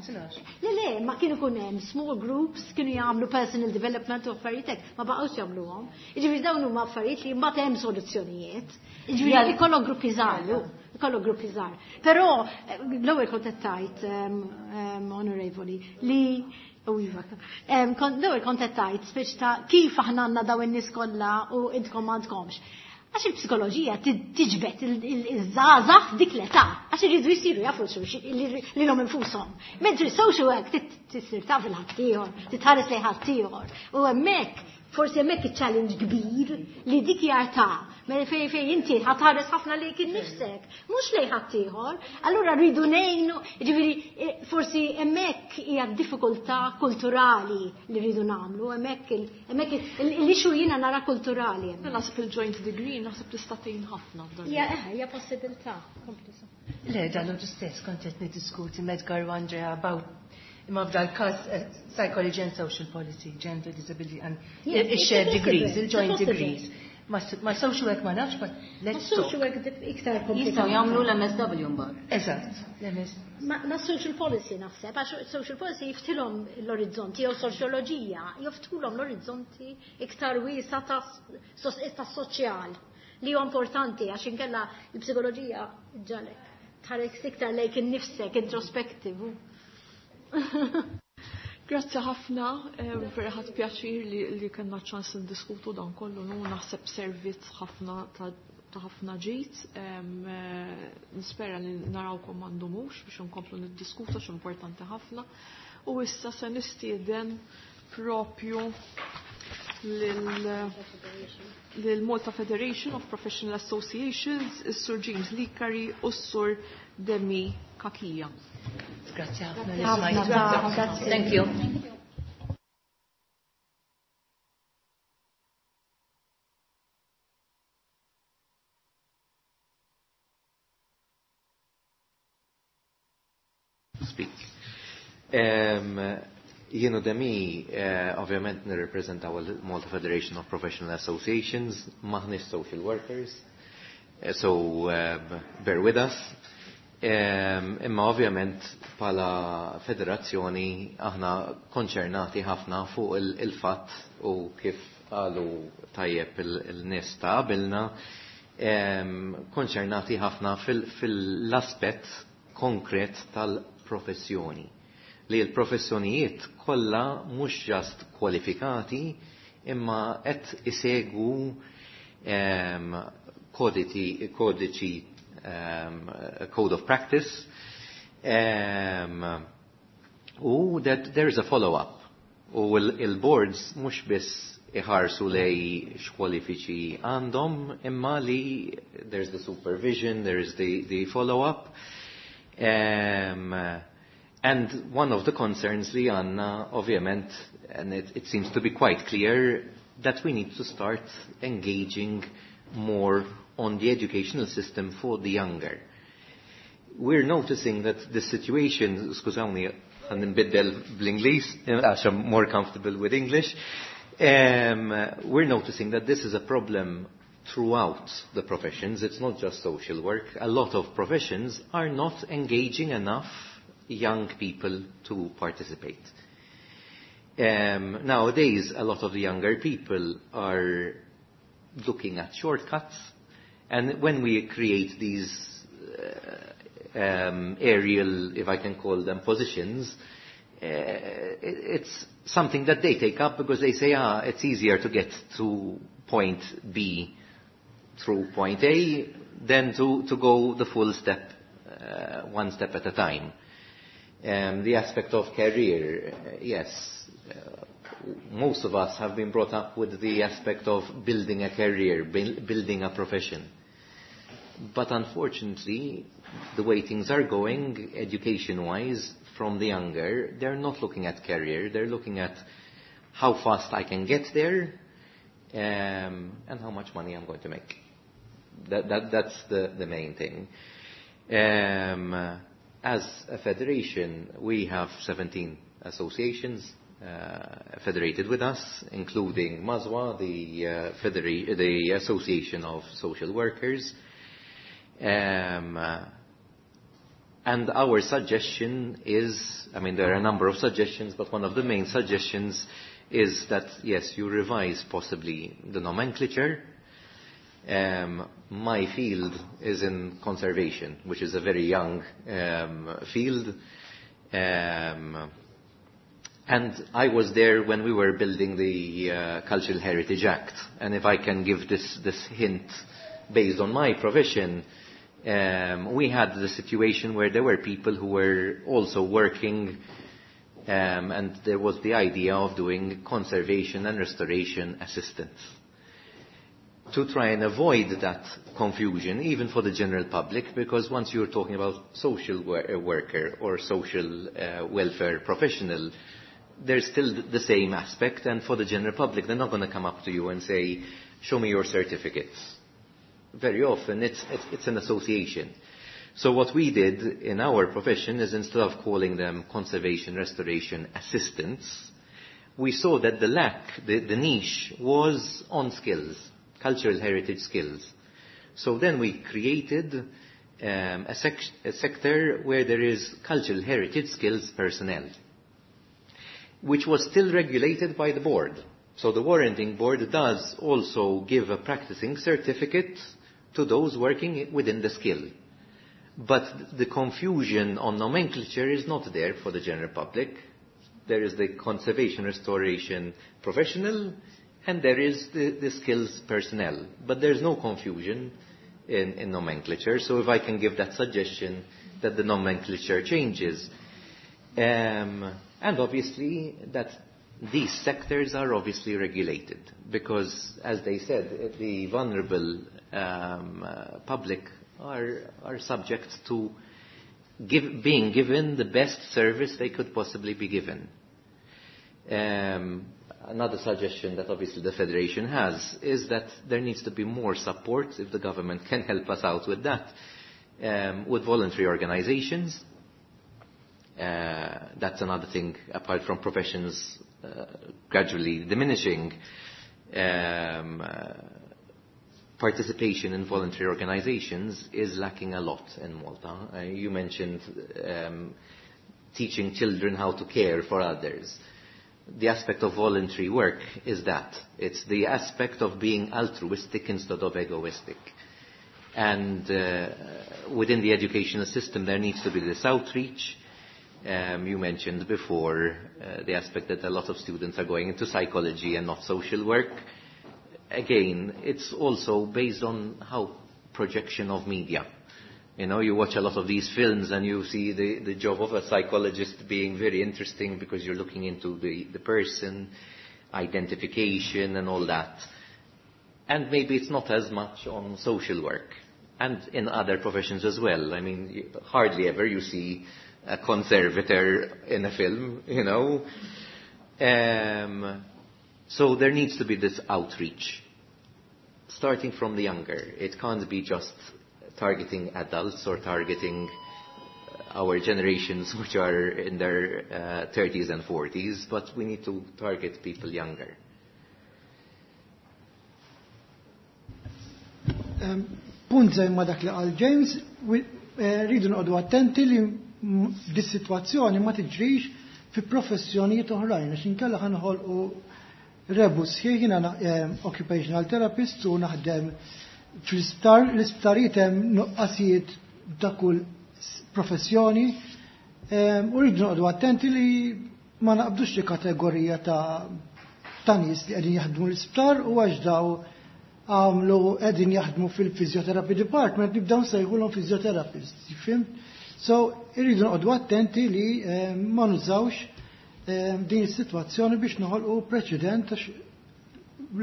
Le, le, ma kien ikun hemm small groups kienu jagħmlu personal development u affarijiet hekk, ma baqgħux jagħmluhom. Jiġifieri dawn huma affarijiet li mbagħad hemm soluzzjonijiet. Jiġifieri ikollok gruppi żgħar, ikollok gruppi żgħar. Però l-ewwel kont qed tgħid, onorevoli, li u iva, l-ewwel kont qed tgħid speċi ta' kif aħna għandna dawn in-nies kollha u intkom m'għandkomx. Għax il-psikoloġija tiġbed iż-żgħażagħ dik l-età, għax iridu jsiru jafu lilhom infushom. Mentri social work tisir taf il-ħaddieħor, titħares lejn ħaddieħor. U hemmhekk, forsi hemmhekk iċ-challenge kbir li dik hija ta' mela fejn inti ħatħares ħafna lejk innifsek, mhux lejn ħaddieħor. Allura rridu ngħinu, jiġifieri forsi hemmhekk hija diffikultà kulturali li rridu nagħmlu, hemmhekk l-issue jiena nara kulturali hemmhekk. Naħseb il-joint degree naħseb tista' tgħin ħafna f'dan. Hija possibilità. Le, dal stess kont qed niddiskuti Medgar u Andrea about imma f'dal każ psychology and social policy, gender, disability and Yes, shared it's degrees, possible. il-joint It's possible. degrees. Ma social work ma nafx, but let's Ma social talk. work iktar komplikat. Jistgħu jagħmlu l-MSW mbagħad. Eżatt, l-MS. Ma social policy naħseb, għax social policy jiftilhom l-orizzonti, jew soċjoloġija, jiftulhom l-orizzonti iktar wiesa ta' soċjal li huwa importanti għax inkella l-psikoloġija ġalek. Tħares iktar lejk innifsek, introspective. Grazzi ħafna, vera ħadt pjaċir li kellna ċans ndiskutu dan kollu, nu naħseb servizz ħafna ta' ta' ħafna ġid. Nispera li narawkom ma ndumux biex nkomplu niddiskutu x'importanti ħafna. U issa se nistieden propju lil Malta Federation of Professional Associations, is-Sur James Licari u s-Sur Demi Kakija. Grazie ħafna. Thank you. Speak. Jien u Demi, ovvjament nirrepreżentaw il-Malta Federation of Professional Associations, maħniex social workers, so bear with us. Imma ovvjament bħala federazzjoni aħna konċernati ħafna fuq il-fatt u kif qalu tajjeb il-nies ta' qabilna, konċernati ħafna fil-aspett konkret tal-professjoni. Li l-professjonijiet kollha mhux just kwalifikati imma qed isegwu kodiċi code of practice u that there is a follow-up. U il-boards mhux biss iħarsu lej x'kwalifiċi għandhom imma li there's the supervision, there is the follow-up. And one of the concerns li għanna, ovvjament, and it seems to be quite clear, that we need to start engaging more on the educational system for the younger. We're noticing that the situation, skużawni, ħa nbiddel bl-Ingliż, għax I'm more comfortable with English. We're noticing that this is a problem throughout the professions. It's not just social work. A lot of professions are not engaging enough young people to participate. Nowadays, a lot of the younger people are looking at shortcuts, and when we create these aerial, if I can call them, positions, it's something that they take up because they say, it's easier to get to point B through point A than to go the full step, one step at a time. The aspect of career, yes, most of us have been brought up with the aspect of building a career, building a profession. But unfortunately, the way things are going, education-wise, from the younger, they're not looking at career, they're looking at how fast I can get there and how much money I'm going to make. That's the main thing. As a federation, we have 17 associations federated with us, including MASWA, the Association of Social Workers. And our suggestion is, I mean, there are a number of suggestions, but one of the main suggestions is that, yes, you revise possibly the nomenclature. My field is in conservation, which is a very young field. And I was there when we were building the Cultural Heritage Act. And if I can give this hint based on my profession, we had the situation where there were people who were also working, and there was the idea of doing conservation and restoration assistance. To try and avoid that confusion, even for the general public, because once you're talking about social worker or social welfare professional, there's still the same aspect, and for the general public, they're not going to come up to you and say, show me your certificates. Very often, it's an association. So what we did in our profession is, instead of calling them conservation, restoration assistants, we saw that the lack, the niche, was on skills, cultural heritage skills. So then we created a sector where there is cultural heritage skills personnel, which was still regulated by the board. So the warranting board does also give a practicing certificate to those working within the skill. But the confusion on nomenclature is not there for the general public. There is the conservation restoration professional and there is the skills personnel. But there's no confusion in nomenclature. So if I can give that suggestion that the nomenclature changes. And obviously that these sectors are obviously regulated because, as they said, the vulnerable public are subject to being given the best service they could possibly be given. Another suggestion that obviously the Federation has is that there needs to be more support, if the government can help us out with that, with voluntary organizations. That's another thing, apart from professions gradually diminishing, participation in voluntary organizations is lacking a lot in Malta. You mentioned teaching children how to care for others. The aspect of voluntary work is that. It's the aspect of being altruistic instead of egoistic. And within the educational system there needs to be this outreach. You mentioned before the aspect that a lot of students are going into psychology and not social work. Again, it's also based on how projection of media. You know, you watch a lot of these films and you see the job of a psychologist being very interesting because you're looking into the person, identification and all that. And maybe it's not as much on social work and in other professions as well. I mean, hardly ever you see a conservator in a film, you know. So there needs to be this outreach, starting from the younger. It can't be just targeting adults or targeting our generations which are in their 30s and 40s, but we need to target people younger. Punt żgħir ma' dak li qal James, rridu noqogħdu attenti li dis-sitwazzjoni ma tiġrix fi professjonijiet oħrajn, għax inkella ħa noħolqu rebus. Jiena occupational therapist u naħdem fl-isptar, l-isptarijiet hemm nuqqasijiet ta' kull professjoni, u rridu noqogħdu attenti li ma naqbdux xi kategorija ta' nies li qegħdin jaħdmu l-isptar u għax daw għamlu qegħdin jaħdmu fil-physiotherapy department nibdew nsejħulhom physiotherapist, fhimt? So irridu noqogħdu attenti li ma nużawx din is-sitwazzjoni biex noħolqu preċedent, għax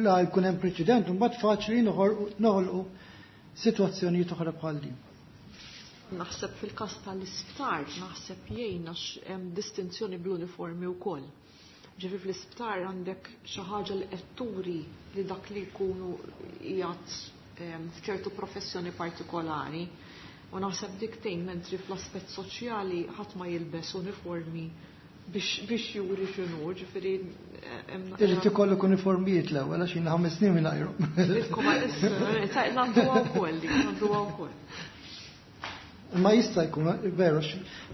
la jkun hemm preċedent imbagħad faċli noħolqu sitwazzjonijiet oħra bħal din. Naħseb fil-każ tal-isptar, naħseb jgħin għax hemm distinzjoni bl-uniformi wkoll. Ġifieri fl-isptar għandek xi ħaġa li qed turi li dak li jkunu qiegħed f'ċertu professjoni partikolari. U naħseb dik tgħin, mentri fl-aspett soċjali ħadd ma jilbes uniformi biex juri x'inhu, ġifieri hemm Irid ikollok uniformijiet l-ewwel għax jiena 5 snin mingħajrhom. Ilkom għalissa, ngħadduha wkoll dik, ngħadduha wkoll. Ma jista' jkun, veru,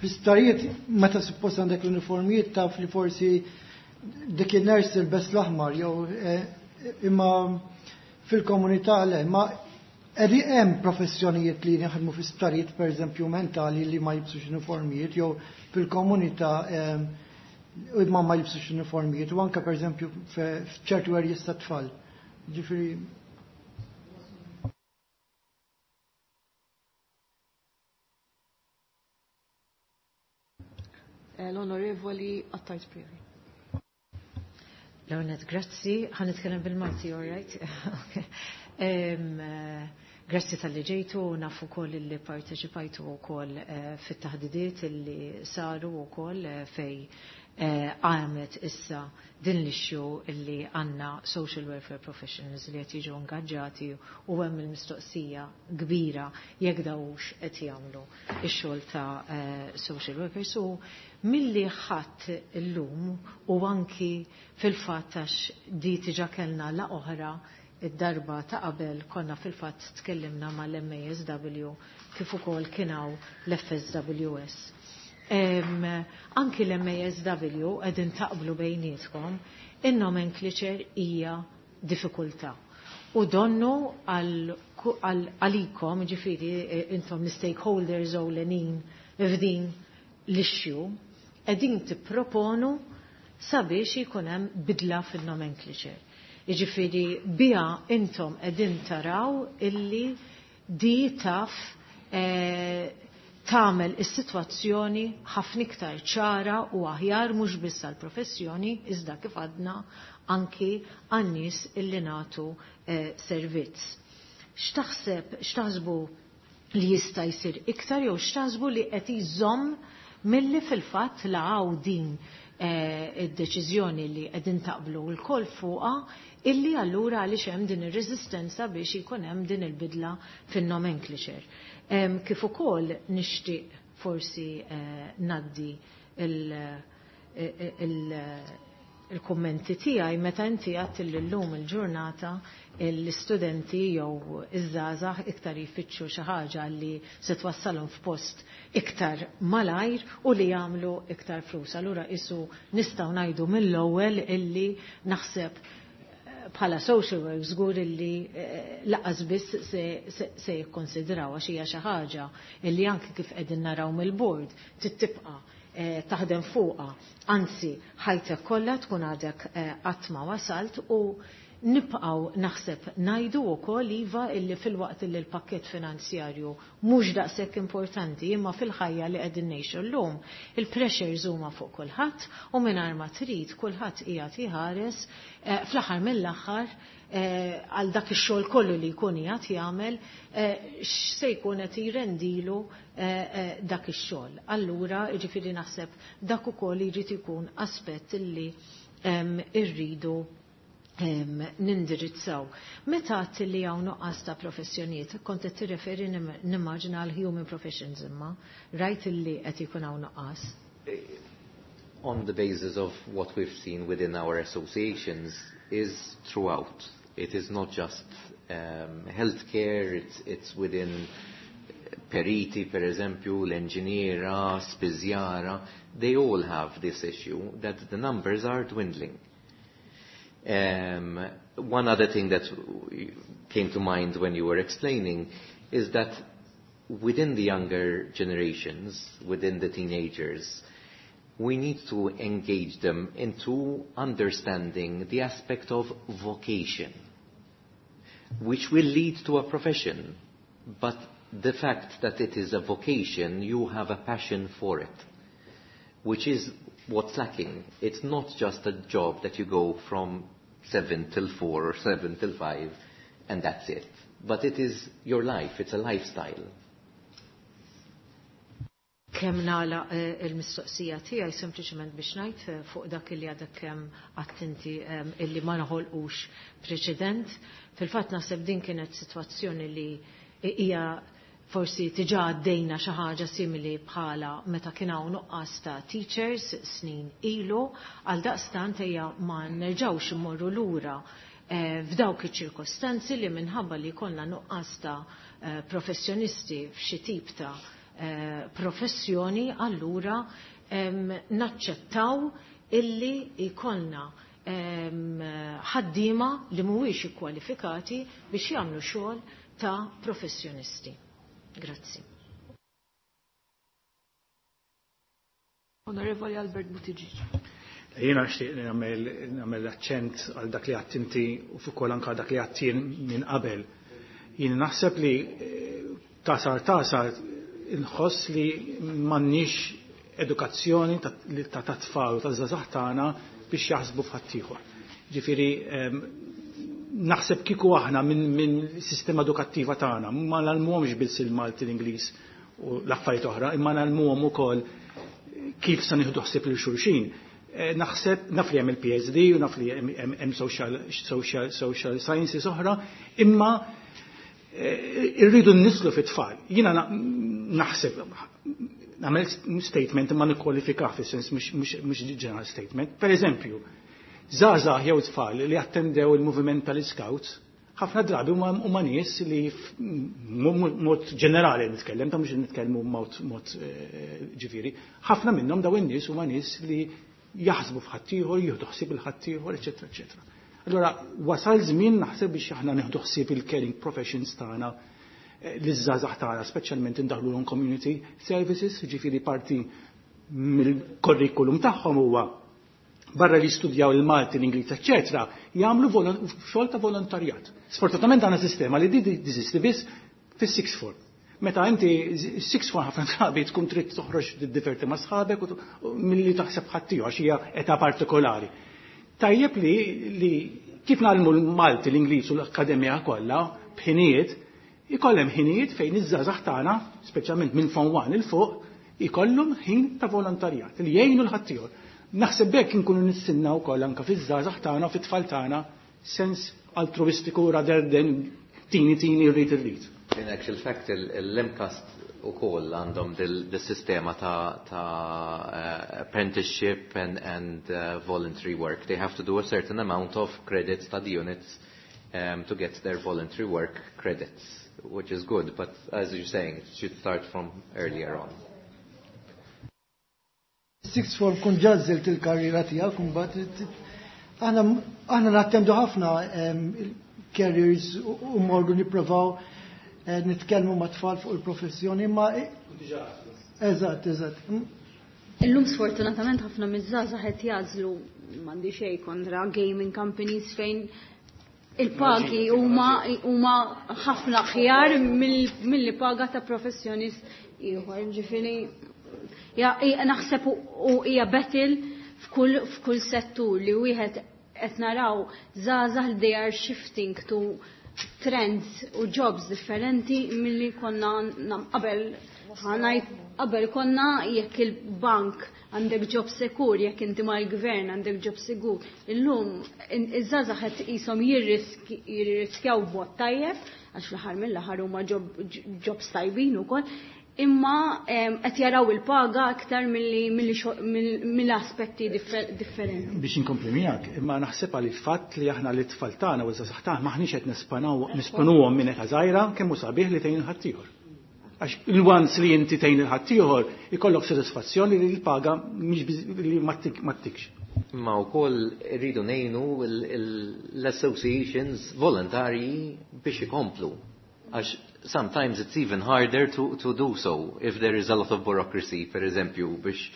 fl-isptarijiet meta suppost għandek l-uniformijiet taf li forsi dik in-nurse tilbes l-aħmar jew imma fil-komunità le, ma hemm professjonijiet li jaħdmu fi sptarijiet pereżempju mentali li ma jibsux uniformijiet jew fil-komunità imma ma jibsux uniformijiet u anke pereżempju f'ċertu areas ta' tfal. Ġifieri L-Onorevoli Attard Spiri. Leonet, grazzi. Ħa nitkellem bil-Malti, all right? Okay. Grazzi tal-li ġejtu, nafu wkoll li parteċipajtu wkoll fit-taħdidiet li saru wkoll fej għamet issa din l-issue illi għandna social welfare professionals li qed jiġu ingaġġati u hemm il-mistoqsija kbira jekk dawx qed jagħmlu ix-xogħol ta' social workers. U milli ħadd illum u anki fil-fatt għax di diġà kellna la oħra id-darba ta' qabel konna fil-fatt tkellimna mal-MASW kif ukoll kien hawn l-FSWS. Anki l-MASW qegħdin taqblu bejnietkom, in-nomenclature hija diffikultà. U donnu għalikom, ġifieri intom l-stakeholders ewlenin f'din l-issue, qegħdin tipproponu sabiex jkun hemm bidla fin-nomenclature. Jiġifieri biha intom qegħdin taraw illi Di taf eh, tagħmel is-sitwazzjoni ħafna iktar ċara u aħjar mhux biss għall-professjoni iżda kif għadna anki għan-nies illi nagħtu eh, servizz. X'taħseb, x'taħsbu li jista' jsir iktar jew x'taħsbu li qed jżomm milli fil-fatt laqgħu din eh, id-deċiżjoni li qegħdin taqblu lkoll fuqha illi allura għaliex hemm din ir-reżistenza biex ikun hemm din il-bidla fin-nomenclature. Kif ukoll nixtieq forsi eh, naddi il-kummenti tiegħi meta inti għadt li llum il-ġurnata l-istudenti jew iż-żgħażagħ iktar jfittxu xi ħaġa li se twassalhom f'post iktar malajr u li jagħmlu iktar flus. Allura isu nistgħu ngħidu mill-ewwel illi naħseb bħala social work żgur illi eh, laqas biss se jikkonsidraw għax hija xi ħaġa illi anki kif qegħdin naraw mill-board tibqa' eh, taħdem fuqha. Anzi, ħajtek kollha tkun għadek eh, qatt ma wasalt u nibqgħu naħseb ngħidu wkoll iva illi filwaqt illi l-pakkett finanzjarju mhux daqshekk importanti imma fil-ħajja li qegħdin ngħixu llum il-pressures huma fuq kulħadd u mingħajr ma trid kulħadd qiegħed iħares eh, fl-aħħar mill-aħħar eh, għal dak ix-xogħol kollu li jkun qiegħed jagħmel eh, x'se jkun qed jrendilu dak ix-xogħol. Allura, jiġifieri naħseb dak ukoll jrid ikun aspett illi irridu nindirizzaw. Meta għedt li hawn nuqqas ta' professjonijiet, kont qed tirreferi nimmaġina għal human professions imma, rajt li qed ikun hawn nuqqas. On the basis of what we've seen within our associations is throughout. It is not just healthcare, it's within periti, per eżempju, l-enġiniera, spiżjara, they all have this issue that the numbers are dwindling. One other thing that came to mind when you were explaining is that within the younger generations, within the teenagers, we need to engage them into understanding the aspect of vocation, which will lead to a profession. But the fact that it is a vocation, you have a passion for it, which is what's lacking. It's not just a job that you go from 7 till 4 or 7 till 5 and that's it. But it is your life, it's a lifestyle. Kemm nagħlaq eh, il-mistoqsija tiegħi sempliċement biex ngħid eh, fuq dak li għadek kemm attenti illi ma noħolqux preċedent. Fil-fatt naħseb din kienet sitwazzjoni li hija forsi diġà għaddejna xi ħaġa simili bħala meta kien hawn nuqqas ta' teachers snin ilu, għal daqstant ejja ma nerġgħux immorru lura eh, f'dawk iċ-ċirkostanzi li minħabba li jkollna nuqqas ta' eh, professjonisti f'xi tip ta' eh, professjoni, allura naċċettaw illi jkollna ħaddiema li mhuwiex ikkwalifikati biex jagħmlu xogħol ta' professjonisti. Grazzi. Onorevoli Albert Buttigieg. Jiena nixtieq nagħmel aċċent għal dak li għedt inti u fuq ukoll anke dak li għedt jien minn qabel. Jien naħseb li eh, tasar tasar inħoss li m'għandniex edukazzjoni ta' tfal u ta' żgħażagħ tagħna biex jaħsbu f'ħaddieħor. Ġifieri naħseb kieku aħna minn min sistema edukattiva tagħna ma ngħallmuhomx biss il-Malti l-Ingliż u l-affarijiet oħra, imma ngħallmuhom ukoll kif se nieħdu ħsieb lil xulxin. Eh, naħseb naf li hemm il-PSD u naf li hemm social, social, social sciences oħra, imma eh, irridu nislu fit-tfal. Jiena naħseb nagħmel statement imma nikkwalifika fis-sens mhux general statement. Per eżempju, żgħażagħ jew tfal li attendew il-moviment tal-Scouts, ħafna drabi huma nies li mod ġenerali nitkellem, ta' mhux nitkellmu mod eh, ġifieri, ħafna minnhom daw in-nies huma nies li jaħsbu f'ħaddieħor, jieħdu ħsieb il-ħaddieħor, eċetera, eċetera. Allora, wasal żmien naħseb biex aħna nieħdu ħsieb il-caring professions tagħna eh, l-żgħażagħ tagħna, speċjalment indaħlu community services, ġifieri parti mill-kurrikulum tagħhom huwa barra li studjaw il-Malti, l-Ingliż, eċetera, jagħmlu xogħol ta' volontarjat. Sfortunatament għandna sistema li di teżisti biss Fis-sixth form. Meta inti sixth form ħafna drabi tkun trid toħroġ tiddiverti ma' sħabek u milli taħseb ħaddieħor għax hija età partikolari. Tajjeb li kif ngħallmu l-Malti, l-Ingliż u l-Akkademja kollha b'ħinijiet, ikollem ħinijiet fejn iż-żgħażagħ tagħna, speċjalment minn Form 1 'il fuq, ikollhom ħin ta' volontarjat li jgħinu 'l ħaddieħor. Naħseb b'hekk inkunu nissinna wkoll anke fiż-żgħażagħ tagħna u fit-tfal tagħna sens altruistiku rather than tini tini rrid irrid. In actual fact, l-MCAST ukoll għandhom dil-sistema ta' apprenticeship and voluntary work. They have to do a certain amount of credit study units to get their voluntary work credits, which is good, but as you're saying, it should start from earlier on. Sixth form kun għażilt il-karriera tiegħek imbagħad aħna nattendu ħafna careers u morru nipprovaw nitkellmu ma' tfal fuq il-professjoni ma Eżatt. Illum sfortunatament ħafna miż-żgħażagħ qed jagħżlu, m'għandi xejn kontra gaming companies fejn il-pagi huma ħafna aħjar milli paga ta' professjonist ieħor. Ġifieri naħseb u hija battle f'kull settur li wieħed qed naraw żgħażagħ li they are shifting to trends u jobs differenti milli konna qabel. Qabel konna jekk il-bank għandek job secure, jekk inti mal-gvern għandek job sigur. Illum iż-żgħażagħ qed qishom jirriskjaw b'mod tajjeb, għax fl-aħħar mill-aħħar huma jobs tajbin ukoll, imma qed jaraw il-paga aktar mill-aspetti differenti. Biex inkompli miegħek, imma naħseb għal il-fatt li aħna li tfal tagħna u ż-żgħażagħ tagħna m'aħniex qed nesponuhom minn età żgħira kemm hu sabiħ li tgħin ħaddieħor. Għax il-once li inti tgħin il-ħaddieħor ikollok sodisfazzjoni li l-paga mhix li ma ttikx. Ma wkoll irridu ngħinu l-associations volontarji biex ikomplu. Għax sometimes it's even harder to do so if there is a lot of bureaucracy, per eżempju, biex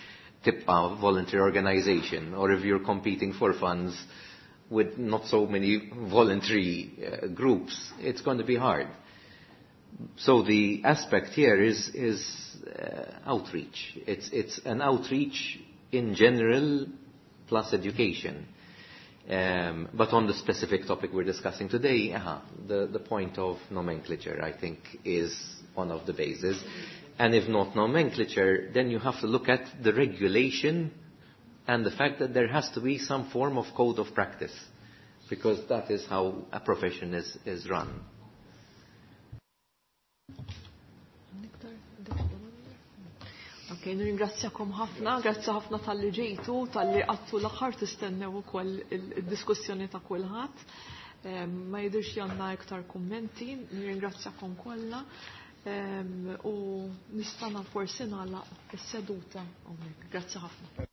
tibqa voluntary organization, or if you're competing for funds with not so many voluntary groups, it's going to be hard. So the aspect here is outreach. It's an outreach in general plus education. But on the specific topic we're discussing today, the point of nomenclature, I think, is one of the bases. And if not nomenclature, then you have to look at the regulation and the fact that there has to be some form of code of practice, because that is how a profession is run. Ok, nirringrazzjakom ħafna, grazzi ħafna talli ġejtu, talli qgħadtu l-aħħar tistennew ukoll il-diskussjoni ta' kulħadd. Ma jidhirx li għandna iktar kummenti, nirringrazzjakom kollha. U nistana forsi nagħlaq is-seduta hawnhekk. Grazzi ħafna.